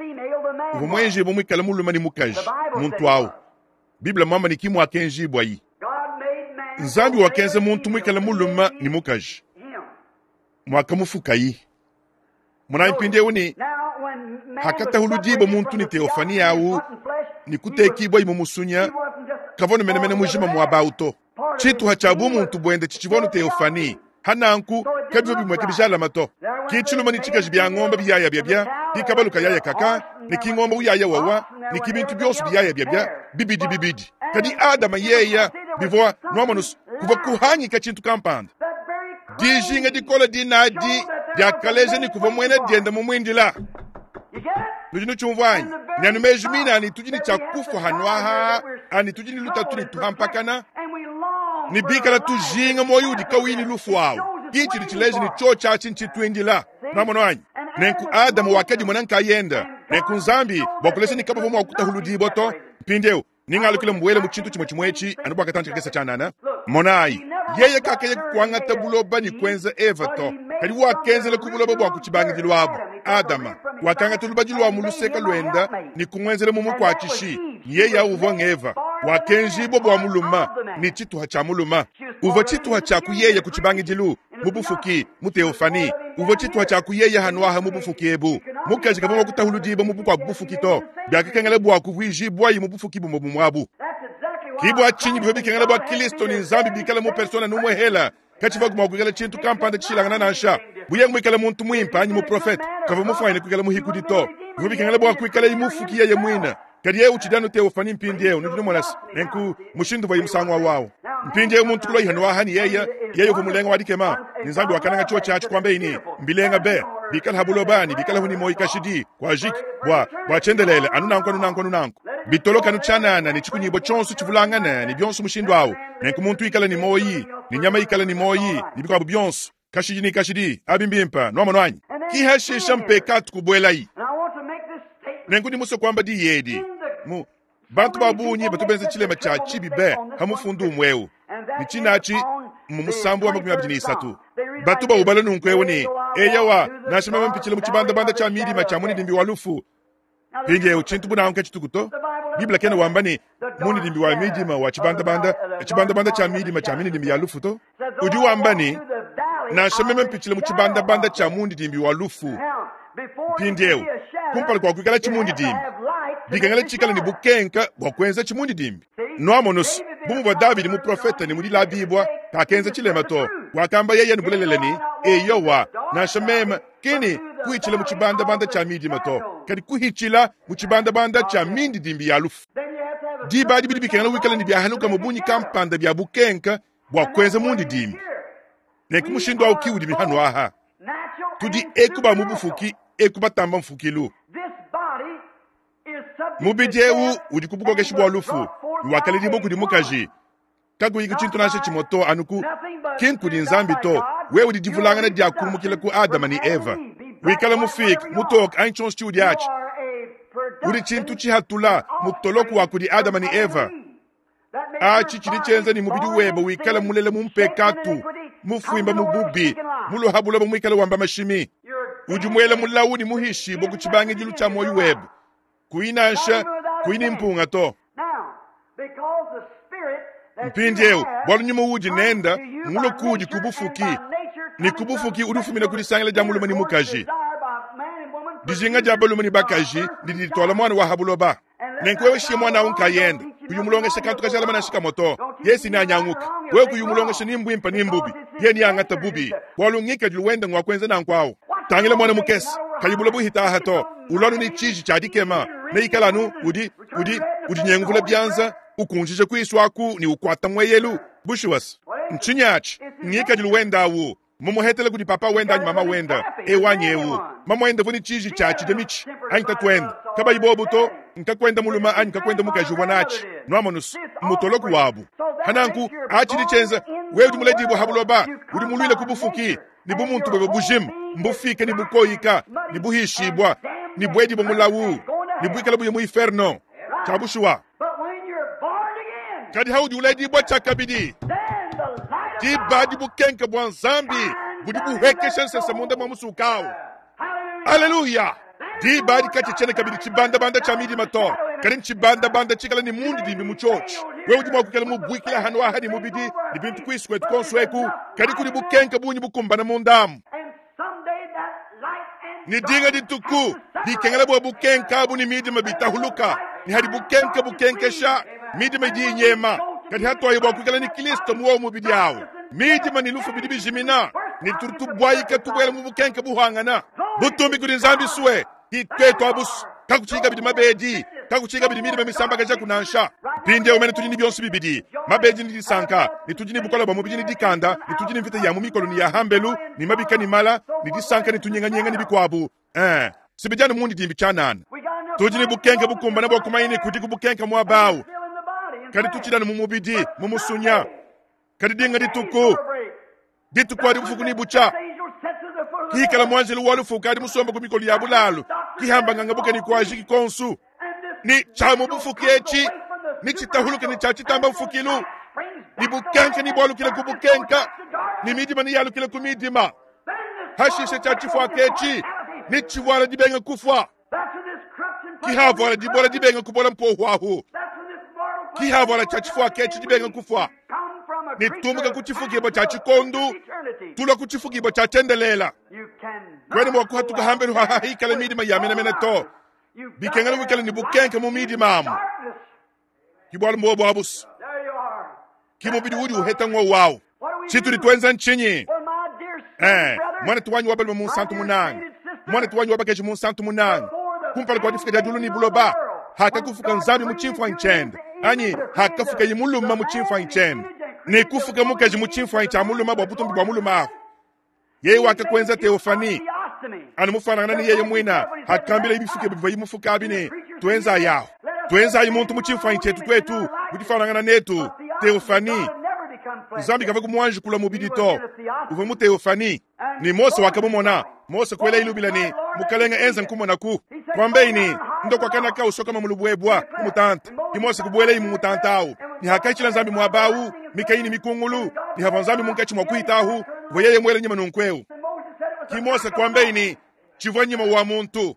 Uvua muenjibua muikale mulume ne mukaji muntu awu. Biblia mwamba ni ki mwakenjibua yi. Nzambi wakenza muntu muikale mulume ne mukaji, mwakamufukayi. Monayi mpindieu ni hakatahuludibo muntu ni teofani awu ni kutekibwa mu musunya, kavua menemene mujima mwaba to. Tshituha tshia bumuntu buende tshitshivua nu teofani hananku kabivua bimweke bijalama to. Ki tshiluma ni tshikaji bya ngombe biyaya byabya, ki kabalu kayaya kaka, ni ki ngombe uyaya wawa, ni ki bintu byonso biyaya byabya bibidi bibidi. Kadi Adama yeya bivua nwamonus kuvua kuhangika tshintu kampanda. Dijinga dikola dinadi diakaleja ni kuvua mwene dienda mu mwindila. Nudi nutshiumvua anyi? Nyanu meji mina ani tudi ni tshia kufa hanwaha, ani tudi ni lutatu ni tuhampakana, ni bikala tujinga moyo udi kawini lufu awu. Kichi tshileji ni cho tshatshi ntshituindila. Nwamono anyi? Nenku Adamu wakadi mwana nkayenda, nenku Nzambi bua kulesha ni kabavua mua kutahuludibwa to. Mpindieu ningalukile mbwele mu tshintu tshimwe tshimwe anu bua katantshi kakese tshianana. Monayi yeye kakaya kuangata buloba ni kuenza Eva to, kadi wakenzela ku buloba bua kutshibangidilu abu. Adama wakangata lubadi lwa mu luseka lwenda ni kumwenzela mu mukwatshishi. Yeye uvua ngeva wakenjibwa bua muluma ni tshituha tshia muluma. Uvua tshituha tshia kuyeye ku tshibangidilu mu bufuki mu teofani. Uvua tshituha tshia kuyeye hanwaha mu bufuki ebu. Mukaji kavua kutahuludiba mu bukua bufuki to, byakakengela bua kuvuijibwayi mu bufuki bumwe bumwabu. Ki bua tshinyi bivua bikengela bua Kristo ni Nzambi bikale mu persona numwehela, katshivua mua kuikala tshintu kampanda tshishilangana nansha. Buye muikale muntu muimpe anyi muprofete, kavua mufuanyine kuikala muhikudi to. Bivua bikengela bua kuikala imufuki yeye mwina. Kadi yeye utshidi teofani mpindieu nudi numona se nenku mushindu uvua musangu wawu. Mpindieu muntu kulwa ihanwaha ni yeye, yeye uvua mulenga wa dikema. Ni Nzambi wakananga chio tshatshi kwamba ini mbilenga be bikala habulobani bikala huni moyi kashidi kwa jiki bwa bwa chendelele anu nanku anu nanku anu nanku. Bitoloka anu tshanana ni chikunyibwa tshonso tshivulangana ni byonso mushindu awu. Nenku muntu ikala ni moyi, ni nyama ikala ni moyi, ni bikwabu byonso kashidi ni kashidi abimbimpa nwamono anyi. Kihashisha mpekatu kubwelayi. Nenku ndi musue kuamba diyi mu bantu ba bungi batu benza tshilema tshia tshibi be hamufundu umweu ni tshinachi mu musambu wa makumi abidi ni isatu. Batu baubala nunku ewu ni eyawa nansha meme mpitshile mu tshibandabanda tshia midima tshia munidimbi wa lufu. Mpindieu tshintu bunanku tshituku to. Biblia kena wamba ni munidimbi wa midima wa tshibandabanda, tshibandabanda tshia midima tshia minidimbi ya lufu to. Udi wamba ni nansha meme mpitshile mu tshibandabanda tshia munidimbi wa lufu. Mpindieu kumpala kwa kuikala tshimundidimbi bikengela tshikala ni bukenka bua kuenza tshimundidimbi. Nwamonus bu muvua Davidi muprofete ni mudilabibwa kakenza tshilema to. Wakamba yeye ni bulelele ni eyowa nansha meme kini kuhitshila mu tshibandabanda tshia midima to, kadi kuhitshila mu tshibandabanda tshia mindidimbi ya lufu. Diba adi bidi bikengela wikala ni byahanuka mu bunyi kampanda bya bukenka bua kuenza mundidimbi. Nenku mushindu awu ki udi mihanu aha. Tudi ekuba mu bufuki ekubatamba mfukilu. Mubidi eu udi ku bukokeshi bua lufu, wakaledibo kudi mukaji. Kakuyi tshintu nansha tshimwe to anuku ki nkudi Nzambi to. Wewe udi divulangana dia kumukila ku Adama ni Eva. Wikala mufika mutoka anyi tshonso tshiudi atshi. Udi tshintu tshihatula mutoloku wa kudi Adama ni Eva. Atshi tshidi tshienza ne mubidi webe wikale mulela mu mpekatu, mufuimba mu bubi, muluha buloba muikale wamba mashimi. Udi muela mulawu ne muhishibue ku tshibangidilu tshia muoyo webe, kuyi nansha kuyi ne mpunga to. Mpindieu bualu nyuma udi nenda mulue kudi ku bufuki, ne ku bufuki udi ufumina ku disangila dia mulume ne mukaji. Dijinga dia balume ne bakaji didi dituala mwana wa ha buloba. Nenku wewe shiye mwana awu nkayende, kuyi mulongesha kantu kajalama nansha kamue to, yesi neanyanguke. Wewe kuyi mulongesha ni mbwimpe ni mbubi, ye neangata bubi, bualu ngikadilu wende ngwa kuenza nanku awu. Tangila mwana mukese, kayi bula buhita aha to, ulwanu ni tshiji tshia dikema, neikala anu udi, udi, udi nyenguvula bianza, ukunjija kuisu aku ni ukwata mweyelu. Bushuwasi ntshinyi atshi? Ngikadilu wenda awu mumuhetele kudi papa wenda anyi mama wenda, ewanyi ewu mama wenda vuni tshiji tshia tshidya mitshi anyi tatuenda kabayi bobu to, nkakwenda mulume anyi nkakwenda mukaji uvua natshi nwamonusu mutoloku wabu. Hananku atshidi tshienza wewe udi muledibue ha buloba, udi muluile ku bufuki ni bumuntu bwebe bujima mbufike ni bukoyika ni buhishibwa ni bwedibue mulawu ni buikala buye mu inferno tshia bushuwa. Kadi haudi uledibua tshia kabidi, diba di bukenke bua Nzambi budi buhekesha nsese munda mwa musukawu. Aleluya! Diba adi katshitshiena kabidi tshibandabanda tshia midima to, kadi ntshibandabanda tshikala ne mundidimbi mu tshiotshi. Wewe udi mua kuikala mubuikila hanu aha ne mubidi ne bintu kuisu kwetu konso eku, kadi kudi bukenke bungi bukumbana mundamu. Ni dinga dituku dikengela bua bukenke abu ne midima bitahuluka, ni hadi bukenke bukenkesha midima idi inyema. Kadi hatuaye bua kuikala ni Kristo muwo mubidi awu, midima ni lufu bidi bijimina, ni turi tubwayika tubwela mu bukenke buhangana. Butumbi kudi Nzambi suwe kitwetu abusu kakuchika bidi mabedi, kakuchika bidi midima misambakaja kunansha. Mpindieu mene tudi ni bionso bibidi, mabedi ni disanka, ni tudi ni bukola bwa mubidi ni dikanda, ni tudi ni mvita ya mu mikolo ni ya hambelu, ni mabika ni mala, ni disanka ni tunyenganyenge ni bikwabu. Eh, sibijana mundi dimbi tshanana. Tudi ni bukenke bukumbana bwa kumanya ni kudi kubukenke mwabawu. Kadi tutshidana mu mubidi, mu musunya. Kadi dinga dituku, dituku adi bufuku ni bucha. Kikala mwanjelu wa lufu kadi musomba ku mikolo ya bulalu, kihamba nganga buke ni kwaji kikonsu. Ni cha mu bufuki etshi, ni tshitahuluke ni cha tshitamba mfukilu. Ni bukenke ni bwalukile ku bukenka, ni midima ni yalukile ku midima. Hashishe cha tshifua ketshi, ni tshivwala dibenga kufwa. Kihavwala dibola dibenga kubola mpohu ahu. Kihavwala cha tshifua ketshi dibenga kufwa. Ni tumbuka ku tshifukibwa tshia tshikondu, tulwa ku tshifukibwa tshia tshiendelela. Kwene mwa kuhatuka hambelu hahahikala midima ya menamena to. Bikengela wikala ni bukenke mu midima amu. Kibwala mbobo abusu. Kimubidi udi uheta ng'o wawu. Tshitudi twenza ntshinyi? Eh, mwana tuwanyi wa balume mu nsantu munanga. Mwana tuwanyi wa bakaji mu nsantu munanga. Kumpala kwa difika dia dulu ni buloba. Hakakufuka Nzambi mu tshimfuanyi tshiende. Anyi hakafuka ye muluma mu tshimfuanyi tshiende. Ne kufuka mukaji mu tshimfuanyi tshia muluma bua butumbi bua muluma ahu. Yeye wakakwenza Theophanie. Anu mufanangana ni yeye mwina, hakambila ibifuke bivua imufuka abi ne twenza yaho. Twenza ayi muntu mu tshimfuanyi tshietu twetu, mudifanangana netu, Theophanie. Nzambi kava kumuanji kula mubidi to. Uvua mu Theophanie. Ni Mose wakamumona. Mose kwela ilubila ni mukalenga enza nkumona ku. Kwambeyi ni ndo kwa kanaka usokama mulubwebwa kumutanta. Ni Mose kubwela imu mutanta awu. Ni hakaichila Nzambi mwabawu, mikayi ni mikungulu, ni hava Nzambi munkachi mwa kuitahu, voyeye mwele nyima nunkweu. Ki Mose kwambeyi ni chivwa nyima wa muntu.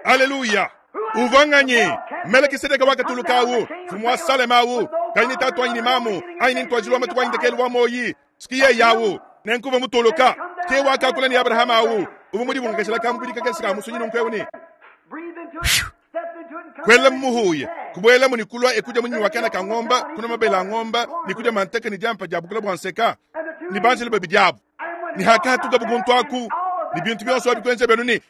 Haleluya. Uvanganye Melkisedeke wakatulukawu, mfumu wa Salemawu, kayini tatu anyi ni mamu, anyi ni ntwajilwa matu wanyi ndekelu wa moyi, sikiye yawu, nenkuva mutuluka, ke wakakula ni Abrahama awu, uvu mudi bungakashila kamubidi kakesi ka musunyi nunkweu ni. Kwela mmuhuye, kubwela muni kulwa ekuja munyi wakana ka ng'omba, kuna mabela ng'omba, ni kuja manteke ni jampa jabu kula bwanseka, ni banjele babi jabu. Ni haka hatuka buguntu aku, ni bintu byonso abikwenze benu ni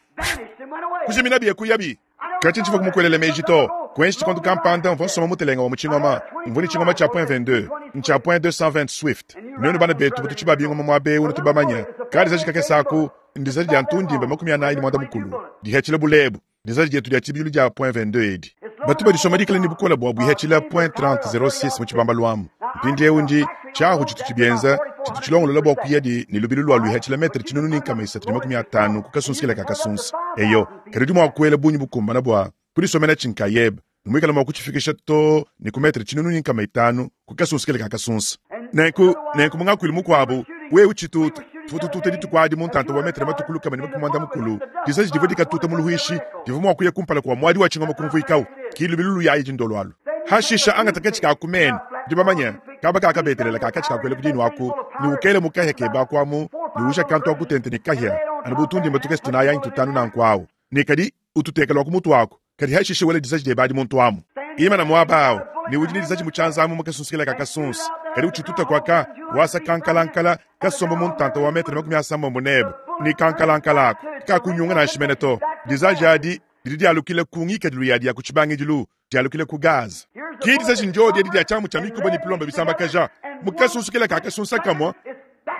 kujimina biye kuyabi. Kati ntshiva kumukwelele meji to, kwenshi tshikondu kampanda mvua nsoma mutelenga wa mutshingoma, mvua ni tshingoma tshia point vingt-deux, ntshia point deux cent vingt Swift. Nuenu bana betu butu tshiba bingoma mwa bewu ne tubamanye. Kadi zaji kakesa aku, ndizaji dia ntundimba makumi anayi ne mwanda mukulu. Dihetshila bulebu, ndizaji dietu dia tshibilu dia point vingt-deux edi. Batu badisoma dikala ni bukola bua buhetshila point trente zero six mu tshibamba lwamu. Mpindiewu ndi tshiahu tshitu tshibienza, tshitu tshilongolola bua kuya di ne lubilu lua luhetshila metre tshinunu ni nkama isatu ne makumi atanu ku kasunsikila ka kasunsa. Eyo, kadi udi mua kuela bungi bukumbana bua kudisomena tshinkayebe. ne muikale mua kutshifikisha too ne ku metre tshinunu ne nkama itanu ku kasunsa kele ka kasunsa. Nenku, nenku mu ngakuilu mukuabu, wewe utshituta, tuvua tututa dituku adi mu ntanta wa metre matue ku lukama ne makumi muanda mukulu, disaji divua dikatuta mu luhuishi divua mua kuya kumpala kua muadi wa tshingoma kumvuikawu, ki lubilu luyayi dindolo alu. Hashisha angata katshi ka ku menu, nudi bamanye, kaba kakabetelela ka katshi ka kuela ku dinu aku, ne ukele mu kahia keba aku amu, ne uja kantu aku tente ne kahia, anu bu tundimba tukese tunayi anyi tutanu nanku awu, ne kadi ututeka lua ku mutu waku, kadi hashisha wela disaji diebe adi muntu amu. Imana muaba awu, ne udi ne disaji mu tshianza amu mu kasunsa ka kasunsa, kadi utshituta kuaka, wasa kankalankala, kasomba mu ntanta wa metre makumi asambombo nebe, ne kankalankala aku, kakunyunga nansha mene to. Disaji adi didi dialukila ku ngikadilu yadi ya ku tshibangidilu, dialukila ku gaza. Ki disaji ndiodi edi dia tshiamu tshia mikuba ne pilombe bisambakaja, mu kasunsa ka kasunsa kamue,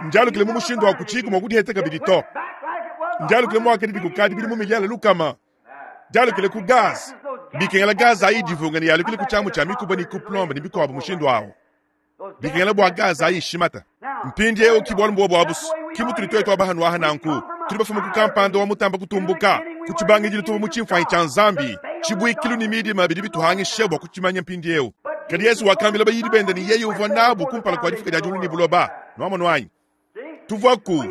ndialukile mu mushindu wa kutshiku mua kudiheta kabidi to. Ndialukile muakadi dikukadi bidi mu miliala lukama. Dialukile ku gaza. Bikengela gaza ayi divunga ne yalukile ku tshiamu tshia mikuba ne ku plombe ne bikuabu mushindu awu. Bikengela bua gaza ayi ishimata. Mpindiewu ki bualu mbuobu abusu. Ki mutudi tuetu abahanu aha nanku. Tudi bafuma ku kampanda wa mutamba kutumbuka. Ku tshibangidilu tuvua mu tshimfuanyi tshia Nzambi. Tshibuikilu ne midima bidi bituhangisha bua kutshimanya mpindiewu. Kadi Yesu wakambila bayidi bende ne yeye uvua nabu kumpala kua difuka dia diulu ne buloba. Nuamonu anyi? Tuvuaku.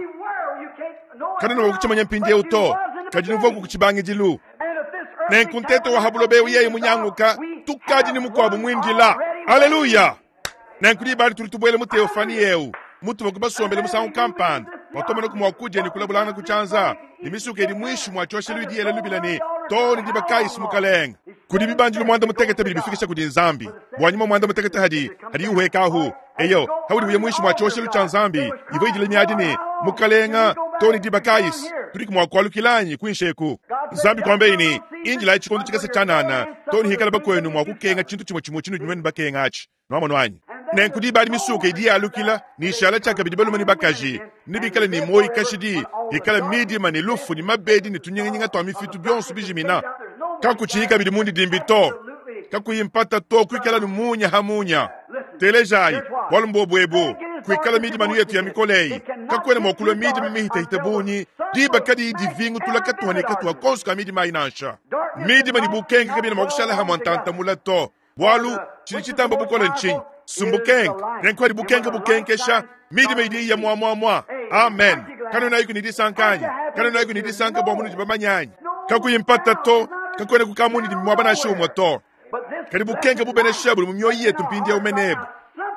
Kanena wa kutshimanya mpindiewu to. Kadi nuvuaku ku tshibangidilu. Nenku ntete wa ha buloba ewu yeye munyanguka, tukadi ne mukuabu muindila. Haleluya! Nenku diba adi tudi tubuela mu teofani ewu, mutuva ku basombele musangu kampanda, watomona ku mua kudia ne kulabulangana ku tshianza, ne misuka idi muinshi mua tshioshelu idi yela lubila ne, too ne diba kayi mukalenge. Kudi bibandilu muanda mutekete bidi bifikisha kudi Nzambi. Bua nyuma muanda mutekete hadi, hadi uhuekahu. Eyo, haudi uya muinshi mua tshioshelu tshia Nzambi, ivua idila miadi ne, mukalenga, too ne diba kayi, tudi mua kualukilanyi kuinshi eku. Nzambi kuambeyi ne, injilayi tshikondo tshikese tshianana, too ne hikala bakuenu mua kukenga tshintu tshimue tshimue tshinudi nuenu bakenga atshi. Nuamonu anyi? Nenku diba adi misuka idi yalukila, ne ishala tshiakabidi balume ne bakaji, ne bikale ne muoyo kashidi, ikala midima ne lufu ne mabedi ne tunyinganyinga tua mifitu bionso bijimina. Kakutshiyi kabidi mundidimbi to, kakuyi mpata to, kuikala ne munya ha munya. Telejayi, bualu mbuobu ebu, kuikala midima nu yetu ya mikole eyi, kakuena mua kulua midima mihitahita bungi, diba kadiyi divingutula katuha ne katuha konso ka midima ayi nansha. Midima ne bukenke kabiena mua kushala hamue ntantamula to, bualu tshidi tshitamba bukole ntshinyi? Sumbukenke. Nenku hadi bukenke bukenkesha, midima idi iya muamuamua. Amen. Kanunayiku ne disanka anyi? Kanunayiku ne disanka bua munudi bamanye anyi? Kakuyi mpata to, kakuena kukamundidi muaba nansha umue to. Kadi bukenke bubenesha budi mu mioyo yetu mpindieu menebu.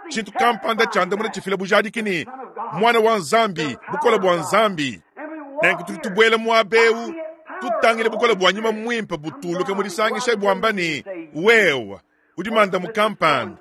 Tshintu kampanda tshiandamuna tshifila bujadiki ne mwana wa Nzambi, bukole bua Nzambi. Nenku tudi tubuela muaba eu, tutangile bukole bua nyuma muimpe butuluka mu disangisha buamba ne, wewe udi mandamu kampanda,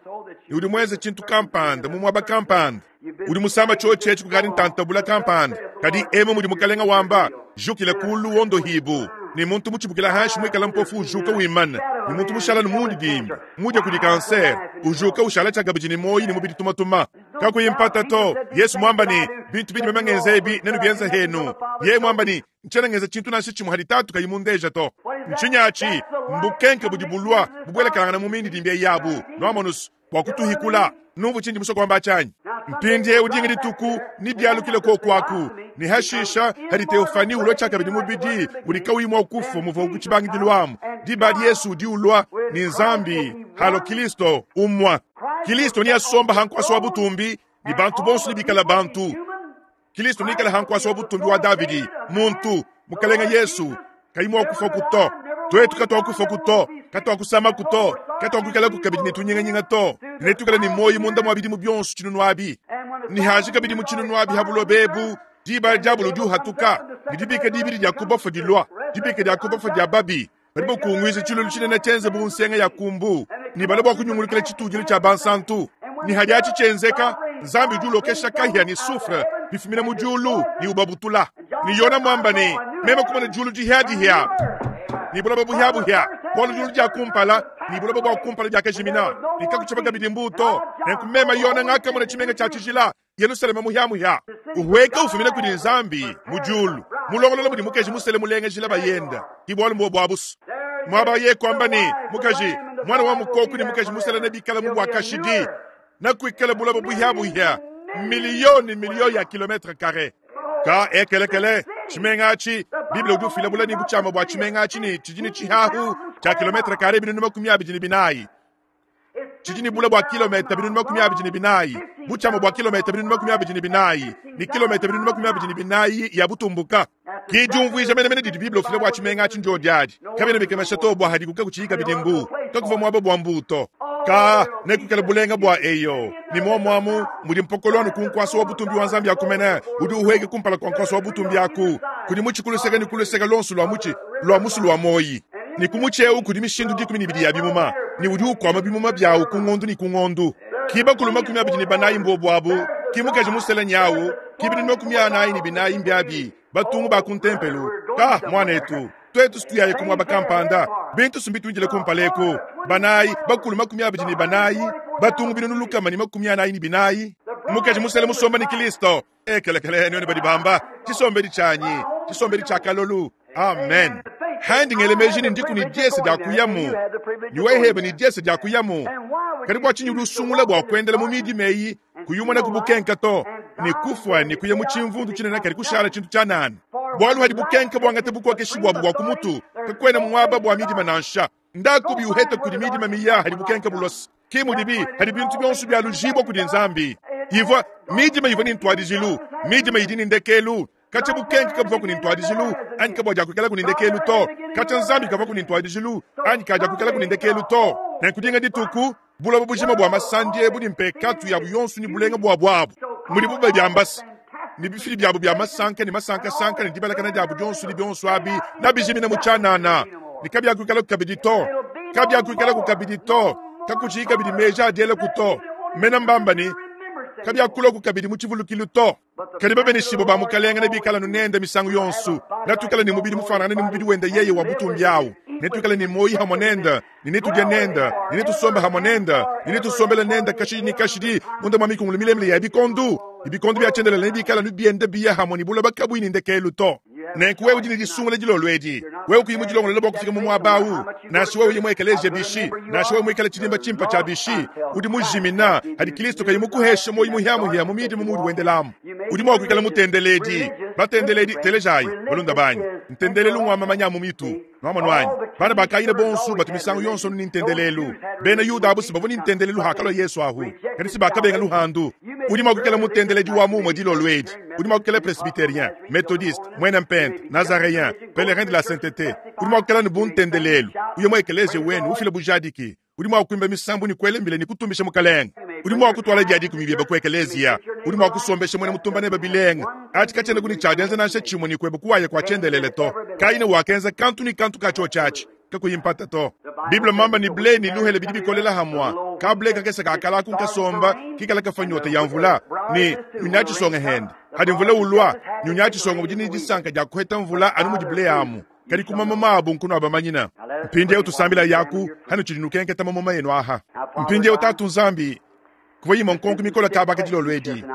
ne udi muenze tshintu kampanda mu muaba kampanda, udi musamba tshiotshi etshi kukadi ntantabula kampanda. Kadi emu mudi mukalenga wamba, jukila kulu wondohibu, ne muntu mutshibukila hanshi muikala mpofu ujuka wimana, ne muntu mushala ne mundidimbi mudia kudi kanser ujuka ushala tshiakabidi ne muoyo ne mubidi tumatuma. Kakuyi mpata to. Yesu mwamba ne, bintu bidi meme ebi nenu bienza henu. Ye mwamba ne, ntshiena ngenza tshintu nansha tshimue hadi tatu kayi mundeja to. Ntshinyi mbukenke budi bulua bubuelekangana mu mindidimbi yabu. Nuamonusu bua kutuhikula. Numvu tshindi musue kuamba tshianyi. Mpindiewu dinga dituku ni bialukile kokuaku, ni hashisha hadi teofani ulua tshiakabidi mubidi udi kauyi mua kufa muvua ku tshibangidilu amu. Diba adi Yesu udi ulua ni Nzambi halo Kristo umua. Kristo ni asomba hankuasa wa butumbi ni bantu bonso ni bikala bantu. Kristo ni ikala hankuasa wa butumbi wa Davidi muntu mukalenga Yesu kayi mua kufa kuto. Tuetu katwakufa kuto, katwakusama kuto, katwakuikala kukabidi ne tunyinganyinga to. Ne tukala ne moyo munda mwa bidimu bionso tshinunu abi. Ni haji kabidi mu tshinunu abi ha buloba ebu, diba diabolo udi uhatuka, ne dibika dibidi dia kubafa dilua, dibika dia kubafa dia babi. Badi bakunguiza tshilulu tshinene tshienze bu nsenga ya kumbu, ne bala bua kunyungulukila tshitudilu tshia bansantu. Ni hadi atshi tshienzeka, Nzambi udi ulokesha kahia ne soufre bifumina mu diulu ne ubabutula. Ni Yona mwamba ne, meme kumona diulu dihiadihia, ni buloba buhiabuhia, bualu diulu dia kumpala, ni buloba bua kumpala diakajimina, ni kakutshiba kabidi mbuto. Nenku meme Yona ngakamona tshimenga tshia tshijila, Yerusalema muhiamuhia, uhueka ufumina kudi Nzambi mu diulu, mulongolola mudi mukaji musele mulengejila bayenda, ki bualu mbuobu abusu. Mwaba ye kuamba ne, mukaji, mwana wa mukoku ni mukaji musele ne bikala mu bua kashidi, na kuikala buloba buhiabuhia, milioni milioni ya kilometre carré. Ka ekelekele, tshimenga atshi, Bible udi ufila bulani butshiama bua tshimenga atshi ne tshidi ne tshihahu Tshia kilometre kare binunu makumi abidi ne binayi. Tshidi ne bule bua kilometa binunu makumi abidi ne binayi, butshiama bua kilometa binunu makumi abidi ne binayi, ne kilometa binunu makumi abidi ne binayi ya butumbuka. Ke diumvuija menemene didi Bible ufila bua tshimenga atshi ndiodi adi. Kabiena bikemesha to bua hadiku kakutshiyi kabidi mbu, kakuvua muaba bua mbu to. Ka nekukale bulenga bua eyo, ne muomuamu mudi mpokolo anu ku nkuasa wa butumbi wa Nzambi akumene, udi uhueke kumpala kua nkuasa wa butumbi aku, kudi mutshi kuluseka ne kuluseka luonso lua mutshi lua musulu wa moyi. Ne ku mutshi eu kudi mishindu dikumi ne ibidi ya bimuma, ne udi ukwama bimuma biawu ku ngondu ne ku ngondu. Ki bakulu makumi abidi ne banayi mbobu abu, ki mukaji musela nyawu, ki binunu makumi anayi ne binayi mbiabi, batungu ba ku ntempelu. Ka mwanetu, twetu situyaye ku muaba kampanda, bintu sumbi kumpala eku. Banayi, bakulu makumi abidi ne banayi, batungu binunu lukama ne makumi anayi ne binayi. Mukaji musela musomba ne Kristo. Ekelekele none badi bamba, tshisombedi tshianyi, tshisombedi tshia kalolu. Amen. Handi ngele meji ni ndiku ni diese dia kuyamu. Ni wehebe ni diese dia kuyamu. Kadi bua tshinyi lusungula bua kuendela mu midi meyi, kuyumana ku bukenka to, ne kufwa ne kuya mu tshimvundu tshinene kadi kushala tshintu tshia nani. Bualu hadi bukenka buangate bukokeshi buabu bua ku mutu, kakuena muaba bua midima nansha. Ndaku biuheta kudi midima miya hadi bukenka bulosa. Ki mudibi hadi bintu bionso bia lujibwa kudi Nzambi. Ivua midima ivua ni ntwadijilu, midima idi ni ndekelu. Kacha bukenka kabuvua kuni ntwadijilu, anyi kabua dia kuikala kuni ndekelu to. Kacha Nzambi kavua kuni ntwadijilu, anyi kadia kuikala kuni ndekelu to. Nenkudinga dituku, buloba bujima bua masandi ebu ni mpekatu yabu yonso ni bulenga bua buabu. Mudibu badiambasa, ni bifili byabu bya masanka ni masankasanka ni dibalakana diabu dionso ni bionso abi, na bijimina mu tshianana. Ni kabia kuikala kabidi to. Kabia kuikala kabidi to. Kakutshiyi kabidi meji adiela ku to. Mena mbamba ni kabia kuloku kabidi mu tshivulukilu to. Kadi babeneshibo ba mukalenga ne bikala nunenda misangu yonso. Natukala ni mubidi mufanana ni mubidi wenda yeye wa butumbi awu. Netukala ni moyi hamwe nenda, ni netudya nenda, ni netusomba hamwe nenda, ni netusombela nenda kashidi ni kashidi, munda mwa mikungulu milemile ya bikondu. Ibikondu bya tshiendelele ne bikala nubienda biya hamwe ni buloba kabui ni ndekelu to. Nenku wewe udi ne disungula dilolo edi. Wewe kuyi mudilongolola bua kufika mu muaba awu. Nansha wewe uyi mu ekeleziya bishi, nansha wewe muikale tshidimba tshimpa tshia bishi, udi mujimina hadi Kristo kayi mukuhesha moyi muhiamuhia mu midi mu mudi wendelamu. Udi mua kuikala mutendeledi, batendeledi telejayi balunda banyi. Ntendelelu ngwa mamanya mu mitu. Nwamonu wanyi. Bana bakayina bonso batu misangu yonso ni ntendelelu. Bena Yuda abu sibavu ni ntendelelu hakalua Yesu ahu. Kadi sibakabenga luhandu. Udi mua kuikala mutendeledi wa mumwe dilolo edi. Udi mua kuikala presbytérien, méthodiste, mwena mpente, nazaréen, pèlerin de la sainteté. Udi mua kuikala ni buntendelelu. Uye mu ekeleziya wenu ufila bujadiki. Udi mua kuimba misambu ni kuelembile ni kutumbisha mukalenga. Udi mua kutwala diadi kumibieba ku ekeleziya. Udi mua kusombesha mwena mutumba ne babilenga. Ati kachena kuni tshiadenza nansha tshimwe ni kweba kuwaye kwa tshiendelele to. Kaine wakenza kantu ni kantu kacho tshiatshi. Kakuyimpata to. Bible mamba ni ble ni luhele bidi bikolela hamwa. Kable kakesa kakala kunkasomba kikala kafanyota ya mvula ni nyunyachisonga hende. Hadi mvula ulwa nyunyachisonga udi ni disanka dia kuheta mvula anu mudi ble amu. Kadi kumama mabu nkuno abamanyina. Mpindi tusambila yaku hanu tshidi nukenketa mamoma yenu aha. Mpindi tatu Nzambi kuva yima nkonko mikola kabaka dilolo edi.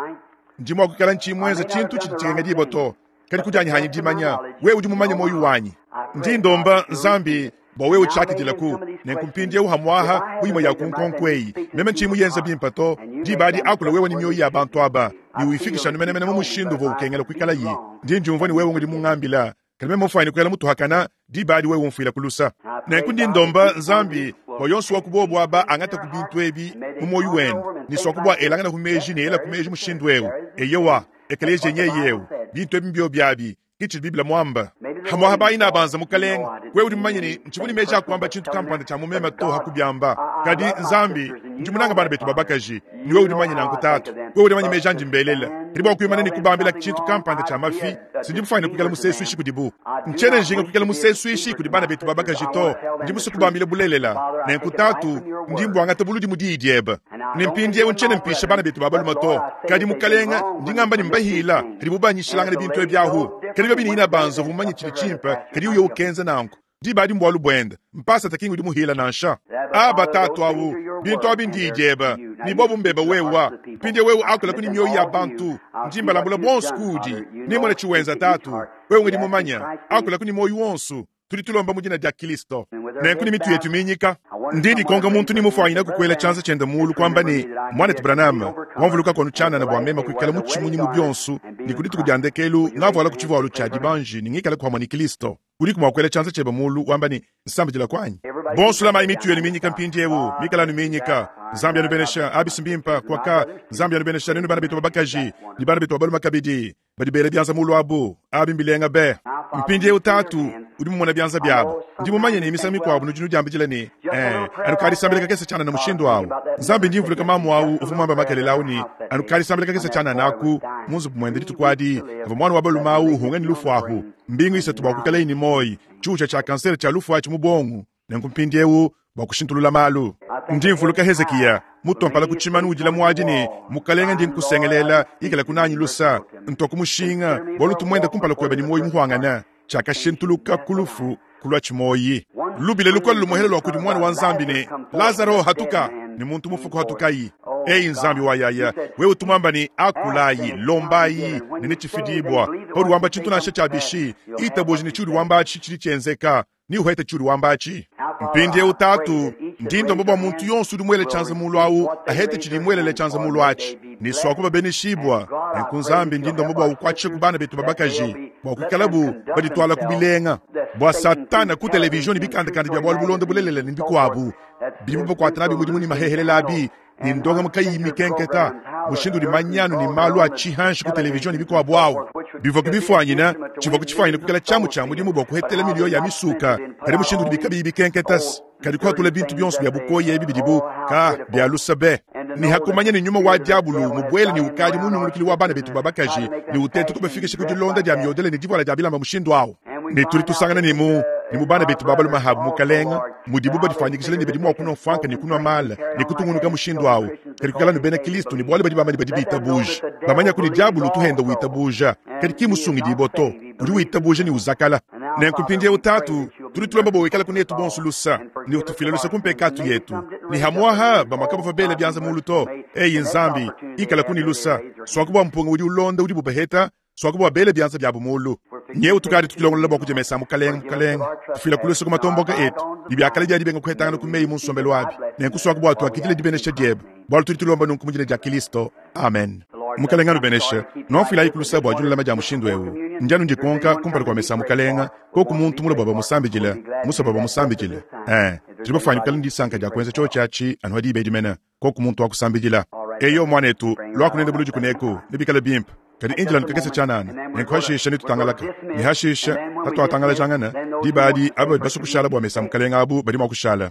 Ndi mua kuikala ntshimwenza tshintu tshidi tshikenga dibo to. Kadi kudianyi hanyi dimanya, wewe udi mumanye moyo wanyi. Ndi ndomba Nzambi bua wewe utshakidila-ku. Nenku mpindiewu hamwaha muyimo ya ku nkonko eyi. Meme ntshimu yenza bimpa to. Diba adi akula wewe ni mioyo ya bantu aba. Ni uyifikisha numenemene mu mushindu uvua ukengela kuikala yi. Ndi ndiumvua ni wewe ngudi mungambila. Kadi meme mufanye kuikala mutuhakana, diba adi wewe umfuila kulusa. Nenku ndi ndomba Nzambi bua yonso wa kubobu aba angata ku bintu ebi mu moyo wenu. Ni swa kubwa elangana ku meji ne ela ku meji mushindu ewu. Eyewa, ekeleziya nyeyewu. Bintu ebi mbio biabi. Kichi Biblia mwamba. Hamwaha bayina banza mukalenga. Wewe udi mumanye ni ntshivuni meji akwamba tshintu kampanda tsha mumema to hakubyamba. Kadi Nzambi ndi munanga bana betu babakaji. Ni wewe udi mumanye nanku tatu. Wewe udi mumanye meji andi mbelela. Kadi bua kuyimana ni kubambila tshintu kampanda tsha mafi. Sindi mufanye kuikala musesu ishi kudibu. Nchene njinga kuikala musesu ishi kudi bana betu babakaji to. Ndi musu kubambila bulelela. Nenku tatu ndi mbwangata buludi mudi idieba. Ni mpindiewu nchene mpisha bana betu babaluma to. Kadi mukalenga ndi ngamba ni mbahila. Kadi bubanyishilanga ne bintu ebyahu. Kadi babi ni banza vumanye tshidi tshimpe kadi uyo ukenza nanku. Diba adi mbwalu bwenda. Mpasa takingu udi muhila nansha. Aba tatu awu bintu abi ndi idieba. Ni bobu mbeba wewa. Mpindie wewe akula kuni mioyo ya bantu. Ndi mbalambula bonso kudi. Ni mwana chiwenza tatu. Wewe ngidi mumanya. Akula kuni moyo wonso. Tudi tulomba mu dina dia Kristo. Nenku ni mitu yetu minyika. Ndi ndikonga muntu ni mufwanyina kukwela tshianza tshiende mulu kwamba ni mwanetu Branham wamvuluka kwanu tshianana bua mema kuikala mu tshimunyi mu bionso ni kudituku dia ndekelu ngavuala ku tshivualu tshia dibanji ni ngikala kuhamwa ni Kristo. Udi kumwa kukwela tshianza tshiebe mulu wamba ni nsambidila kwanyi. Bonso lamayi mitu yenu minyika mpindiewu, mikale anu minyika. Nzambi anubenesha, abisi mbimpa kwaka. Nzambi anubenesha nenu bana betu ba bakaji ne bana betu ba balume kabidi badi bela bianza mulu abu, abi mbilenga be. Mpindiewu tatu udi mumona bianza biabu. Ndi mumanye ne misangu mikuabu nudi nudiambidila ne, eh, anu kadisambila kakese tshianana mushindu awu. Nzambi ndi mvuluka mamu awu uvua muambe makelela awu ne, anu kadisambila kakese tshianana aku mu nzubu muende dituku adi, avua mwana wa balume awu uhunga ne lufu ahu. Mbingu isatu bua kuikalaye ne moyi, tshiuja tshia kansere tshia lufu atshi mu bongo. Nenku mpindiewu bua kushintulula malu. Ndi mvuluka Hezekiya mutompala ku tshimanu udila muadi ne, Mukalenge ndi nkusengelela, ikala kunanyi lusa, ntua ku mushinga, bualu tumuende kumpala kuebe ne muoyo muhuangana. Tshiakashintuluka ku lufu kulua tshimoyi. Lubile lukole lumuhele lua kudi mwana wa Nzambi ne, Lazaro hatuka, ne muntu mufu hatukayi. Ei Nzambi wa yaya, wewe tumwamba ne akulayi, lombayi, ne nechifidibwa. Paudi wamba tshintu nansha tshia bishi, itabuji ne tshiudi wamba atshi tshidi tshienzeka, ni uhete tshiudi wamba atshi. Mpindiewu tatu, ndi ndomba bua muntu yonso udi muele tshianza mulu awu, ahete tshidi muelele tshianza mulu atshi. Ni swaku babeneshibwa, nenku Nzambi ndi ndomba bua ukwatshishe ku bana betu ba bakaji, bua kuikalabu baditwala ku bilenga. Bua Satana ku televizion ne bikandakanda bia bualu bulonda bulelela ne bikuabu, bidibu bakuata nabi mudimu ne mahehelela abi, ne ndongamu kayiyi mikenketa, mushindu udi manyanu ne malu a tshihanshi ku televizion ne bikuabu awu. Bivua kubifuanyina, tshivua kutshifuanyina kuikala tshiamu tshia mudimu bua kuhetela miliyo ya misuka, kadi mushindu udi bikabiyi bikenketa, kadi kuhatula bintu bionso bia bukoya ebi bidibu ka bia lusa be. Ni hakumanya ne nyuma wa diabulu mubuele ne ukadi munyungulukili wa bana betu ba bakaji, ne utete kubafikisha ku dilonda dia miodele ne divuala dia bilamba mushindu awu. Ne tudi tusangana ne mu ne mu bana betu ba balume habu mukalenga, mudibu badifanyikishile ne badi mua kunua mfuanka ne kunua mala ne kutungunuka mushindu awu. Kadi kuikala ne bena Kristo ne bualu badi bamba ne badi bitabuja, bamanya kudi diabulu tuhenda witabuja, kadi ki musungidibwa to, udi witabuja ne uzakala. Nenku mpindiewu tatu, tudi tulomba bua wikala kunetu bonso lusa, ne utufile lusa ku mpekatu yetu. Ne hamuaha bamue bavua bela bianza mulu to. Eyi Nzambi, ikala kuni lusa, swaku bua mpunga udi ulonda udi bubaheta, swaku bua bela bianza biabu mulu. Nyewu tukadi tutulongolola bua kujemesa mukalenga mukalenga, tufila kulusa ku matomboka etu, ne biakala dia dibenga kuhetangana ku meyi mu nsombelu abi. Nenku swaku bua tuakidile dibenesha diebe, bualu tudi tulomba nunku mu dina dia Kristo. Amen. Mukalenga anubeneshe, nuafuilayi kulusa bua dilulama dia mushindu ewu. Ndi anu ndikonka kumpala kua mesa mukalenga, koku muntu mula bua bamusambidile, musa bua bamusambidile. Eh, tudi bafuanyikala kala ndisanka dia kuenza tshiotshi atshi anu hadi ibedi mena, koku muntu wa kusambidila. Eyo mwanetu, lua kunenda buludi kuneku, nebikale bimpe. Kadi indila nukakese tshianana, nenku hashisha netutangalaka. Ne hashisha, hatuatangalajangana, diba adi aba badi basue kushala bua mesa mukalenga abu badi mua kushala.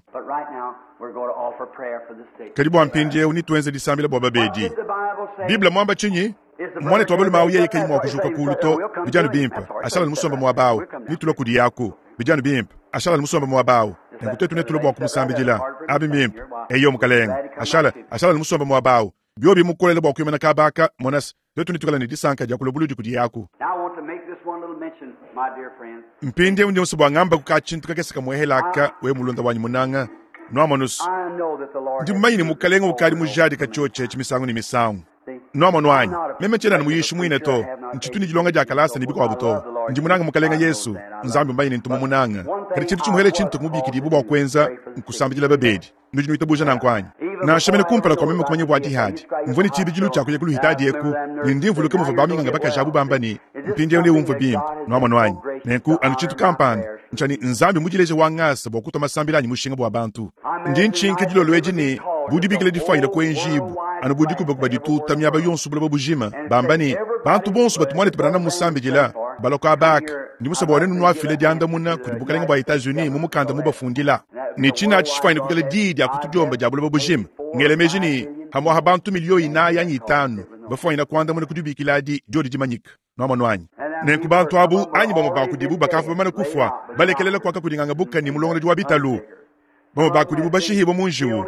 Kadi bua mpindiewu nituenze disambila bua babedi. Biblia mwamba tshinyi? Mwanetu wa balume awu yeye kayi mua kujuka kulu to, bidi anu bimpe, ashala musombe muaba awu, nitulua kudi yaku. Bidi anu bimpe, ashala musombe muaba awu. Nenku tuetu netulua bua kumusambidila. Abi mbimpe. Eyo mukalenga, ashala, ashala musombe muaba awu. Biobi mukolele bua kuimana kabaka, monas, tuetu netuikale ne disanka dia kulua buludi kudi yaku. Mpindiewu ndi musue bua ngamba ku katshintu kakese kamuehelaka, we mulunda wanyi munanga. Nuamonus, ndi mumanye ne mukalenga ukadi mujadika tshiotshi etshi misangu ne misangu. Nuamono anyi, meme tshiena anu muyishi muine to, ntshitu ne dilonga dia kalasa ne bikuabu to. Ndi munanga mukalenga Yesu, Nzambi mumanye ne ntu mumunanga. Kadi tshintu tshimuhele tshintu kumubikidibua bua kuenza nkusambidila babedi. Nudi nuitabuja nanku anyi? Nansha mene kumpala kua meme kumanya bua dihadi, mvua ne tshibidilu tshia kuya ku luhitadi eku, ne ndi mvuluka muvua baminganga bakaji abu bamba ne, mpindiewu neumvue bimpe. Nuamono anyi? Nenku anu tshintu kampanda ntshia ne Nzambi mudileje wa ngasa bua kutua masambila anyi mushinga bua bantu. Ndi ntshinka dilolo edi ne bu dibikila difuanyina kuenjibu, anu bu dikubakuba dituta miaba yonso buloba bujima, bamba ne bantu bonso batu muanetu banana musambidila balua abaka. Ndi musue bua nenu nuafile diandamuna kudi bukalenge bua Etats-Unis mu mukanda mubafundila. Ne tshina atshi tshifuanyine kuikala diyi dia kutudiomba dia buloba bujima. Ngele meji ne hamuaha bantu miliyo inayi anyi itanu bafuanyina kuandamuna ku dibikila adi diodi dimanyika. Nuamono anyi? Nenku bantu abu anyi bamue ba kudibu bakavua bamane kufua, balekelela kuaka kudinganga buka ne mulongolodi wa bitalu. Bamue ba kudibu bashihibua mu njiwu,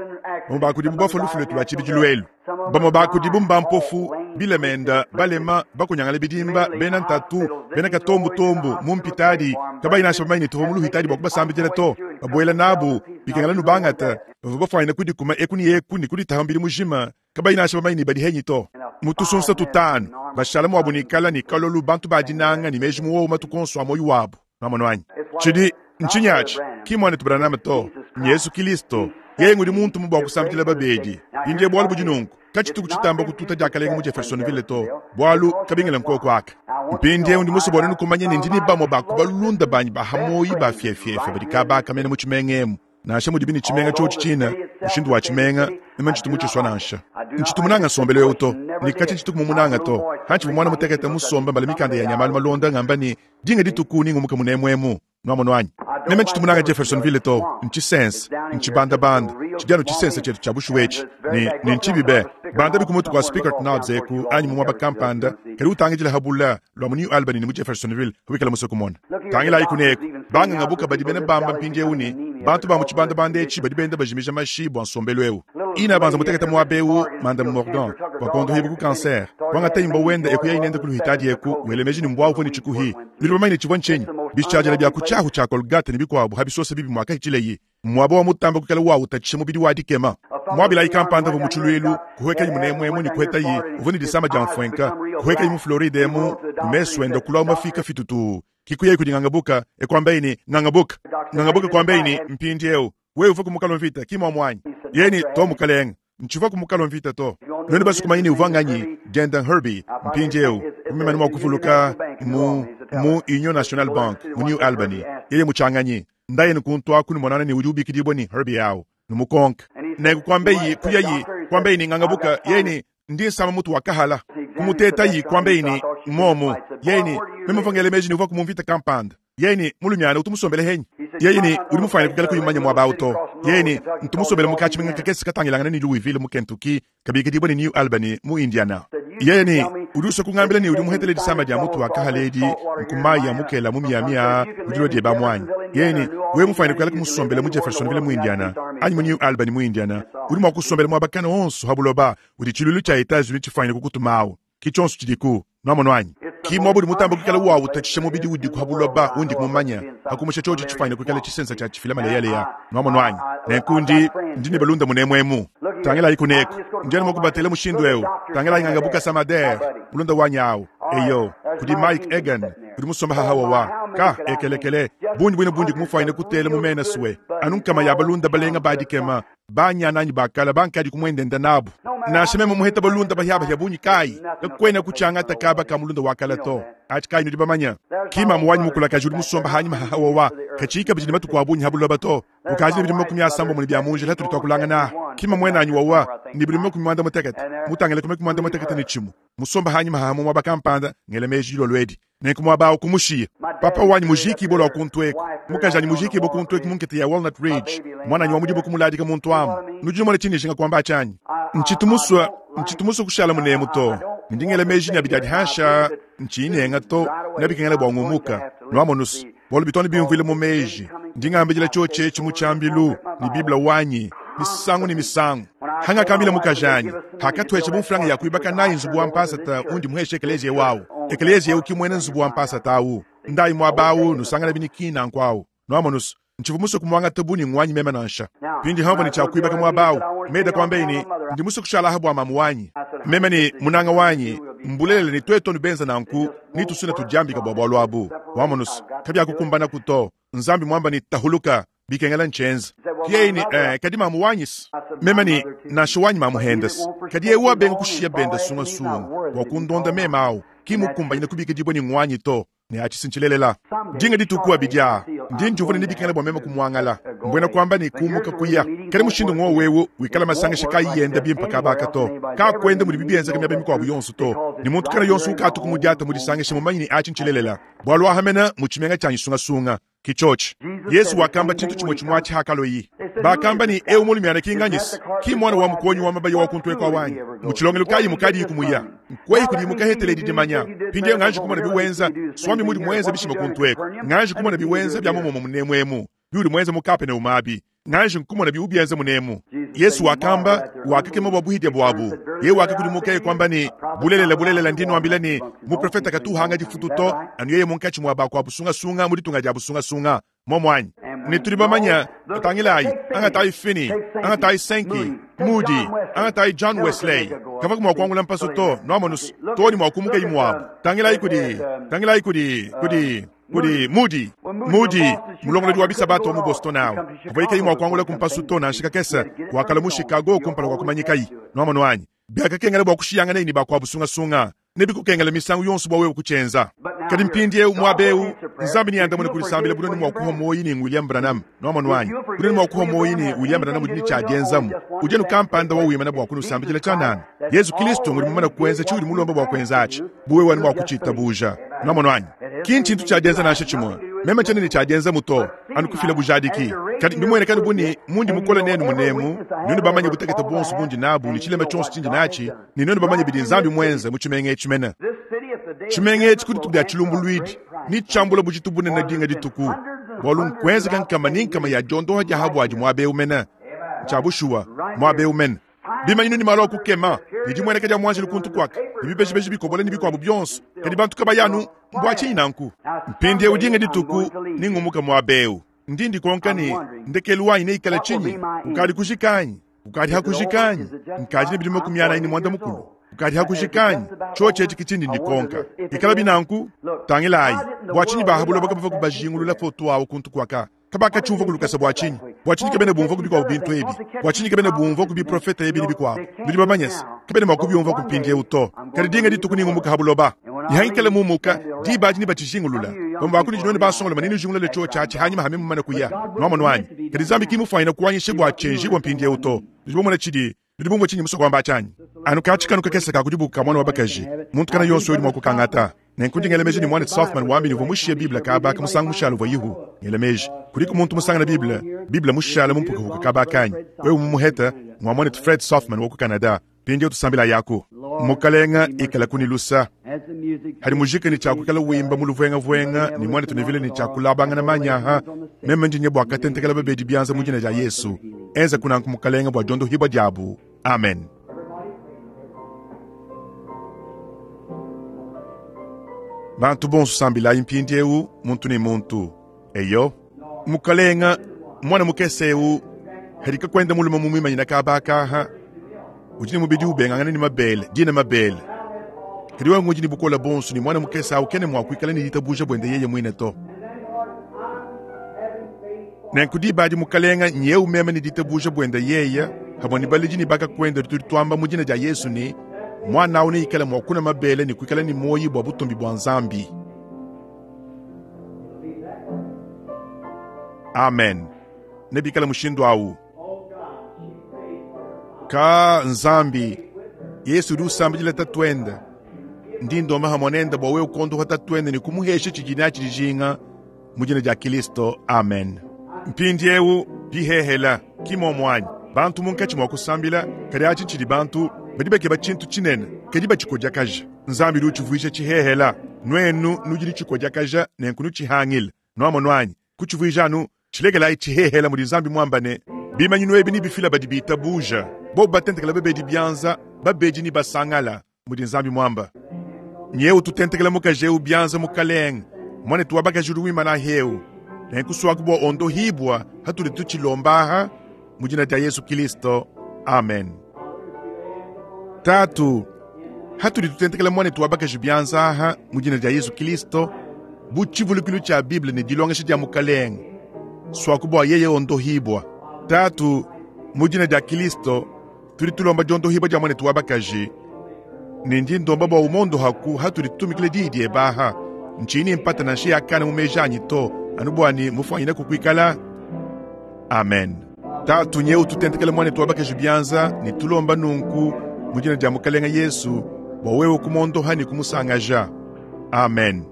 bamue ba kudibu bafua lufu luetu lua tshibidilu elu. Bamue ba kudibu mbampofu, bilemenda, balema, bakunyangala bidimba, bena ntatu, bena katombutombu, mu mpitadi, kabayi nansha bamanye ne tuvua mu luhitadi bua kubasambidila to. Babuela nabu, bikengela nubangata, bavua bafuanyina kudikuma eku ne eku ne kuditaha mubidi mujima, kabayi nansha bamanye ne badi henyi to. Mu tusunsa tutanu, bashala muabu ne kala ne kalolu bantu ba dinanga ne meji muowo matuku onso a muoyo wabu. Nuamono anyi? Tshidi ntshinyi atshi? Ki muanetu Branham to, ni Yesu Kristo. Yeye ngudi muntu mu bua kusambidila babedi. Mpindiewu bualu budi nunku, katshituku tshitamba kututa diakalenga mu Jeffersonville to, bualu kabingila nkoko aka. Mpindiewu ndi musue bua nenu kumanya ne ndi ne bamue ba ku balunda banyi ba hamoyi ba fiefiefe badi kabaka mena mu tshimenga emu. Nansha mudibi ne tshimenga tshiotshi tshina, mushindu wa tshimenga, meme ntshitu mutshisua nansha. Ntshitu munanga nsombelu eu to, ne katshia ntshitu kumumunanga to. Hantshivua muana mutekete musombe mbala mikanda yanyi ya malu malonda ngamba ne, dinga dituku ningumuke munemuemu. Nwamonu anyi? Meme ntshitu munanga Jeffersonville to, ntshisense, ntshibandabanda, tshidi anu tshisense tshietu tshia bushuwa etshi, ne, ne ntshibi be. Banda ku mutu kua Spickert Knobs eku anyi mu muaba kampanda, kadi utangidila ha bula lua mu New Albany ne mu Jeffersonville wikala musue kumona. Tangilayi kuneku, banganga badi bena bamba mpindieu ne, bantu ba mu tshibandabanda etshi badi benda bajimija mashi bua nsombelu eu. Ina banza mutekete muaba eu, Madame Morgan, wakondohibwa ku cancer. Wangata imba wenda eku yayi nenda ku luhitadi eku, wele meji ne mbwa uvua ne tshikuhi. Nudi bamanye ne tshivua ntshinyi? Bishadila bia ku tshiahu tshia Colgate ne bikuabu habisosa bibi mwakahitshileyi. Mwaba wa mutamba kukala wa utatshisha mubidi wa dikema. Mwabilayi kampanda uvua mu tshilwelu, kuhwekayi munemuemu ne kuhetayi, uvua ne disama dia mfwenka, kuhwekayi mu Floride emu, mesu enda kulua mafika fitutu. Kikuyeyi kudi ngangabuka, ekwambayi ne ngangabuka. Ngangabuka kwambayi ne mpindieu, wewe uvua ku mukalo mvita, ki mwamwanyi. Yeni to mukalenga, ntshivua ku mukalo mvita to. None basukumanyi ne uvua nganyi, Denden Herbie, mpindieu, mumemane mwa kuvuluka mu, mu Union National Bank, mu New Albany. Yeye mutshanganyi. Ndaye nukuntu aku numonana ne udi ubikidibwa ne Herbie awu, numukonka. Nenku kwambayi kuyayi, kwambayi ne ngangabuka, yeni ndi nsama mutu wakahala. Kumutetayi kwambayi ne momo, yeni meme mvangele meji ne uvua ku mvita kampanda. Yeni mulumiana utumusombele henyi. Yeni udi mufanye kukala kuyimanya mwaba awu to. Yeni ntumusombele mu katshimenga kakese katangilangana ne Louisville mu Kentucky, kabikidibwa ne New Albany mu Indiana. Yeni udi usua kungambila ne udi muhetele disama dia mutu wakahala edi nkumayi ya mukela mu Miami a udi lua dieba mwanyi. Yeni wewe mufanye kukala kumusombele mu Jeffersonville mu Indiana anyi mu New Albany mu Indiana, udi mua kusombela muaba kana onso ha buloba udi tshilulu tshia Etats-Unis tshifanye kukutumawu. Ki tshionso tshidiku, nwamonu anyi? Ki mwaba udi mutamba kukala wawu utatshisha mubidi udi ku ha buloba undi kumumanya, hakumusha tshiotshi tshifanye kukala tshisensa tshia tshifila maleyaleya. Nwamonu anyi? Nenku ndi, ndi ne balunda munemuemu. Tangilayi kuneku, ndi anu mukubatela mushindu eu. Tangilayi ngangabuka Samader, mulunda wanyi awu. Eyo, kudi Mike Egan, kudi musomba hahawa wa. Ka, ekelekele, bundi bwine bundi kumufanyine kutela mu mena suwe. Anu nkama ya balunda balenga badikema, banyananyi bakala bankadi kumwendenda nabu. Nansha meme muheta balunda bahyaba hya bunyi kayi, kakwena kuchangata kaba ka mulunda wakala to. Achi kayi nudi bamanya. Ki mamu wanyi mukulakaji udi musomba hanyuma hahawa wa. Kachika bidi matuku a bunyi habuloba to. Ukaji bidi makumi asambo muni bya munjila hatuli twakulangana. Ki mamu wenanyi wawa, ni bidi makumi mwanda mutekete. Mutangile kume kumwanda mutekete ne chimu. Musomba hanyuma hahamu mwaba kampanda, ngele meji dilo lwedi. Nenku mwaba awu kumushiya. Papa wanyi mujiki bolo wakuntweko. Mukajanyi mujiki bo kuntweko munkete ya Walnut Ridge. Mwananyi wa mudibo kumuladika muntu amu. Nudi numona tshini nshinga kwamba tshanyi. Ntshitumuswa, ntshitumuswa kushala munemu to. Ndingele meji nya bidadi hasha, ntshinenga to, nabikengela bwa ngumuka. Nwamonus, bolo bitoni bimvile mu meji. Ndingambidila tshotshe tshimu tshambilu, ni Biblia wanyi, misangu ni misangu. Hanga kambila mukajanyi, hakatwesha bumfulanga ya kuibaka nayi nzubu wa mpasata undi muheshe ekelezia wawu. Ekelezia ukimwene nzubu wa mpasata awu. Ndayi mwabawu nusangana binikina nkwawu. Nwamonus, ntshivu kumwanga tabu ni ngwanyi mema nansha. Pindi hambo ni cha kuibaka mwabawu. Meda kwambe ni ndi musu kushala habu mamu wanyi. Mema ni munanga wanyi, mbulele ni tweto nubenza nanku, ni tusuna tujambika bwa bwalu abu. Wamonus, kabya kukumbana kuto. Nzambi mwamba ni tahuluka, bikengela nchenza. Kiye ni, eh, kadi mamu wanyis. Mema ni nansha wanyi mamu hendas. Kadi ewa benga kushia benda sunga sunga. Wakundonda mema au. Kimukumbanyina kubikidibwa ni ngwanyi to. Ne achisinchilelela. Dinga ditukuwa bidya. Ndi njuvuna nibikengela bwa mema kumwangala. Mbwena kwamba ni kumuka kuya. Kali mushindu ng'o wewu, wikala masangisha kayi yenda bimpa kabaka to. Ka kwenda muli bibienza kamya bemikwabu yonsu to. Ni muntu kana yonsu ukatu kumudyata mudisangisha mumanyi ni achinchilelela. Bwalwa hamena muchimenga chanyi sunga sunga. Kichochi. Yesu wakamba chintu chimwe chimwachi hakalo yi. Bakamba ni eu mulumiana kinganyisi. Ki mwana wa mukonyi wa mabayo wa kuntwe kwa wanyi. Muchilongelo kayi mukadi kumuya. Nkweyi kudi mukahetele didimanya. Pindi nganji kumona biwenza, swami mudi mwenza bishima kuntweko. Nganji kumona biwenza bya mumomo munemwemu. Biuli mwenza mukape ne umabi. Nganji nkumona biubienza munemu. Yesu wakamba wakakema bwa buhidya bwabu. Ye wakakudimuka kwamba ni bulelela bulelela ndino ambila ni muprofeta katuhanga difututo anu yeye munkachi mwa kwa busunga sunga muditunga dia busunga sunga momwanyi. Ni tuli bamanya tangilayi angatai Finney angatai Sankey Moody angatai John Wesley kava kumwa kwangula mpaso to nwamonus toni mwa kumuka imwabu tangilayi kudi tangilayi kudi kudi kudi Moody Moody mulongolodi wa bisabato mu Boston awo kavoyika imwa kwangula kumpaso to na nshika kesa wakala mu Chicago kumpala kwa kumanyikayi nwamono anyi byakakengela bwa kushiyangana ini bakwa busunga sunga Nebikukengele misangu yonso bua wewe kutshienza. Kadi mpindieu muaba eu, Nzambi neandamune ku disambila bu nuenu mua kuhua muoyo ne William Branham. Nwamonu anyi? Bu nuenu mua kuhua muoyo ne William Branham udi ne tshia dienzamu. Udi anu kampanda wa wimana bua kunusambidila tshianana. Yezu Kilisto ngudi mumane kuenza tshiudi mulomba bua kuenza atshi, bu wewe anu mua kutshitabuja. Nwamonu anyi? Ki ntshintu tshia dienza nansha tshimue. Meme tshiena ne tshia dienzamu to, anu kufila bujadiki. Kadi mbimueneka anu bu ne mundi mukole nenu munemu, nuenu bamanye butekete buonso bundi nabu ne tshilema tshionso tshindi natshi, ne nuenu bamanye bidi Nzambi muenze mu tshimenga etshi mene. Tshimenga etshi ku dituku dia tshilumbuluidi netshiambule bujitu bunene dinga dituku, bualu nkuenzeka nkama ne nkama ya diondoha dia habuadi muaba eu mene. Ntshia bushuwa, muaba eu mene. Bimanyinu ne malu a kukema, ne dimueneka dia muanjelu kuntu kuaka, ne bibejibeji bikobola ne bikuabu bionso, kadi bantu kabayi anu mbua tshinyi nanku? Mpindieu dinga dituku ningumuka muaba eu. Ndi ndikonka ne, ndekelu wanyi neikale tshinyi? Ukadi kujika anyi? Ukadi hakujika anyi? Nkadi ne bidimu makumi anayi ne muanda mukulu. Ukadi hakujika anyi? Tshiotshi etshi ke tshindi ndikonka. Ikala binanku, tangilayi, bua tshinyi baha buloba kabavua kubajingulula foto awu kuntu kuaka? Kabakatshiumvua ku lukasa bua tshinyi? Bua tshinyi kabena bumvua ku bikuabu bintu ebi? Bua tshinyi kabena bumvua ku biprofeta ebi ne bikuabu? Nudi bamanye se, kabena mua kubiumvua ku mpindieu to. Kadi dinga dituku ningumuka ha buloba. Ne hangikala mumuka, diba adi nebatshijingulula. Bamue ba kunudi nuenu basongoloma nenujingulule tshiotshi atshi hanyima ha meme mumane kuya. Nwamonu anyi? Kadi Nzambi ki mufuanyine kuanyisha bua tshienjibua mpindieu to. Nudi bamona tshidi, nudi bumvua tshinyi musue kuamba tshianyi? Anu katshi kanu kakese ka kudibuka mwana wa bakaji, muntu kana yonso udi mua kukangata. Nenku ndi ngela meji ne mwanetu Sothmann wambi ne uvua mushiye Bible kaba ka musangu mushala uvua yihu. Ngela meji, kudiku muntu musangana Bible, Bible mushala mu mpukapuka kaba kanyi. Wewe mumuheta, ngwa mwanetu Fred Sothmann wa ku Canada. Mpindieu tusambila yaku. Mukalenga ikala kunilusa. Hadi mujika ne tshiakukala wimba mu luvuengavuenga ne mwanetu Neville ne tshiakulabangana manyaha, meme ndi nye bua katentekela babedi bianza mu dina dia Yesu. Enza kunanku mukalenga bua diondohibua diabu. Amen. Bantu bonso sambilayi mpindieu muntu ne muntu. Eyo, mukalenga mwana mukese eu hadika kwenda mulume mu mwimanyina kabakaha udi ne mubidi ubengangana ne mabele dina mabele. Kadi wewe ngudi ne bukola bonso ne mwana mukese au kene mua kuikala ne ditabuja buende yeye muine to. Nenku diba adi mukalenga nyeu meme ne ditabuja buende yeye hamwe ne baledi ne bakakwenda tudi tuamba mu dina dia Yesu ne mwana au neikale mua kuna mabele ne kuikala ne muoyo bua butumbi bua Nzambi. Amen. Nebikale mushindu au. Ka Nzambi, Yesu udi usambidila tatuende. Ndi ndomba hamwe nende bua wewe kuondoha tatuende ne kumuhesha tshidi natshi dijinga mu dina dia Kilisto. Amen. Mpindieu bihehela kimomo anyi. Bantu munkatshi mua kusambila kadi atshi tshidi bantu badi bakeba tshintu tshinene kadi batshikodiakaja. Nzambi udi utshivuija tshihehela. Nuenu nudi nutshikodiakaja nenku nutshihangile. Nwamonu anyi? Kutshivuija anu tshilekelayi tshihehela mudi Nzambi muamba ne bimanyinu ebi nebifila badi bitabuja. Bobu batentekela babedi bianza, babedi ne basangala mudi Nzambi muamba. Nyeu tutentekela mukaji eu bianza mukalenge, mwanetu wa bakaji udi wimana heu. Nenkusuaku bua ondohibua hatudi tutshilombaha mu dina dia Yesu Kilisto. Amen. Tatu, hatudi tutentekela mwanetu wa bakaji bianza aha mu dina dia Yesu Kilisto, bu tshivulukilu tshia Bible ne dilongesha dia mukalenge, suaku bua yeye ondohibua. Tatu, mu dina dia Kilisto, tudi tulomba diondohibua dia mwanetu wa bakaji, ne ndi ndomba bua umondohaku hatudi tutumikila diyi diebe aha. Ntshinyi mpata nansha yakana mu meji anyi to, anu bua ne mufuanyine kukuikala. Amen. Tatu, nyeu tutentekele mwanetu wa bakaji bianza ne tulomba nunku mu dina dia Mukalenga Yesu bua wewe kumondoha ne kumusangaja. Amen.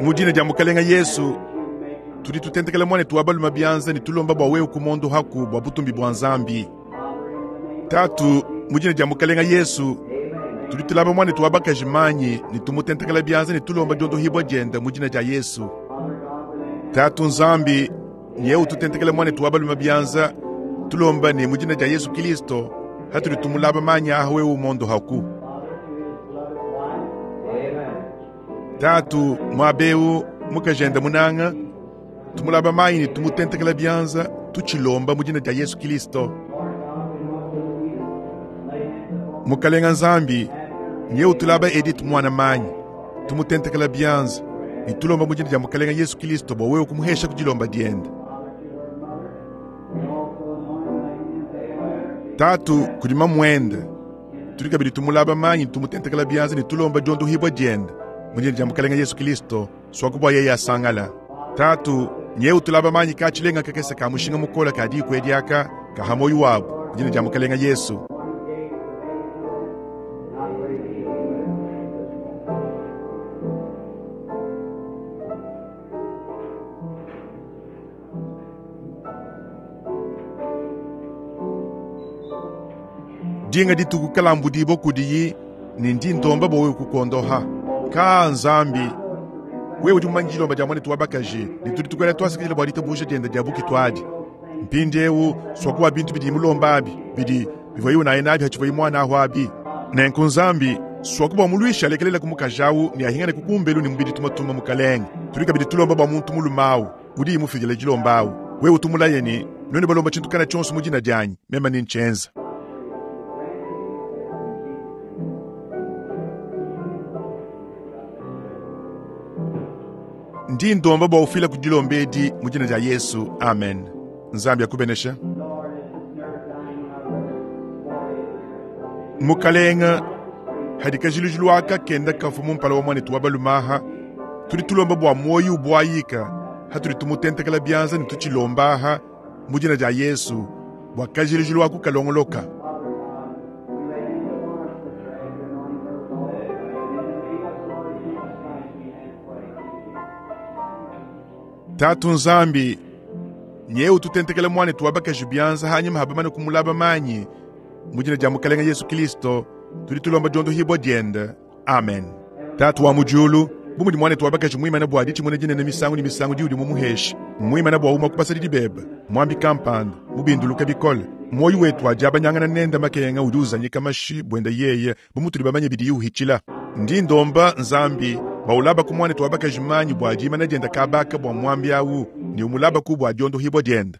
Mu dina dia Mukalenga Yesu tudi tutentekela mwanetu wa balume bianza ne tulomba bua wewe kumondohaku bua butumbi bua Nzambi. Tatu, mu dina dia Mukalenga Yesu tudi tulaba mwanetu wa bakaji manyi ne tumutentekela bianza ne tulomba diondohibua diende mu dina dia Yesu. Tatu Nzambi, nyeu tutentekela mwanetu wa balume bianza tulomba ne mu dina dia Yesu Kilisto hatudi tumulaba manyi aha wewe umondohaku. Tatu, muabeu mukajenda munanga tumulaba manyi ne tumutentekela bianza tutshilomba mu dina dia Yesu Kilisto. Mukalenga Nzambi, nyeu tulaba Edith mwana manyi tumutentekela bianza ne tulomba mu dina dia Mukalenga Yesu Kilisto bua wewe kumuhesha ku dilomba diende. Tatu, kudi mamuende Tudi kabidi tumulaba manyi tumutentekela bianza ne tulomba diondohibwa diende mu dina dia Mukalenga Yesu Kristo swakubwa yeye asangala. Tatu nyeu tulaba manyi ka tshilenga kakese ka mushinga mukola ka diku ediaka ka hamoyo wabu mu dina dia Mukalenga Yesu. Dinga dituku kalambudibo kudiyi ni ndi ndomba bowe kukondoha ka Nzambi wewe udi mumanyi dilomba dia mwanetu wa bakaji ne tudi tukwela twasikilila bua ditabuja diende dia bukitwadi. Mpindiewu swakuwa bintu bidi mulomba abi bidi bivua naye nabi hatshivuayi mwana aho abi. Nenku Nzambi swakuba mulwisha alekelela kumukajawu ne ahingane kukumbelu ne mubidi tumatuma mukalenge. Tudi kabidi tulomba bua muntu mulumawu udi imufidila dilombawu wewe utumulaye ni none balomba tshintu kana tshionso mu dina dianyi mema ni nchenza. Ndi ndomba bua ufila ku dilomba edi mu dina dia Yesu, amen. Nzambi akubenesha. Mukalenga hadikajilujilu aka kenda kafu mumpala wa mwanetu wa balumaha tudi tulomba bua moyo ubwayika hatudi tumutentekela bianza ne tutshilombaha mu dina dia Yesu bua kajilujilu aku kalongoloka. Tatu Nzambi nyeu tutentekela mwanetu wa bakaji bianza hanyuma habamane kumulaba manyi mu dina dia Mukalenga Yesu Kristo tudi tulomba diondohibwa diende, amen. Tatu wa mujulu bu mudi mwanetu wa bakaji muimane bua ditshimuna dinene misangu ne misangu diudi mumuhesha muimane bua uma kupasa dibeba mwambi kampanda mubinduluka bikole moyo wetu wadiabanyangana nenda makenga udi uzanyika mashi bwenda yeye bu mutudi bamanye bidi uhitshila. Ndi ndomba Nzambi baulaba ku mwanetu wa bakaji manyi bua dimana dienda kabaka bua mwambi awu ni umulaba ku bua diondohibwa dienda.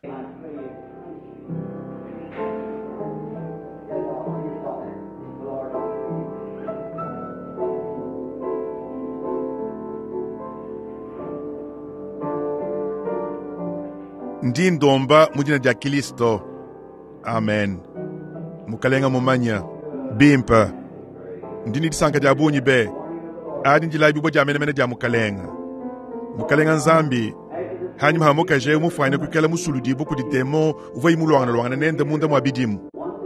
Ndi ndomba mu dina dia Kristo, amen. Mukalenga mumanya bimpa ndi ni disanka dia bunyi be adi ndilabibwa dia menemene dia mukalenga. Mukalenga Nzambi hanyuma hamukaje mufwane kuikala musuludibo kudi demo uvua imulwangana lwangana nende munda mwa bidimu.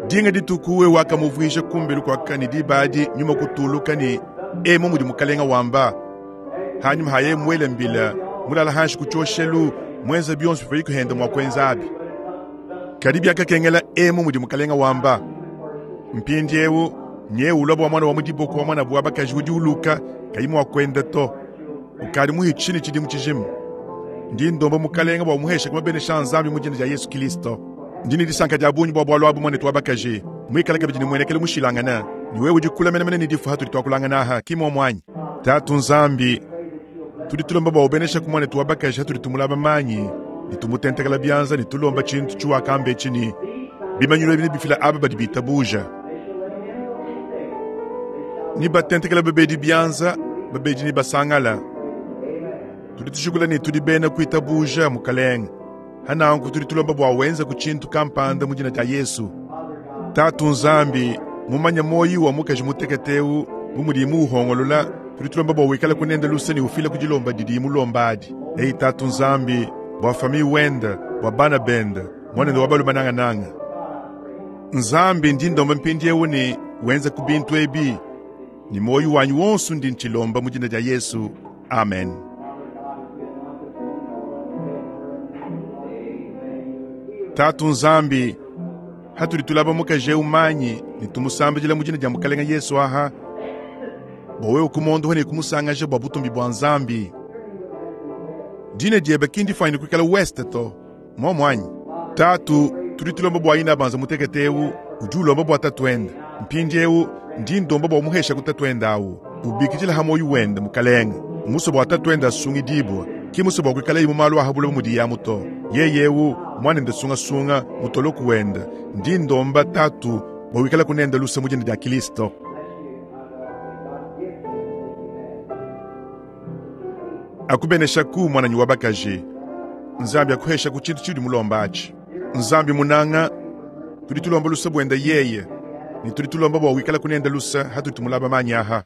Dinga dituku we wakamuvuisha kumbelu kwakani dibadi nyuma kutuluka ni emo mudi mukalenga wamba hanyuma haye mwele mbila mulala hanshi kuchoshelu mwenza bionso bivua ikuhenda mwa kwenza abi. Kadi byakakengela emo mudi mukalenga wamba mpindiewu nyewu uloba wa mwana wa mudiboko wa mwana bwa bakaji udi uluka kayi mwa kwenda to ukadi muhitshini tshidimu tshijimu. Ndi ndomba mukalenga bua muhesha kumabenesha Nzambi mu dina dia Yesu Kristo. Ndi ni disanka dia bunyi bua bwalu abu mwanetu wa bakaji mwikala kabidi ni mwenekele mushilangana ni wewe udi kula menemene ni difu hatudi twakulangana aha kimwa mwanyi. Tatu Nzambi tudi tulomba bua ubenesha ku mwanetu wa bakaji hatudi tumulaba manyi ni tumutentekela bianza ni tulomba tshintu tshiwakambe tshini bimanyilo bine bifila aba badi bitabuja ni batentekela babedi bianza babedi ni basangala. Tudi tushukula ni tudi bena kuitabuja mukalenga hananku tudi tulomba bua wenza ku tshintu kampanda mu dina dia Yesu. Tatu Nzambi mumanya moyi wa mukaji muteketeu bu mudi muhongolola tudi tulomba bua wikala kunenda luse ni ufila kudilomba didi mulombadi. Ei Tatu Nzambi bua fami wenda bua bana benda mwanende wa balu manangananga. Nzambi ndi ndomba mpindiewu ni wenza ku bintu ebi ni moyo wanyu wonso ndi ntshilomba mu dina dia Yesu, amen. Tatu Nzambi hatudi tulaba mukaji umanyi ni tumusambidila mu dina dia Mukalenga Yesu aha bua wewe kumondoha ne kumusangaja bua butumbi bua Nzambi. Dina diebe kindi fanyine kuikala west to mwa mwanyi. Tatu tudi tulomba bua ina banza muteketeu udi ulomba bua tatuenda mpindiewu ndi ndomba bua muhesha kutatwenda awu ubikidila hamoyo wenda mukalenga muso bua tatuenda asungidibwa ki muso bua kuikala imu malu ahabula mudi ya muto yeyewu mwanende sungasunga mutoloku wenda ndi ndomba tatu bua wikala kunenda lusa mu dina dia Kristo. Akubenesha ku mwananyi wa bakaji Nzambi akuhesha ku tshintu tshidi mulomba atshi. Nzambi munanga tudi tulomba lusa bwenda yeye Ne tudi tulomba bua wikala kunenda lusa hatudi tumulaba manyi aha.